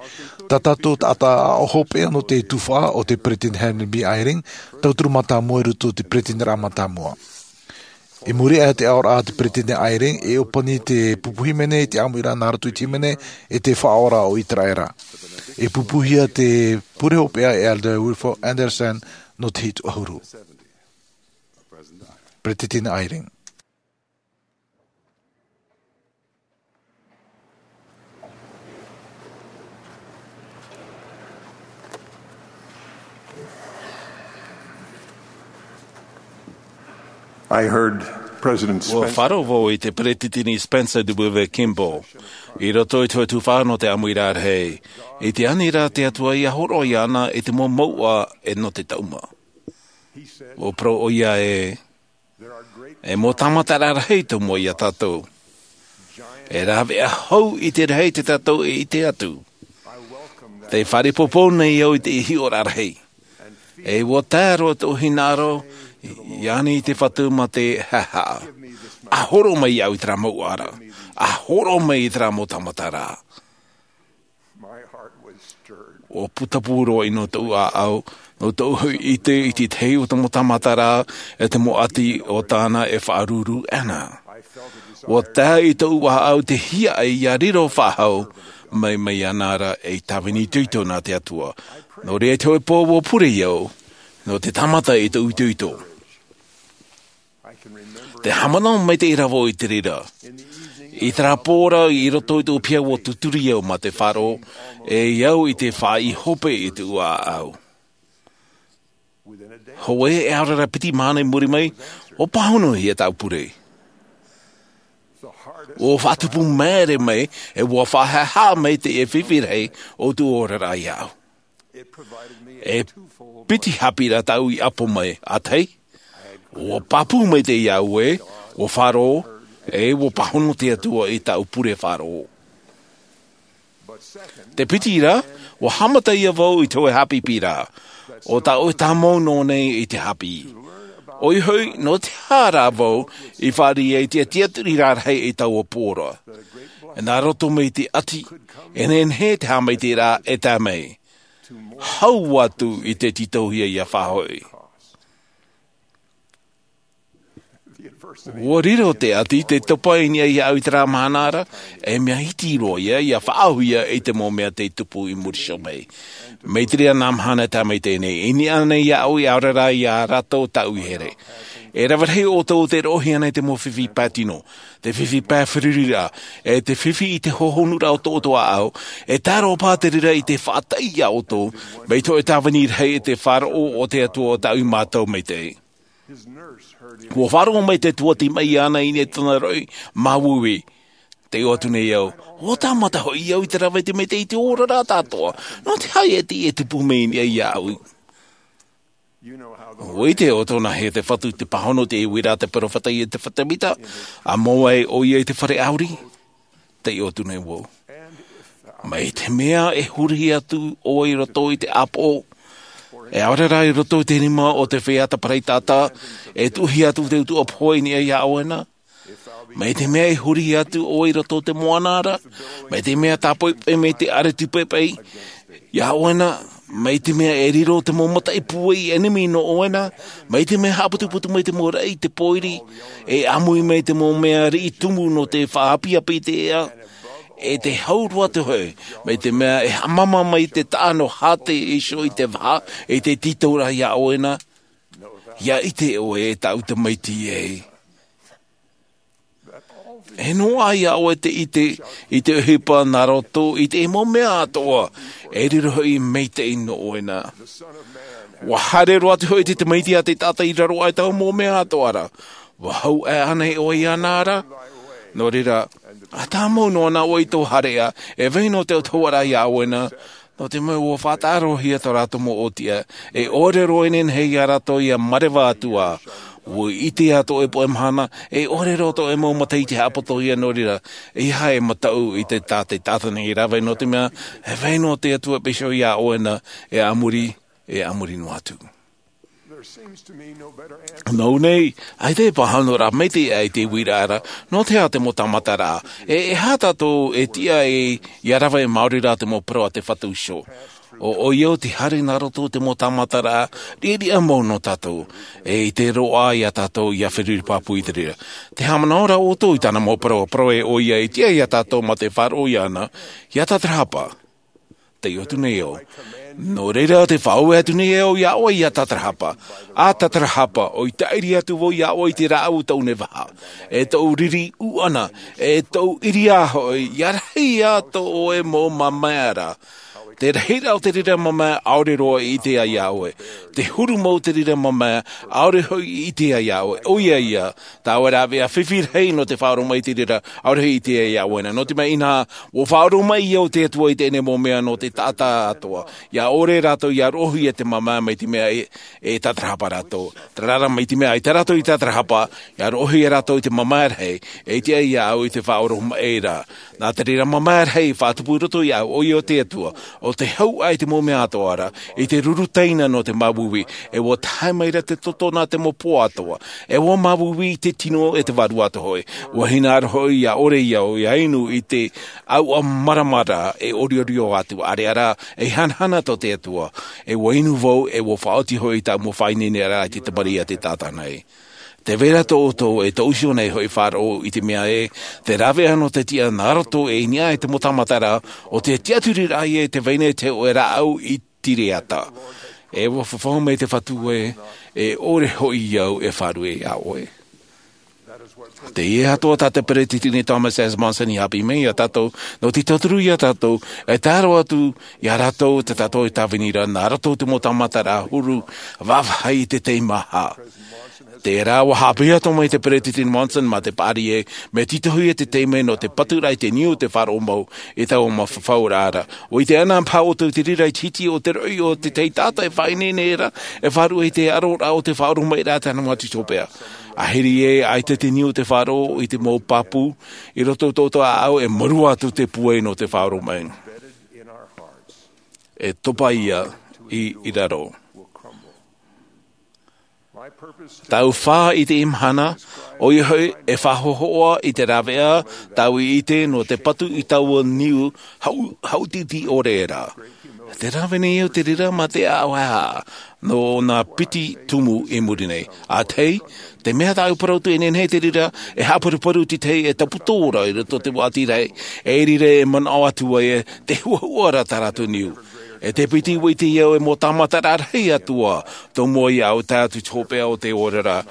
Tā tātou taʻata aʻo hopeʻa nō te tuhaʻa o te Peresideni Henry B. Eyring, tauturu mātāmua i roto i te Peresideni mātāmua. I muri aʻe i te aʻoraʻa a te Peresideni Eyring, e ʻōpani te pupu hīmene i te ʻāmuiraʻa nā roto i te hīmene, e te Faʻaora o Iteraera. E pupuhia te pure hopeʻa e Elder Wilford Andersen nō te hitu ʻahuru. Peresideni Eyring. I heard President Ua Spencer. Faʻaroʻo vau i te Peresideni Spencer W. Kimball i roto i te tuhaʻa nō te ʻāmuiraʻa rahi, i te aniraʻa a te Atua ia hōroʻa iāna i te mau mouʻa e nō te taʻuma. Ua parau ʻoia ē, e mau tāmataraʻa rahi tō mua iā tātou. E rāveʻa hau i te rahi tā tātou e ʻite atu. Tē faʻaroʻo nei au i te hiʻoraʻa rahi. E ua tae roa tōʻu hinaʻaro, iāna i te Fatu mā te haʻehaʻa. ʻA hōroʻa mai iāʻu i terā mau ara. ʻA hōroʻa mai i terā mau tāmataraʻa. Ua putapū roa ʻino tōʻu ʻāʻau, nō tōʻu hoʻi ʻite i te tahi o te mau tāmataraʻa, e te mau ʻati o tāna e faʻaruru ana. Ua tae i tōʻu ʻāʻau te hiaʻai ia riro faʻahou, mai, mai iāna ra ei tāvini itoito nā te Atua. Nō reira i te hōʻē pō ua pure au, nō te tāmata i tōʻu itoito. Te haʻamanaʻo maitaʻi ra vau i te reira. I terā pō ra i roto i tōʻu piha ua tūturi au mā te faʻaroʻo, e au i te faʻaʻī hope i tōʻu ʻāʻau. Hōʻē e aore ra piti mahana i muri mai, ua pāhonohia tāʻu pure. Ua faʻatupu māere mai, e ua faʻahaʻehaʻa mai te fifi rahi o tōʻu oraraʻa iāʻu. E piti haʻapiʻiraʻa tāʻu i ʻapo mai, ʻa tahi, ua pāpū maitaʻi au ē, ua faʻaroʻo, e ua pāhono te Atua i tāʻu pure faʻaroʻo. Te piti ra, ua haʻamata ïa vau i te hōʻē haʻapiʻiraʻa, ʻo tā ʻoe tāmau noa nei i te haʻapiʻi. ʻOia hoʻi, nō te aha rā vau i fāriʻi ai i te tiʻaturiraʻa rahi i taua pō ra. Nā roto mai i te ʻati, e nehenehe te haʻamaitaʻiraʻa e tae mai. Hau atu i te tītauhia ʻia faʻahoʻi. Ua riro te ʻati, te topa i niʻa iāʻu i terā mahana ra, e mea iti roa ïa, ʻia faʻaʻauhia i te mau mea tei tupu i muri iho mai. Mai te reira nā mahana e tae mai teie nei, i niʻa nei iāʻu e ʻaore rā iā rātou tāʻu i here. E rave rahi ʻoutou tē roʻohia nei te mau fifi pae tino, te fifi pae feruriraʻa, e te fifi i te hohonuraʻa o tō ʻoutou ʻāʻau, e tae roa paʻi te reira i te faʻataʻi iā ʻoutou, mai te hōʻē tāvini rahi e te faʻaroʻo o te Atua ʻo tāʻu mātou maitaʻi. Ua faʻaroʻo mai te tuati mai iāna i niʻa i tōna roʻi māuiui. Tē ʻite atu nei au, ua tāmata hoʻi au i te rave i te maitaʻi i te oraraʻa atoʻa. Nō te aha e tiʻa e tupu mai i niʻa iāʻu? ʻUa ʻite ʻoutou nāhea te Fatu i te pāhono i te uiraʻa a te peropheta Iosefa Sāmita, ʻa mau ai ʻoia i te fare ʻāuri. Tē ʻite atu nei vau. Mai te mea e huri atu ʻoe i roto i te ʻāpoʻo, e ʻaore rā i roto i te rima o te feiā tapaʻi taʻata, e tuʻuhia atu te utuʻa pohe i niʻa iā ʻoe na. Mai te mea e huri atu ʻoe i roto i te moana ra, mai te mea tāpaʻo mai te ʻare tūpaʻipaʻi iā ʻoe na, mai te mea e riro te mau mataʻi pūai ʻenemi nō ʻoe na, mai te mea haʻaputuputu mai te mau raʻi i te pōiri, e ʻāmui mai te mau mea riʻi tumu nō te faʻaapiapi i te ea, e te hau roa atu hoʻi, mai te mea e haʻamama mai te taʻa nō Hāte iho i te vaha, e te tītauraʻa iā ʻoe na, ʻia ʻite ʻoe e tāʻu Tamaiti ē. E noaʻa iā ʻoe te ʻite i te ʻohipa nā roto i te mau mea atoʻa, e riro hoʻi maitaʻi nō ʻoe na. ʻUa haere roa atu hoʻi te Tamaiti a te taʻata i raro aʻe i taua mau mea atoʻa ra. ʻUa hau aʻe ānei ʻoe iāna ra? Nō reira, ʻa tāmau noa na ʻoe i tō haereʻa, e vai noa te autahuʻaraʻa iā ʻoe na, nō te mea ʻua faʻataʻarohia tō rātou mau ʻōtiʻa, e ʻore roa e nehenehe iā rātou ʻia mareva atu ā. ʻUa ʻite atoʻa e poʻe mahana, e ʻore roa tō ʻoe mau mata i te haʻapotohia nō reira, ʻeiaha e mataʻu i te tā te taʻata nei e rave nō te mea, e vai noa te Atua e pīhaʻi iā ʻoe na, e a muri, e a muri noa atu. Nō nei, ʻaita e pāhonoraʻa maitaʻi i te uiraʻa ra, nō te aha te mau tāmataraʻa? E, e aha tātou e tiʻa ai, ʻia rave maori rā te mau parau a te Fatu iho. ʻO, ʻoia te haere nā roto i te mau tāmataraʻa, riʻariʻa mau nō tātou. E, i te roaʻa ia tātou, ʻia feruri pāpū i te reira. Tē haʻamanaʻo ra ʻoutou i tāna mau parau, parau ē ʻoia e tiʻa ia tātou mā te faʻaroʻo iāna, ʻia tātarahapa. Tei ʻō atu nei au. Nō reira tē faʻaue atu nei au iā ʻoe ʻia tātarahapa. ʻA tātarahapa, ʻo ʻite atu vau iā ʻoe i te rāʻau tōʻu nei vaha. E tōʻu riri ʻuʻana, e tōʻu ʻiriā hoʻi, ʻia rahi ā tō ʻoe mau mamae ra. Te rahiraʻa o te reira mamae, ʻaore roa i ʻite ai iā ʻoe. Te huru mau o te reira mamae, ʻaore hoʻi i ʻite ai iā ʻoe. ʻOia ia, tāua e rāveʻa fifi rahi nō te faʻaoromaʻi i te reira, ʻaore hoʻi i ʻite ai iā ʻoe na. Nō te mea inaha, ʻua faʻaoromaʻi au te Atua i teie nei mau mea nō te taʻata atoʻa. ʻIa ʻore rātou ʻia roʻohia te mamae mai te mea e, e tātarahapa rātou. Terā rā mai te mea ʻaita rātou i tātarahapa, ʻia roʻohia rātou i te mamae rahi, e ʻite ai iā ʻoe i te faʻaoromaʻi ra. Nā te reira mamae rahi, faʻatupu i roto iā ʻoe, ʻoia te Atua, ʻo te hau ʻai te mau mea atoʻa ra, i te ruru taina nō te māuiui, e ʻua tae mai ra te toto nā te mau pō atoʻa, e ʻua māuiui i te tino e te vārua atoʻa hoʻi. ʻUa hinaʻaro hoʻi ʻia ʻore au, ʻia inu i te ʻauʻa maramara e ʻoriʻori atu, ʻāreʻa rā, e hanahana tō te Atua, e ʻua inu vau, e ʻua faʻaoti hoʻi tāʻu mau faʻaineineraʻa i te tamariʻi a te taʻata nei. Tē vai ra tō ʻoutou e tōʻu iho nei hoʻi faʻaroʻo i te mea ē, te rāveʻa nō te tiʻa nā roto e i niʻa i te mau tāmataraʻa, ʻo te tiʻaturiraʻa ē, tē vai nei te hōʻē rāʻau i Tireata. E ʻua fafau mai te Fatu ē, e ʻore hoʻi au e faʻaruʻe iā ʻoe. Teie atoʻa tā te Peretiteni Thomas S. Monson i haʻapiʻi mai iā tātou, nō te tauturu iā tātou, e tae roa atu iā rātou tā tātou e tāvini ra, nā roto i te mau tāmataraʻa huru, vāvāhi i te teimaha. Terā ʻua haʻapiʻi atoʻa mai te Peretiteni Monson mā te paʻari ē, mea tītauhia te taime nō te paturaʻa i te niu o te faʻaroʻo mau, i taua mau fafauraʻa ra. ʻUa ʻite anaʻe paha ʻoutou i te reira i te hiti o te roʻi o te tahi taʻata e faʻaineine ra, e faʻaruʻe i te ʻaroraʻa o te faʻaoromaʻiraʻa a tāna mau atu hopeʻa. Ahiri ē, ʻaita te niu o te faʻaroʻo i te mau pāpū, i roto i tō ʻoutou ʻāʻau e mārū atu te pūai nō te faʻaoromaʻi. E topa ia i, i raro. Tāʻu fā i teie mahana, ʻoia hoʻi e faʻahohoʻa i te rāveʻa tāʻu i ʻite nō te patu i taua niu hau-, haʻutiti ʻore ra. Tē rave nei au i te reira mā te ʻāʻau haʻehaʻa nō nā piti tumu i muri nei. ʻA tahi, te mea tāʻu e parau atu e nehenehe te reira e haʻaparuparu te tahi e taputō ra i roto i te vāhi rahi, e reira e manaʻo atu ai ē, tē huahua ra tā rātou niu. E te piti ʻua ʻite au e mau tāmataraʻa rahi atoʻa, tō mua iāʻu e tae atu i te hopeʻa o te oraraʻa.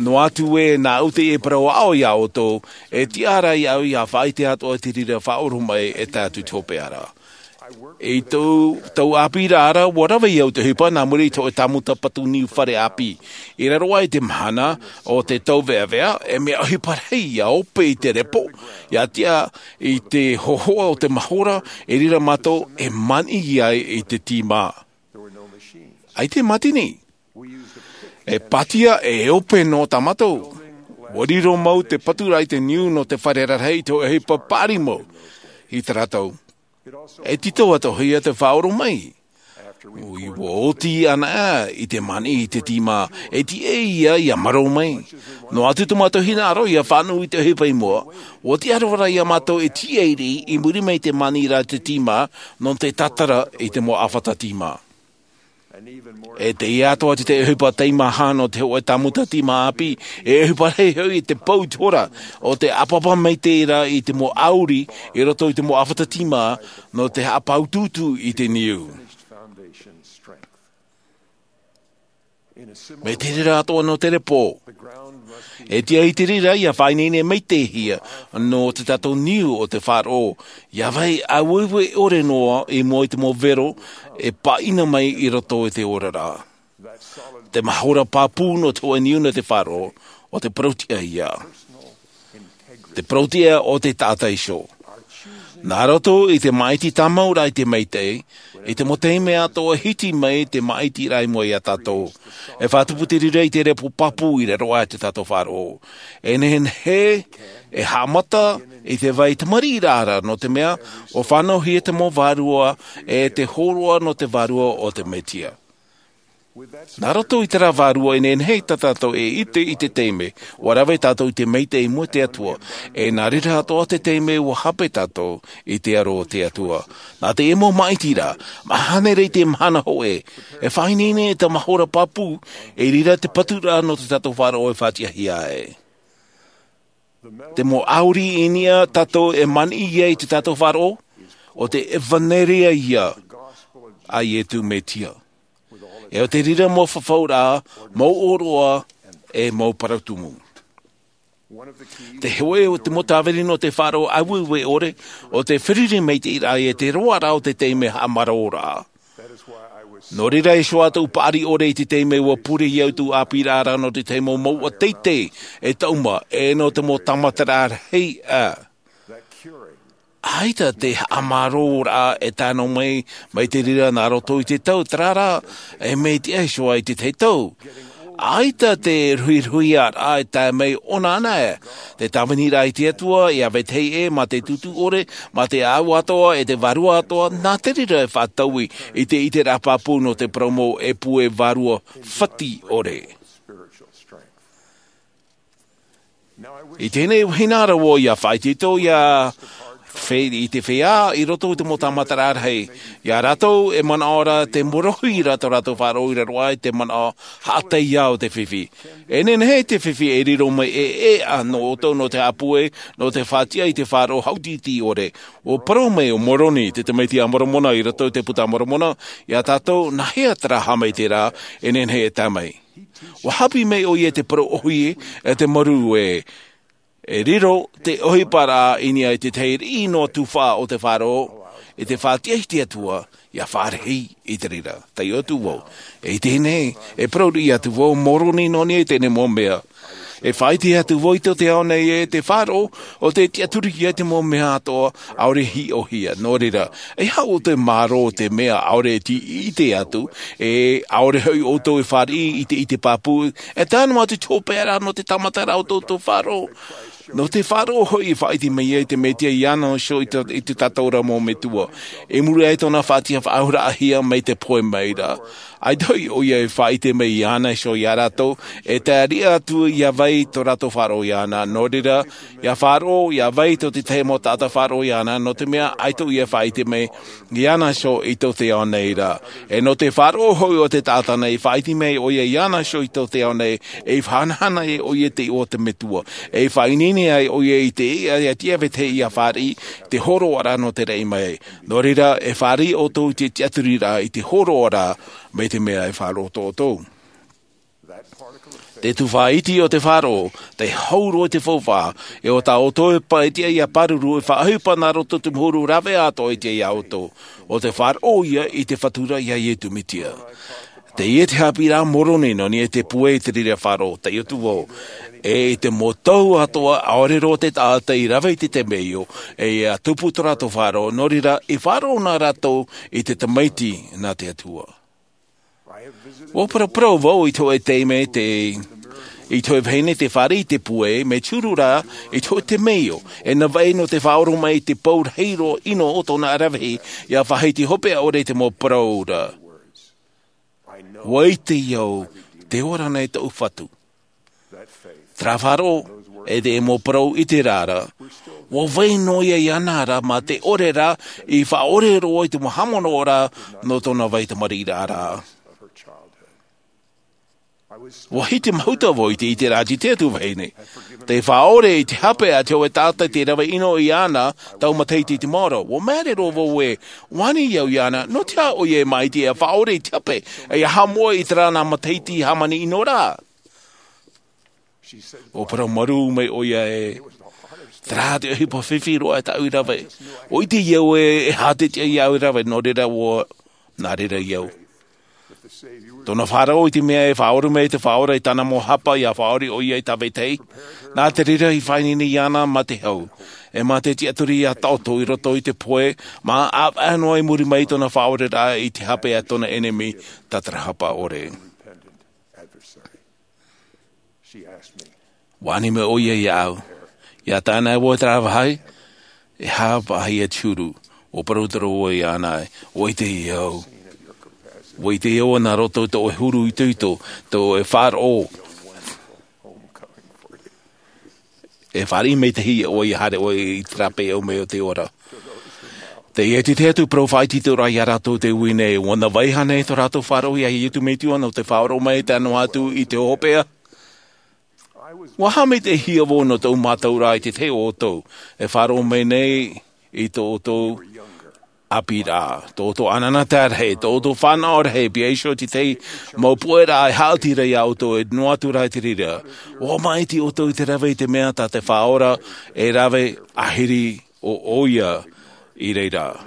Noa atu ē, nāʻu teie e parau aʻo iā ʻoutou, e tiʻa ra iāʻu ʻia faʻaʻite atoʻa i te reira faʻaoromaʻi e tae atu i te hopeʻa ra. I tō, tōʻu ʻāpī ra, ʻua rave au i te ʻohipa nā muri i te hōʻē tāmuta patu niu fare ʻāpī. I raro aʻe i te mahana o te tauveʻaveʻa, e mea ʻohipa rahi ʻia ope i te repo, ʻia tiʻa i te hohoʻa o te mahora, i reira mātou e maniʻi ai i te tīmā. ʻAita e mātini. E pātia e ope noa tā mātou. ʻUa riro mau te paturaʻa i te niu nō te fare rarahi i te hōʻē ʻohipa paʻari mau. I tā rātou. E tītau atoʻahia te faʻaoromaʻi. ʻUa oti anaʻe i te maniʻi i te tīmā, e tiʻa ia ʻia marō mai. Noa atu tō mātou hinaʻaro ʻia fānaʻo i te ʻohipa i mua, ʻua tiʻa roa ra iā mātou e tīaʻi i muri mai i te maniʻiraʻa i te tīmā, nō te tātara i te mau ʻāfata tīmā. E teie atoʻa atu te ʻohipa teimaha nō te hōʻē tāmuta tīmā ʻāpī, e ʻohipa rahi hoʻi i te pou i te hora, ʻo te ʻāpapa maitaʻi ra i te mau ʻauri, i roto i te mau ʻāfata tīmā, nō te haʻapāutuutu i te niu. Mai te reira atoʻa nō te repo. E tiʻa i te reira ʻia faʻaineine maitaʻihia nō te tātou niu o te faʻaroʻo, ʻia vai ʻāueue ʻore noa i mua i te mau vero e pāʻina mai i roto i te oraraʻa. Te mahora pāpū nō te hōʻē niu nō te faʻaroʻo, ʻo te parau-tiʻa ia. Te parau-tiʻa o te taʻata iho. Nā roto i te māʻiti tāmau ra i te maitaʻi, i te mau taime atoʻa e hiti mai te māʻitiraʻa i mua iā tātou. E faʻatupu te reira i te repo pāpū i raro aʻe i tō tātou faʻaroʻo. E nehenehe, e haʻamata i te vai tamariʻiraʻa ra, nō te mea, ʻua fānaʻohia te mau vārua, e te hōroʻa nō te Vārua o te Mesia. Nā roto i te rā vārua e nehenehe tā tātou e ʻite i te taime ua rave tātou i te maitaʻi i mua i te Atua, e nā reira atoʻa te taime ua hape tātou i te aro o te Atua. Nā te ʻemo maʻiti ra, mahana ra i te mahana hoʻe, e faʻaineine e te mahora pāpū, e riro te patu ra nō te tātou faʻaroʻo e faʻatiʻahia ai. Te mau ʻauri i niʻa tātou e maniʻi ai te tātou faʻaroʻo, o te ʻevanelia ia a Iesu Mesia. E o te riro mau fafauraʻa, mau ʻōroʻa, e mau parau tumu. Te hoʻe o te mau tāvini nō te faʻaroʻo aueue ʻore, o te feruri mai te ʻiraʻa e te roaraʻa o te taime haʻamāraoraʻa. Nō reira e hoʻi atu paʻari ʻore i te taime ua pure i au tū ʻāpīraʻa nō te taime mau ua teitei e tauma, e nō te mau tāmataraʻa rahi a. ʻAita te haʻamāraoraʻa e tano mai, mai te riro nā roto i te tau, terā rā, e mea tiʻa e hoʻi i te tahi tau. ʻAita te ruhiruhiaraʻa e tae mai ʻōna ana e. Te tāviniraʻa i te Atua, ia vetahi ʻē, mā te tūtū ʻore, mā te ʻāʻau atoʻa, e te vārua atoʻa, nā te riro e faʻataui i te ʻiteraʻa pāpū nō te parau mau e pue vārua fati ʻore. I teie nei vahine ra vau ia faʻaitoito ia fe-, i te feiā i roto i te mau tāmataraʻa rahi. Ia rātou e manaʻo ra te morohi ra tō rātou faʻaroʻo i raro aʻe i te manaʻo haʻataiā o te fifi. E nehenehe te fifi e riro mai e, e ʻā nō ʻoutou nō te haʻapūai, nō te faʻatiʻa i te faʻaroʻo haʻutītī ʻore. Ua parau mai ʻo Moroni, te tamaiti a Moromona i roto i te puta a Moromona, ia tātou, nā hea terā haʻamaitaʻiraʻa e nehenehe e tae mai. Ua haʻapiʻi mai ʻoia i te parau ʻōhie, e te marū e, e riro te ʻohiparaʻa i niʻa i te tahi riʻi noa tufaʻa o te faʻaroʻo, i te faʻatiʻa i te Atua, ia fāriʻi i te reira. Taiʻo atu vau. E teie nei, e parau riʻi atu vau, Moroni nō niʻa i teie nei mau mea. E faʻaʻite atu vau i tō te ao nei e te faʻaroʻo, ʻo te tiʻaturi ia te mau mea atoʻa, ʻaore hiʻohia. Nō reira, e haʻu te mārō te mea ʻaore e ʻite atu, e ʻaore hoʻi ʻoutou e fāriʻi i te, i te pāpū, e tae noa atu te hopeʻa ra nō te tāmataraʻa o tō, tō faʻaroʻo. Nō te faʻaroʻo hoʻi e faʻaʻite mai ai te Mesia iāna iho i te, i te tātauraʻa mau metua. I muri aʻe i tōna faʻatiʻa faʻahouraʻahia mai te pohe mai ra. ʻAita hoʻi ʻoia e faʻaʻite mai iāna iho ia rātou, e tae riʻi atu ia vai tō rātou faʻaroʻo iāna. Nō reira, ia faʻaroʻo, ia vai tō te tahi mau taʻata faʻaroʻo iāna, nō te mea ʻaita ʻoia e faʻaʻite mai iāna iho i tō te ao nei ra. E nō te faʻaroʻo hoʻi o te taʻata nei, faʻaʻite mai ʻoia iāna iho i tō te ao nei, e faʻahanahana ai ʻoia i te iʻoa o te Metua. E faʻaineine ai ʻoia i te, ia, ia tiʻa vetahi ia fāriʻi, te hōroʻaraʻa nō te raʻi mai. Nō reira, e fāriʻi ʻoutou i te tiʻaturiraʻa i te hōroʻaraʻa, mai te mea e faʻaroʻo atu ʻoutou. Te tufaʻa iti o te faʻaroʻo, te hau roa i te faufaʻa, e ʻo tā ʻoutou e pa-, e tiʻa ia pāruru, e faʻaʻohipa nā roto i te mau huru rāveʻa atoʻa i tiʻa ia ʻoutou. ʻO te faʻaroʻo ia i te Fatu ra ia Iesu Mesia. Teie te haʻapiʻiraʻa a Moroni nō niʻa i te pue i te reira faʻaroʻo, taiʻo atu vau. E i te mau tau atoʻa, ʻaore roa te taʻata i rave i te temeio, e ia tupu tō rātou faʻaroʻo, nō reira, i faʻaroʻo na rātou i te Tamaiti nā te Atua. Ua paraparau vau i te hōʻē taime te, i te hōʻē vahine tē fāriʻi i te pue, mea turu rā, i te hōʻē temeio, e navaʻi nō te faʻaoromaʻi i te pou rahi roa ʻino o tōna aravihi, ia faʻahiti hopeʻa ʻore i te mau parau ra. ʻUa ʻite au, tē ora nei tōʻu Fatu. Terā faʻaroʻo, e te mau parau i te reira. ʻUa vai noa ia iāna ra, mā te ʻore ra, i faʻaʻore roa i te mau haʻamanaʻo ra, nō tōna vai tamariʻiraʻa ra. ʻUa hiti mahuta vau i te, i te rā, i te atu vahine. Tē faʻaʻore i te hape a te hōʻē taʻata tē rave ʻino iāna, taua matahiti i te maoro. ʻUa māere roa vau ē, ʻua ani au iāna, nō te aha ʻoia e maʻiti e faʻaʻore i te hape, e ia haʻamoʻe i terā nā matahiti hāmani ʻino ra. ʻUa parau marū mai ʻoia ē, terā te ʻohipa fifi roa e tāʻu i rave. ʻUa ʻite au ē, e aha te tiʻa ia au e rave, nō reira ʻua, nā reira au. Tōna faʻaroʻo i te mea e faʻaʻore mai te Faʻaora i tāna mau hapa, ia faʻaʻore ʻoia i tā vetahi. Nā te reira i faʻaineine iāna mā te hau. E mā te tiʻaturi ia taʻoto i roto i te pohe, mā ʻāvaʻe noa i muri mai tōna faʻaʻoreraʻa i te hape a tōna ʻenemi, tātarahapa ʻore. ʻUa ani mai ʻoia iāʻu. ʻIa tae ana vau i terā vāhi, e aha paʻi te huru, ʻua parau atu ra vau iāna ē, ʻua ʻite au. ʻUa ʻite ʻoe nā roto i tō ʻoe huru itoito, tō ʻoe faʻaroʻo, e fāriʻi mai te hiʻo ʻoe ia haere ʻoe i te rāpae ʻau mai o te ora. Teie te tahi atu parau faʻaitoito ra ia rātou te ui nei, ʻua nā vaiiho nei tō rātou faʻaroʻo ia Iesu Mesia nō te faʻaroʻo mai i te ʻano atu i te hopeʻa. ʻUa haʻamaitaʻihia vau nō tō mātou rā i te tahi o ʻoutou e faʻaroʻo mai nei i tō ʻoutou ʻāpī ra, tō ʻoutou ʻānānā rahi, tō ʻoutou fānaʻo rahi, pea iho te tahi mau puʻe ra e haʻati ra ia ʻoutou e noa atu rā i te reira. ʻUa māʻiti ʻoutou i te rave i te mea tā te Faʻaora e rave ʻāhiri ʻo ʻoia i reira.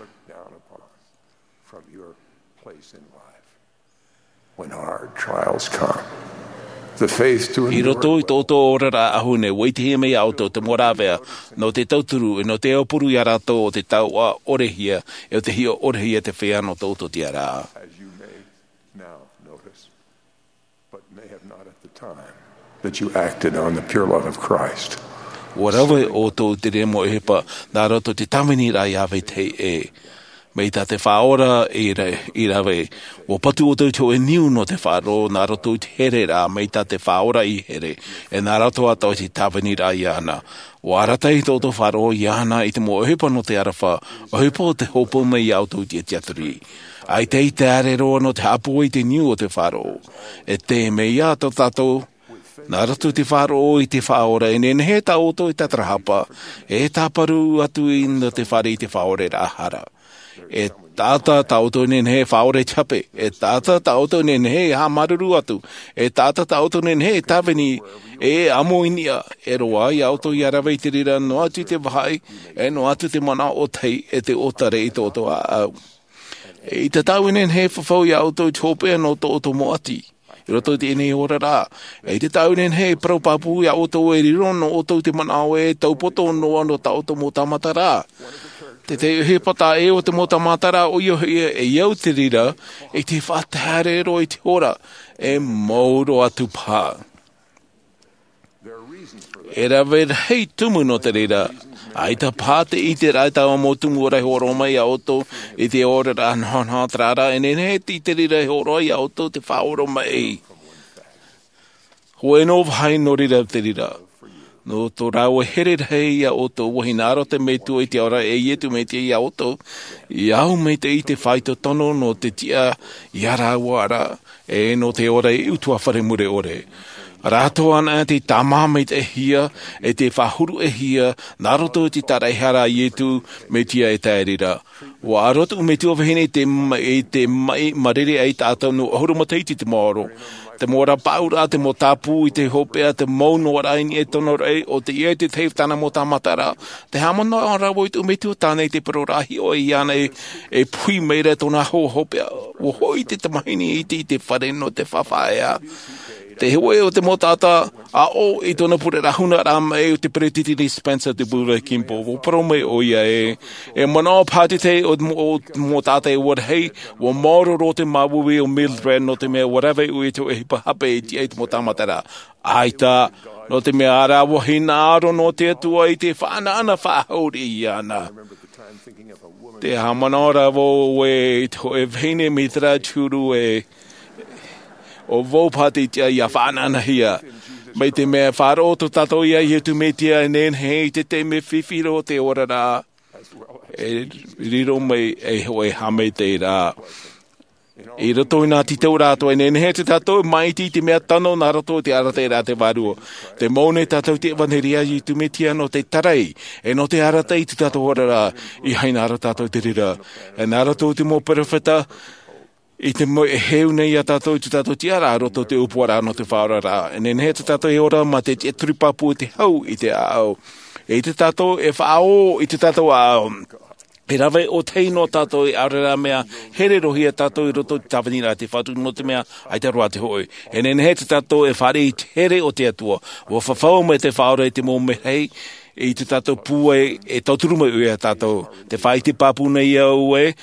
When hard trials come, the faith to I endure roto i tō ʻoutou oraraʻa ʻahu nei, ʻua ʻitehia mai ia ʻoutou te mau rāveʻa nō te tauturu, e nō te aupuru ia rātou o te tauʻa ʻore hia, e o te hiʻo ʻore hia te feiā nō tō ʻoutou tiʻaraʻa. As you may now notice, but may have not at the time, that you acted on the pure love of Christ. ʻUa rave ʻoutou i te reira mau ʻohipa nā roto i te tāviniraʻa ia vetahi ʻē. Mai tā te Faʻaora i ra-, i rave, ʻua patu ʻoutou i te hōʻē niu nō te faʻaroʻo nā roto i te here ra, mai tā te Faʻaora i here, e nā roto atoʻa i te tāviniraʻa iāna. ʻUa arataʻi tō ʻoutou faʻaroʻo iāna i te mau ʻohipa nō te aroha, ʻohipa o te hōpoi mai ia ʻoutou i te tiaturi. ʻAita i te ʻāreʻa roa nō te haʻapūai i te niu o te faʻaroʻo. E te mea ia tō tātou, nā roto i te faʻaroʻo i te Faʻaora, e nehenehe tā ʻoutou e tātarahapa, e tāparu atu i nō te fare i te faʻaoraraʻa hara. E taʻata tā ʻoutou e nehenehe e faʻaora i te hape, e taʻata tā ʻoutou e nehenehe e haʻamāuruuru atu, e taʻata tā ʻoutou e nehenehe e tāvini, e ʻamo i niʻa, e roaʻa ia ʻoutou ia rave i te reira noa atu i te vāhi, e noa atu te manaʻo ʻōtahi, e te ʻōtare i tō ʻoutou ʻāʻau. E ʻaita tāʻu e nehenehe e fafau ia ʻoutou i te hopeʻa nō tō ʻoutou mau ʻati. I roto i teie nei oraraʻa, e ʻaita tāʻu e nehenehe e parau pāpū ia ʻoutou e riro nō ʻoutou te manaʻo e taupoto noa nō tā ʻoutou mau tāmata ra. Te tahi ʻohipa tā ʻē o te mau tāmata ra, ʻoia hoʻi e au te reira, i te faʻataʻa roa i te hora, e mau roa atu paha. E rave rahi tumu nō te reira, ʻaita paha te ʻiteraʻa i taua mau tumu ora e hōroʻa mai ia ʻoutou i te oraraʻa nahonaho terā ra, e nehenehe te reira e hōroʻa ia ʻoutou te faʻaoromaʻi. Hōʻē noa vāhi nō reira te reira. Nō tō rāua here rahi ia ʻoutou, ʻua hinaʻaro te Metua i te ao ra e Iesu Mesia ia ʻoutou, e au maitaʻi te faito tono nō te tiʻa ia rāua ra, e nō te ora i utuafare mure ʻore. Rātou anaʻe tei tāmā maitaʻihia, e tei faʻahuruʻahia, nā roto i te tāraʻehara a Iesu Mesia e tae reira. ʻUa aro tō Metua vahine i te ma-, i te maʻi mārere ai tātou nō ʻahuru matahiti te maoro. Te mau ora pāʻuraʻa, te mau tāpū i te hopeʻa, te mau noa raʻa i niʻa i tōna raʻi, ʻo teie te tahi tāna mau tāmata ra. Te haʻamanaʻo ra vau i tō Metua tāna i te parau ra hiʻo iāna e, e puhi mai ra tōna hoa hopeʻa. ʻUa hoʻi te tamahine iti i te fare nō te faʻaea. Te hōʻē o te mau taʻata aʻo i tōna pure ra huna ra mai o te peretiteni Spencer W. Kimball. ʻUa parau mai ʻoia ē, e manaʻo paha te tahi o te mau, o te mau taʻata e ua rahi, ʻua maoro roa te māuiui o Mildred nō te mea ʻua rave ʻoia i te hōʻē ʻohipa hape i tiʻa i te mau tāmata ra. ʻAita, nō te mea ʻaore rā ʻua hinaʻaro nō te Atua i te faʻanaʻana faʻahou riʻi iāna. Te haʻamanaʻo ra vau ē i te hōʻē vahine mai terā te huru ē, ʻo vau paha te tiʻa ia faʻanaʻanahia. Mai te mea faʻaroʻo tō tātou ia Iesu Mesia e nehenehe i te taime fifi roa o te oraraʻa, e riro mai e hōʻē haʻamaitaʻiraʻa. I roto i nā tītauraʻa atoʻa, e nehenehe tō tātou e māʻiti i te mea tano nā roto i te arataʻiraʻa a te Vārua. Tē mau nei tātou i te ʻevaneria a Iesu Mesia nō te tarai, e nō te arataʻi i tō tātou oraraʻa, ʻeiaha e hinaʻaro tātou i te reira. E nā roto i te mau perofeta, i te mau e heu nei ia tātou i tō tātou tiʻaraʻa i roto i te ʻōpuaraʻa nō te faʻaoraraʻa. E nehenehe tō tātou e ora mā te tiʻaturi pāpū i te hau i te ʻāʻau. E ʻaita tātou e faʻaō i tō tātou ʻāʻau. E rave ʻōtahi noa tātou e ʻaore rā mea here roa ia tātou i roto i te tāviniraʻa a te Fatu nō te mea ʻaita roa te hōʻē. E nehenehe tō tātou e fāriʻi i te here o te Atua. ʻUa fafau mai te Faʻaora i te mau mea rahi i tō tātou pūai e tauturu mai ʻoia ia tātou. Tē faʻaʻite pāpū nei au ē,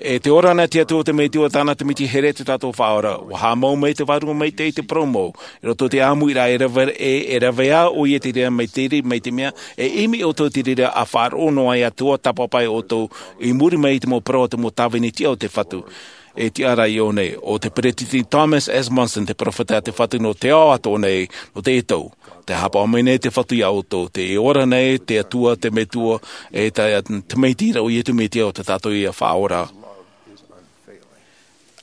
e tē ora na te Atua, te Metua, tāna te miti here tō tātou Faʻaora. ʻUa haʻamau mai te Vārua Maitaʻi i te parau mau. I roto i te ʻāmuiraʻa e rave, e, e rave ā ʻoia i te reira mai te, mai te mea, e ʻimi ʻoutou i te reira ʻa faʻaroʻo noa ai atoʻa tāpaʻo paʻi ʻoutou i muri mai i te mau parau a te mau tāvini tiʻa o te Fatu. E tiʻa ra i ʻō nei, ʻo te Peresideni Thomas S. Monson te perofeta a te Fatu nō te ao atoʻa nei, nō teie tau. Tē haʻapaʻo mai nei te Fatu iā ʻoutou, tē ora nei te Atua, te Metua, e te, te Tamaiti ra ʻo Iesu Mesia ʻo tā tātou ia Faʻaora.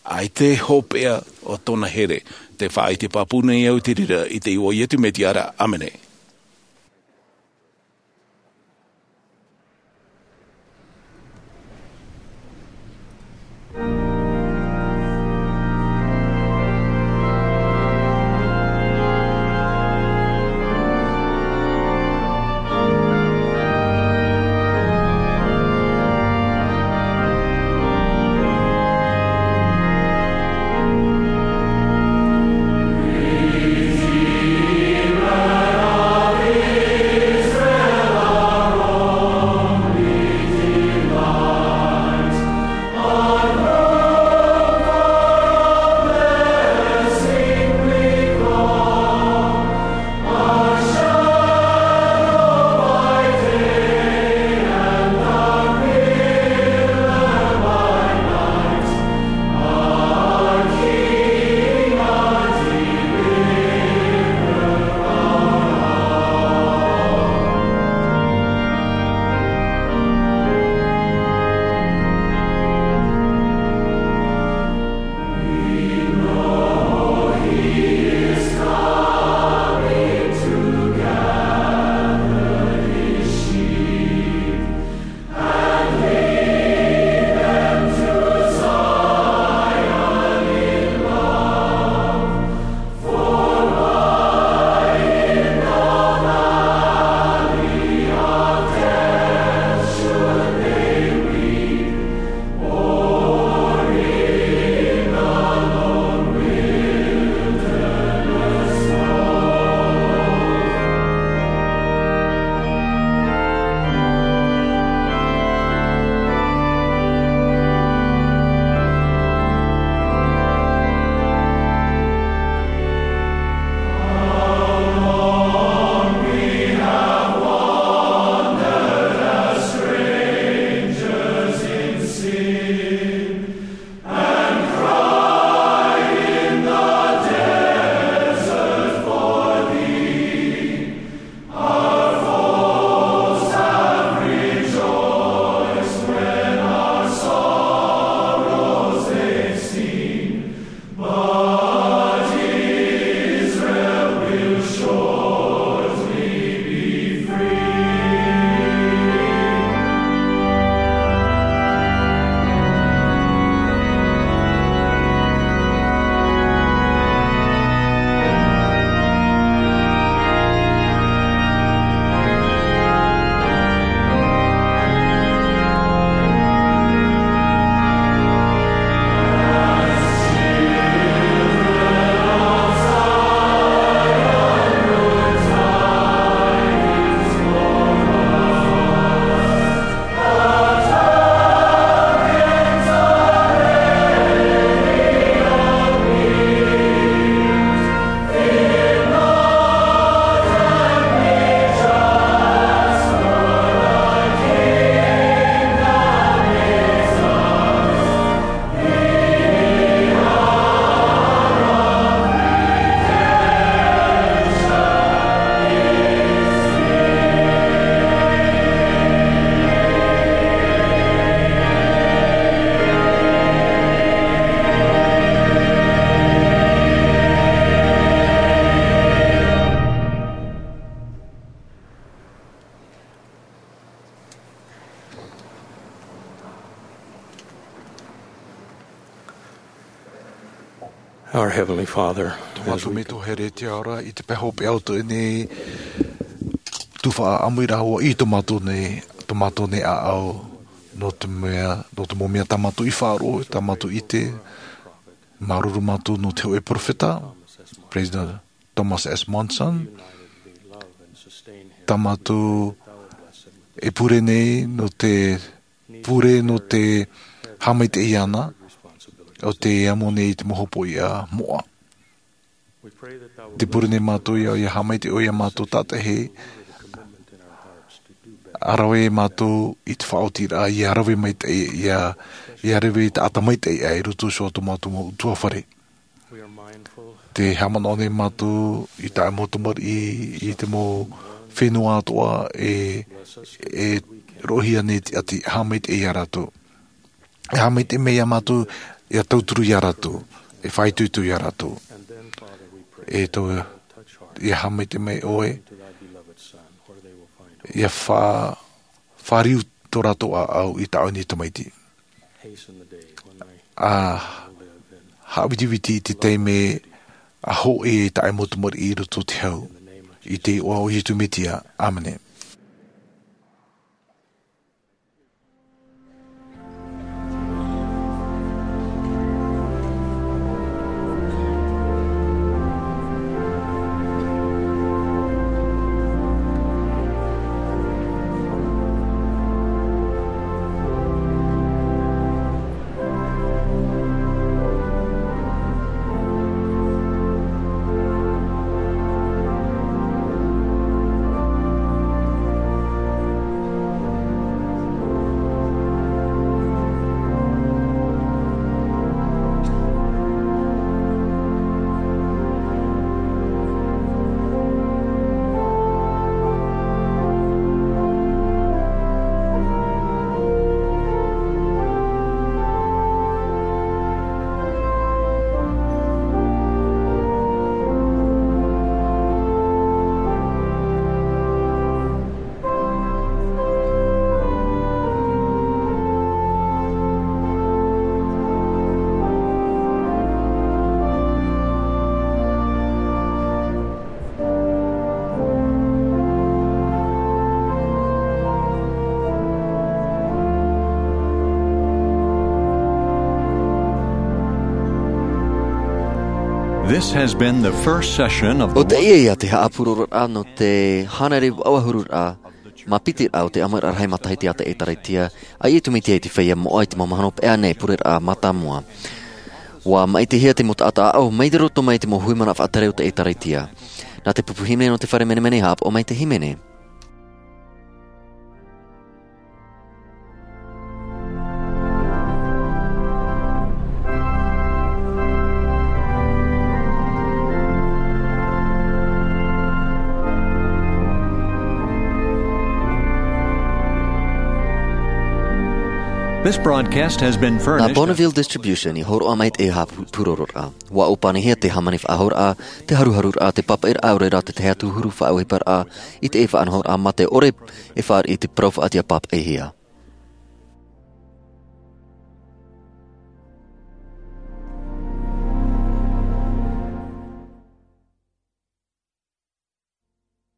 ʻAita e hopeʻa o tōna here, tē faʻaʻite pāpū nei au i te reira, i te iʻoa o Iesu Mesia ra, ʻāmene. Our Heavenly Father, tō mātou Metua here i te ao ra, i te pae hopeʻa o tō ʻoe nei tuhaʻa ʻāmuiraʻa, i tō mātou nei, tō mātou nei ʻāʻau, nō te mea, nō te mau mea tā mātou i faʻaroʻo, tā mātou i ʻite, māuruuru mātou nō te hōʻē perofeta, Peresideni Thomas S. Monson, tā mātou e pure nei nō te pure nō te haʻamaitaʻi iāna, ʻo tē amo nei i te mau hopoiʻa moʻa. Tē pure nei mātou ia, ia haʻamaitaʻi ʻoe iā mātou tātaʻi, ʻa rave mātou i te faʻaotiraʻa, ia rave maitaʻi, ia Ia rave i te taʻata maitaʻi ʻā i roto i tō mātou mau ʻutuāfare. Te haʻamanaʻo nei mātou i taʻu mau tamariʻi, i te mau fenua atoʻa e, e roʻohia nei te ʻati, haʻamaitaʻi ia rātou. E haʻamaitaʻi mai ia mātou, ia tauturu ia rātou, e faʻaitoito ia rātou. E tau, ia haʻamaitaʻi mai ʻoe, ia fa, fāriu tō rātou ʻāʻau i taʻu nei tamaiti. A haʻavitiviti i te taime a hoʻi e taʻu mau tamariʻi i roto i te hau. I te iʻoa o Iesu Mesia. ʻĀmene. This has been the first session of the ʻO teie ia te haʻapurororaʻa nō te hānere vaʻu ʻahururaʻa, mā piti raʻa o te ʻāmuiraʻa rahi matahiti a te ʻĒtārētia a Iesu Mesia i te feiā moʻa i te mau mahana hopeʻa nei, pureraʻa mātāmua. ʻUa maʻitihia te mau taʻata ʻāʻau mai te roto mai i te mau hui mana faʻatere o te ʻĒtārētia. Nā te pupu hīmene nō te fare menemene, haʻapaʻo mai te hīmene. This broadcast has been furnished. Nā Bonneville Distribution i hōroʻa mai teie haʻapurororaʻa. ʻUa ʻōpanihia te hāmani faʻahouraʻa, te haruharuraʻa, te pāpaʻiraʻa, ʻaore rā te tahi atu huru faʻaʻohiparaʻa i te faʻanahoraʻa mā te ʻore e fāriʻi i te parau faʻatiʻa pāpaʻihia.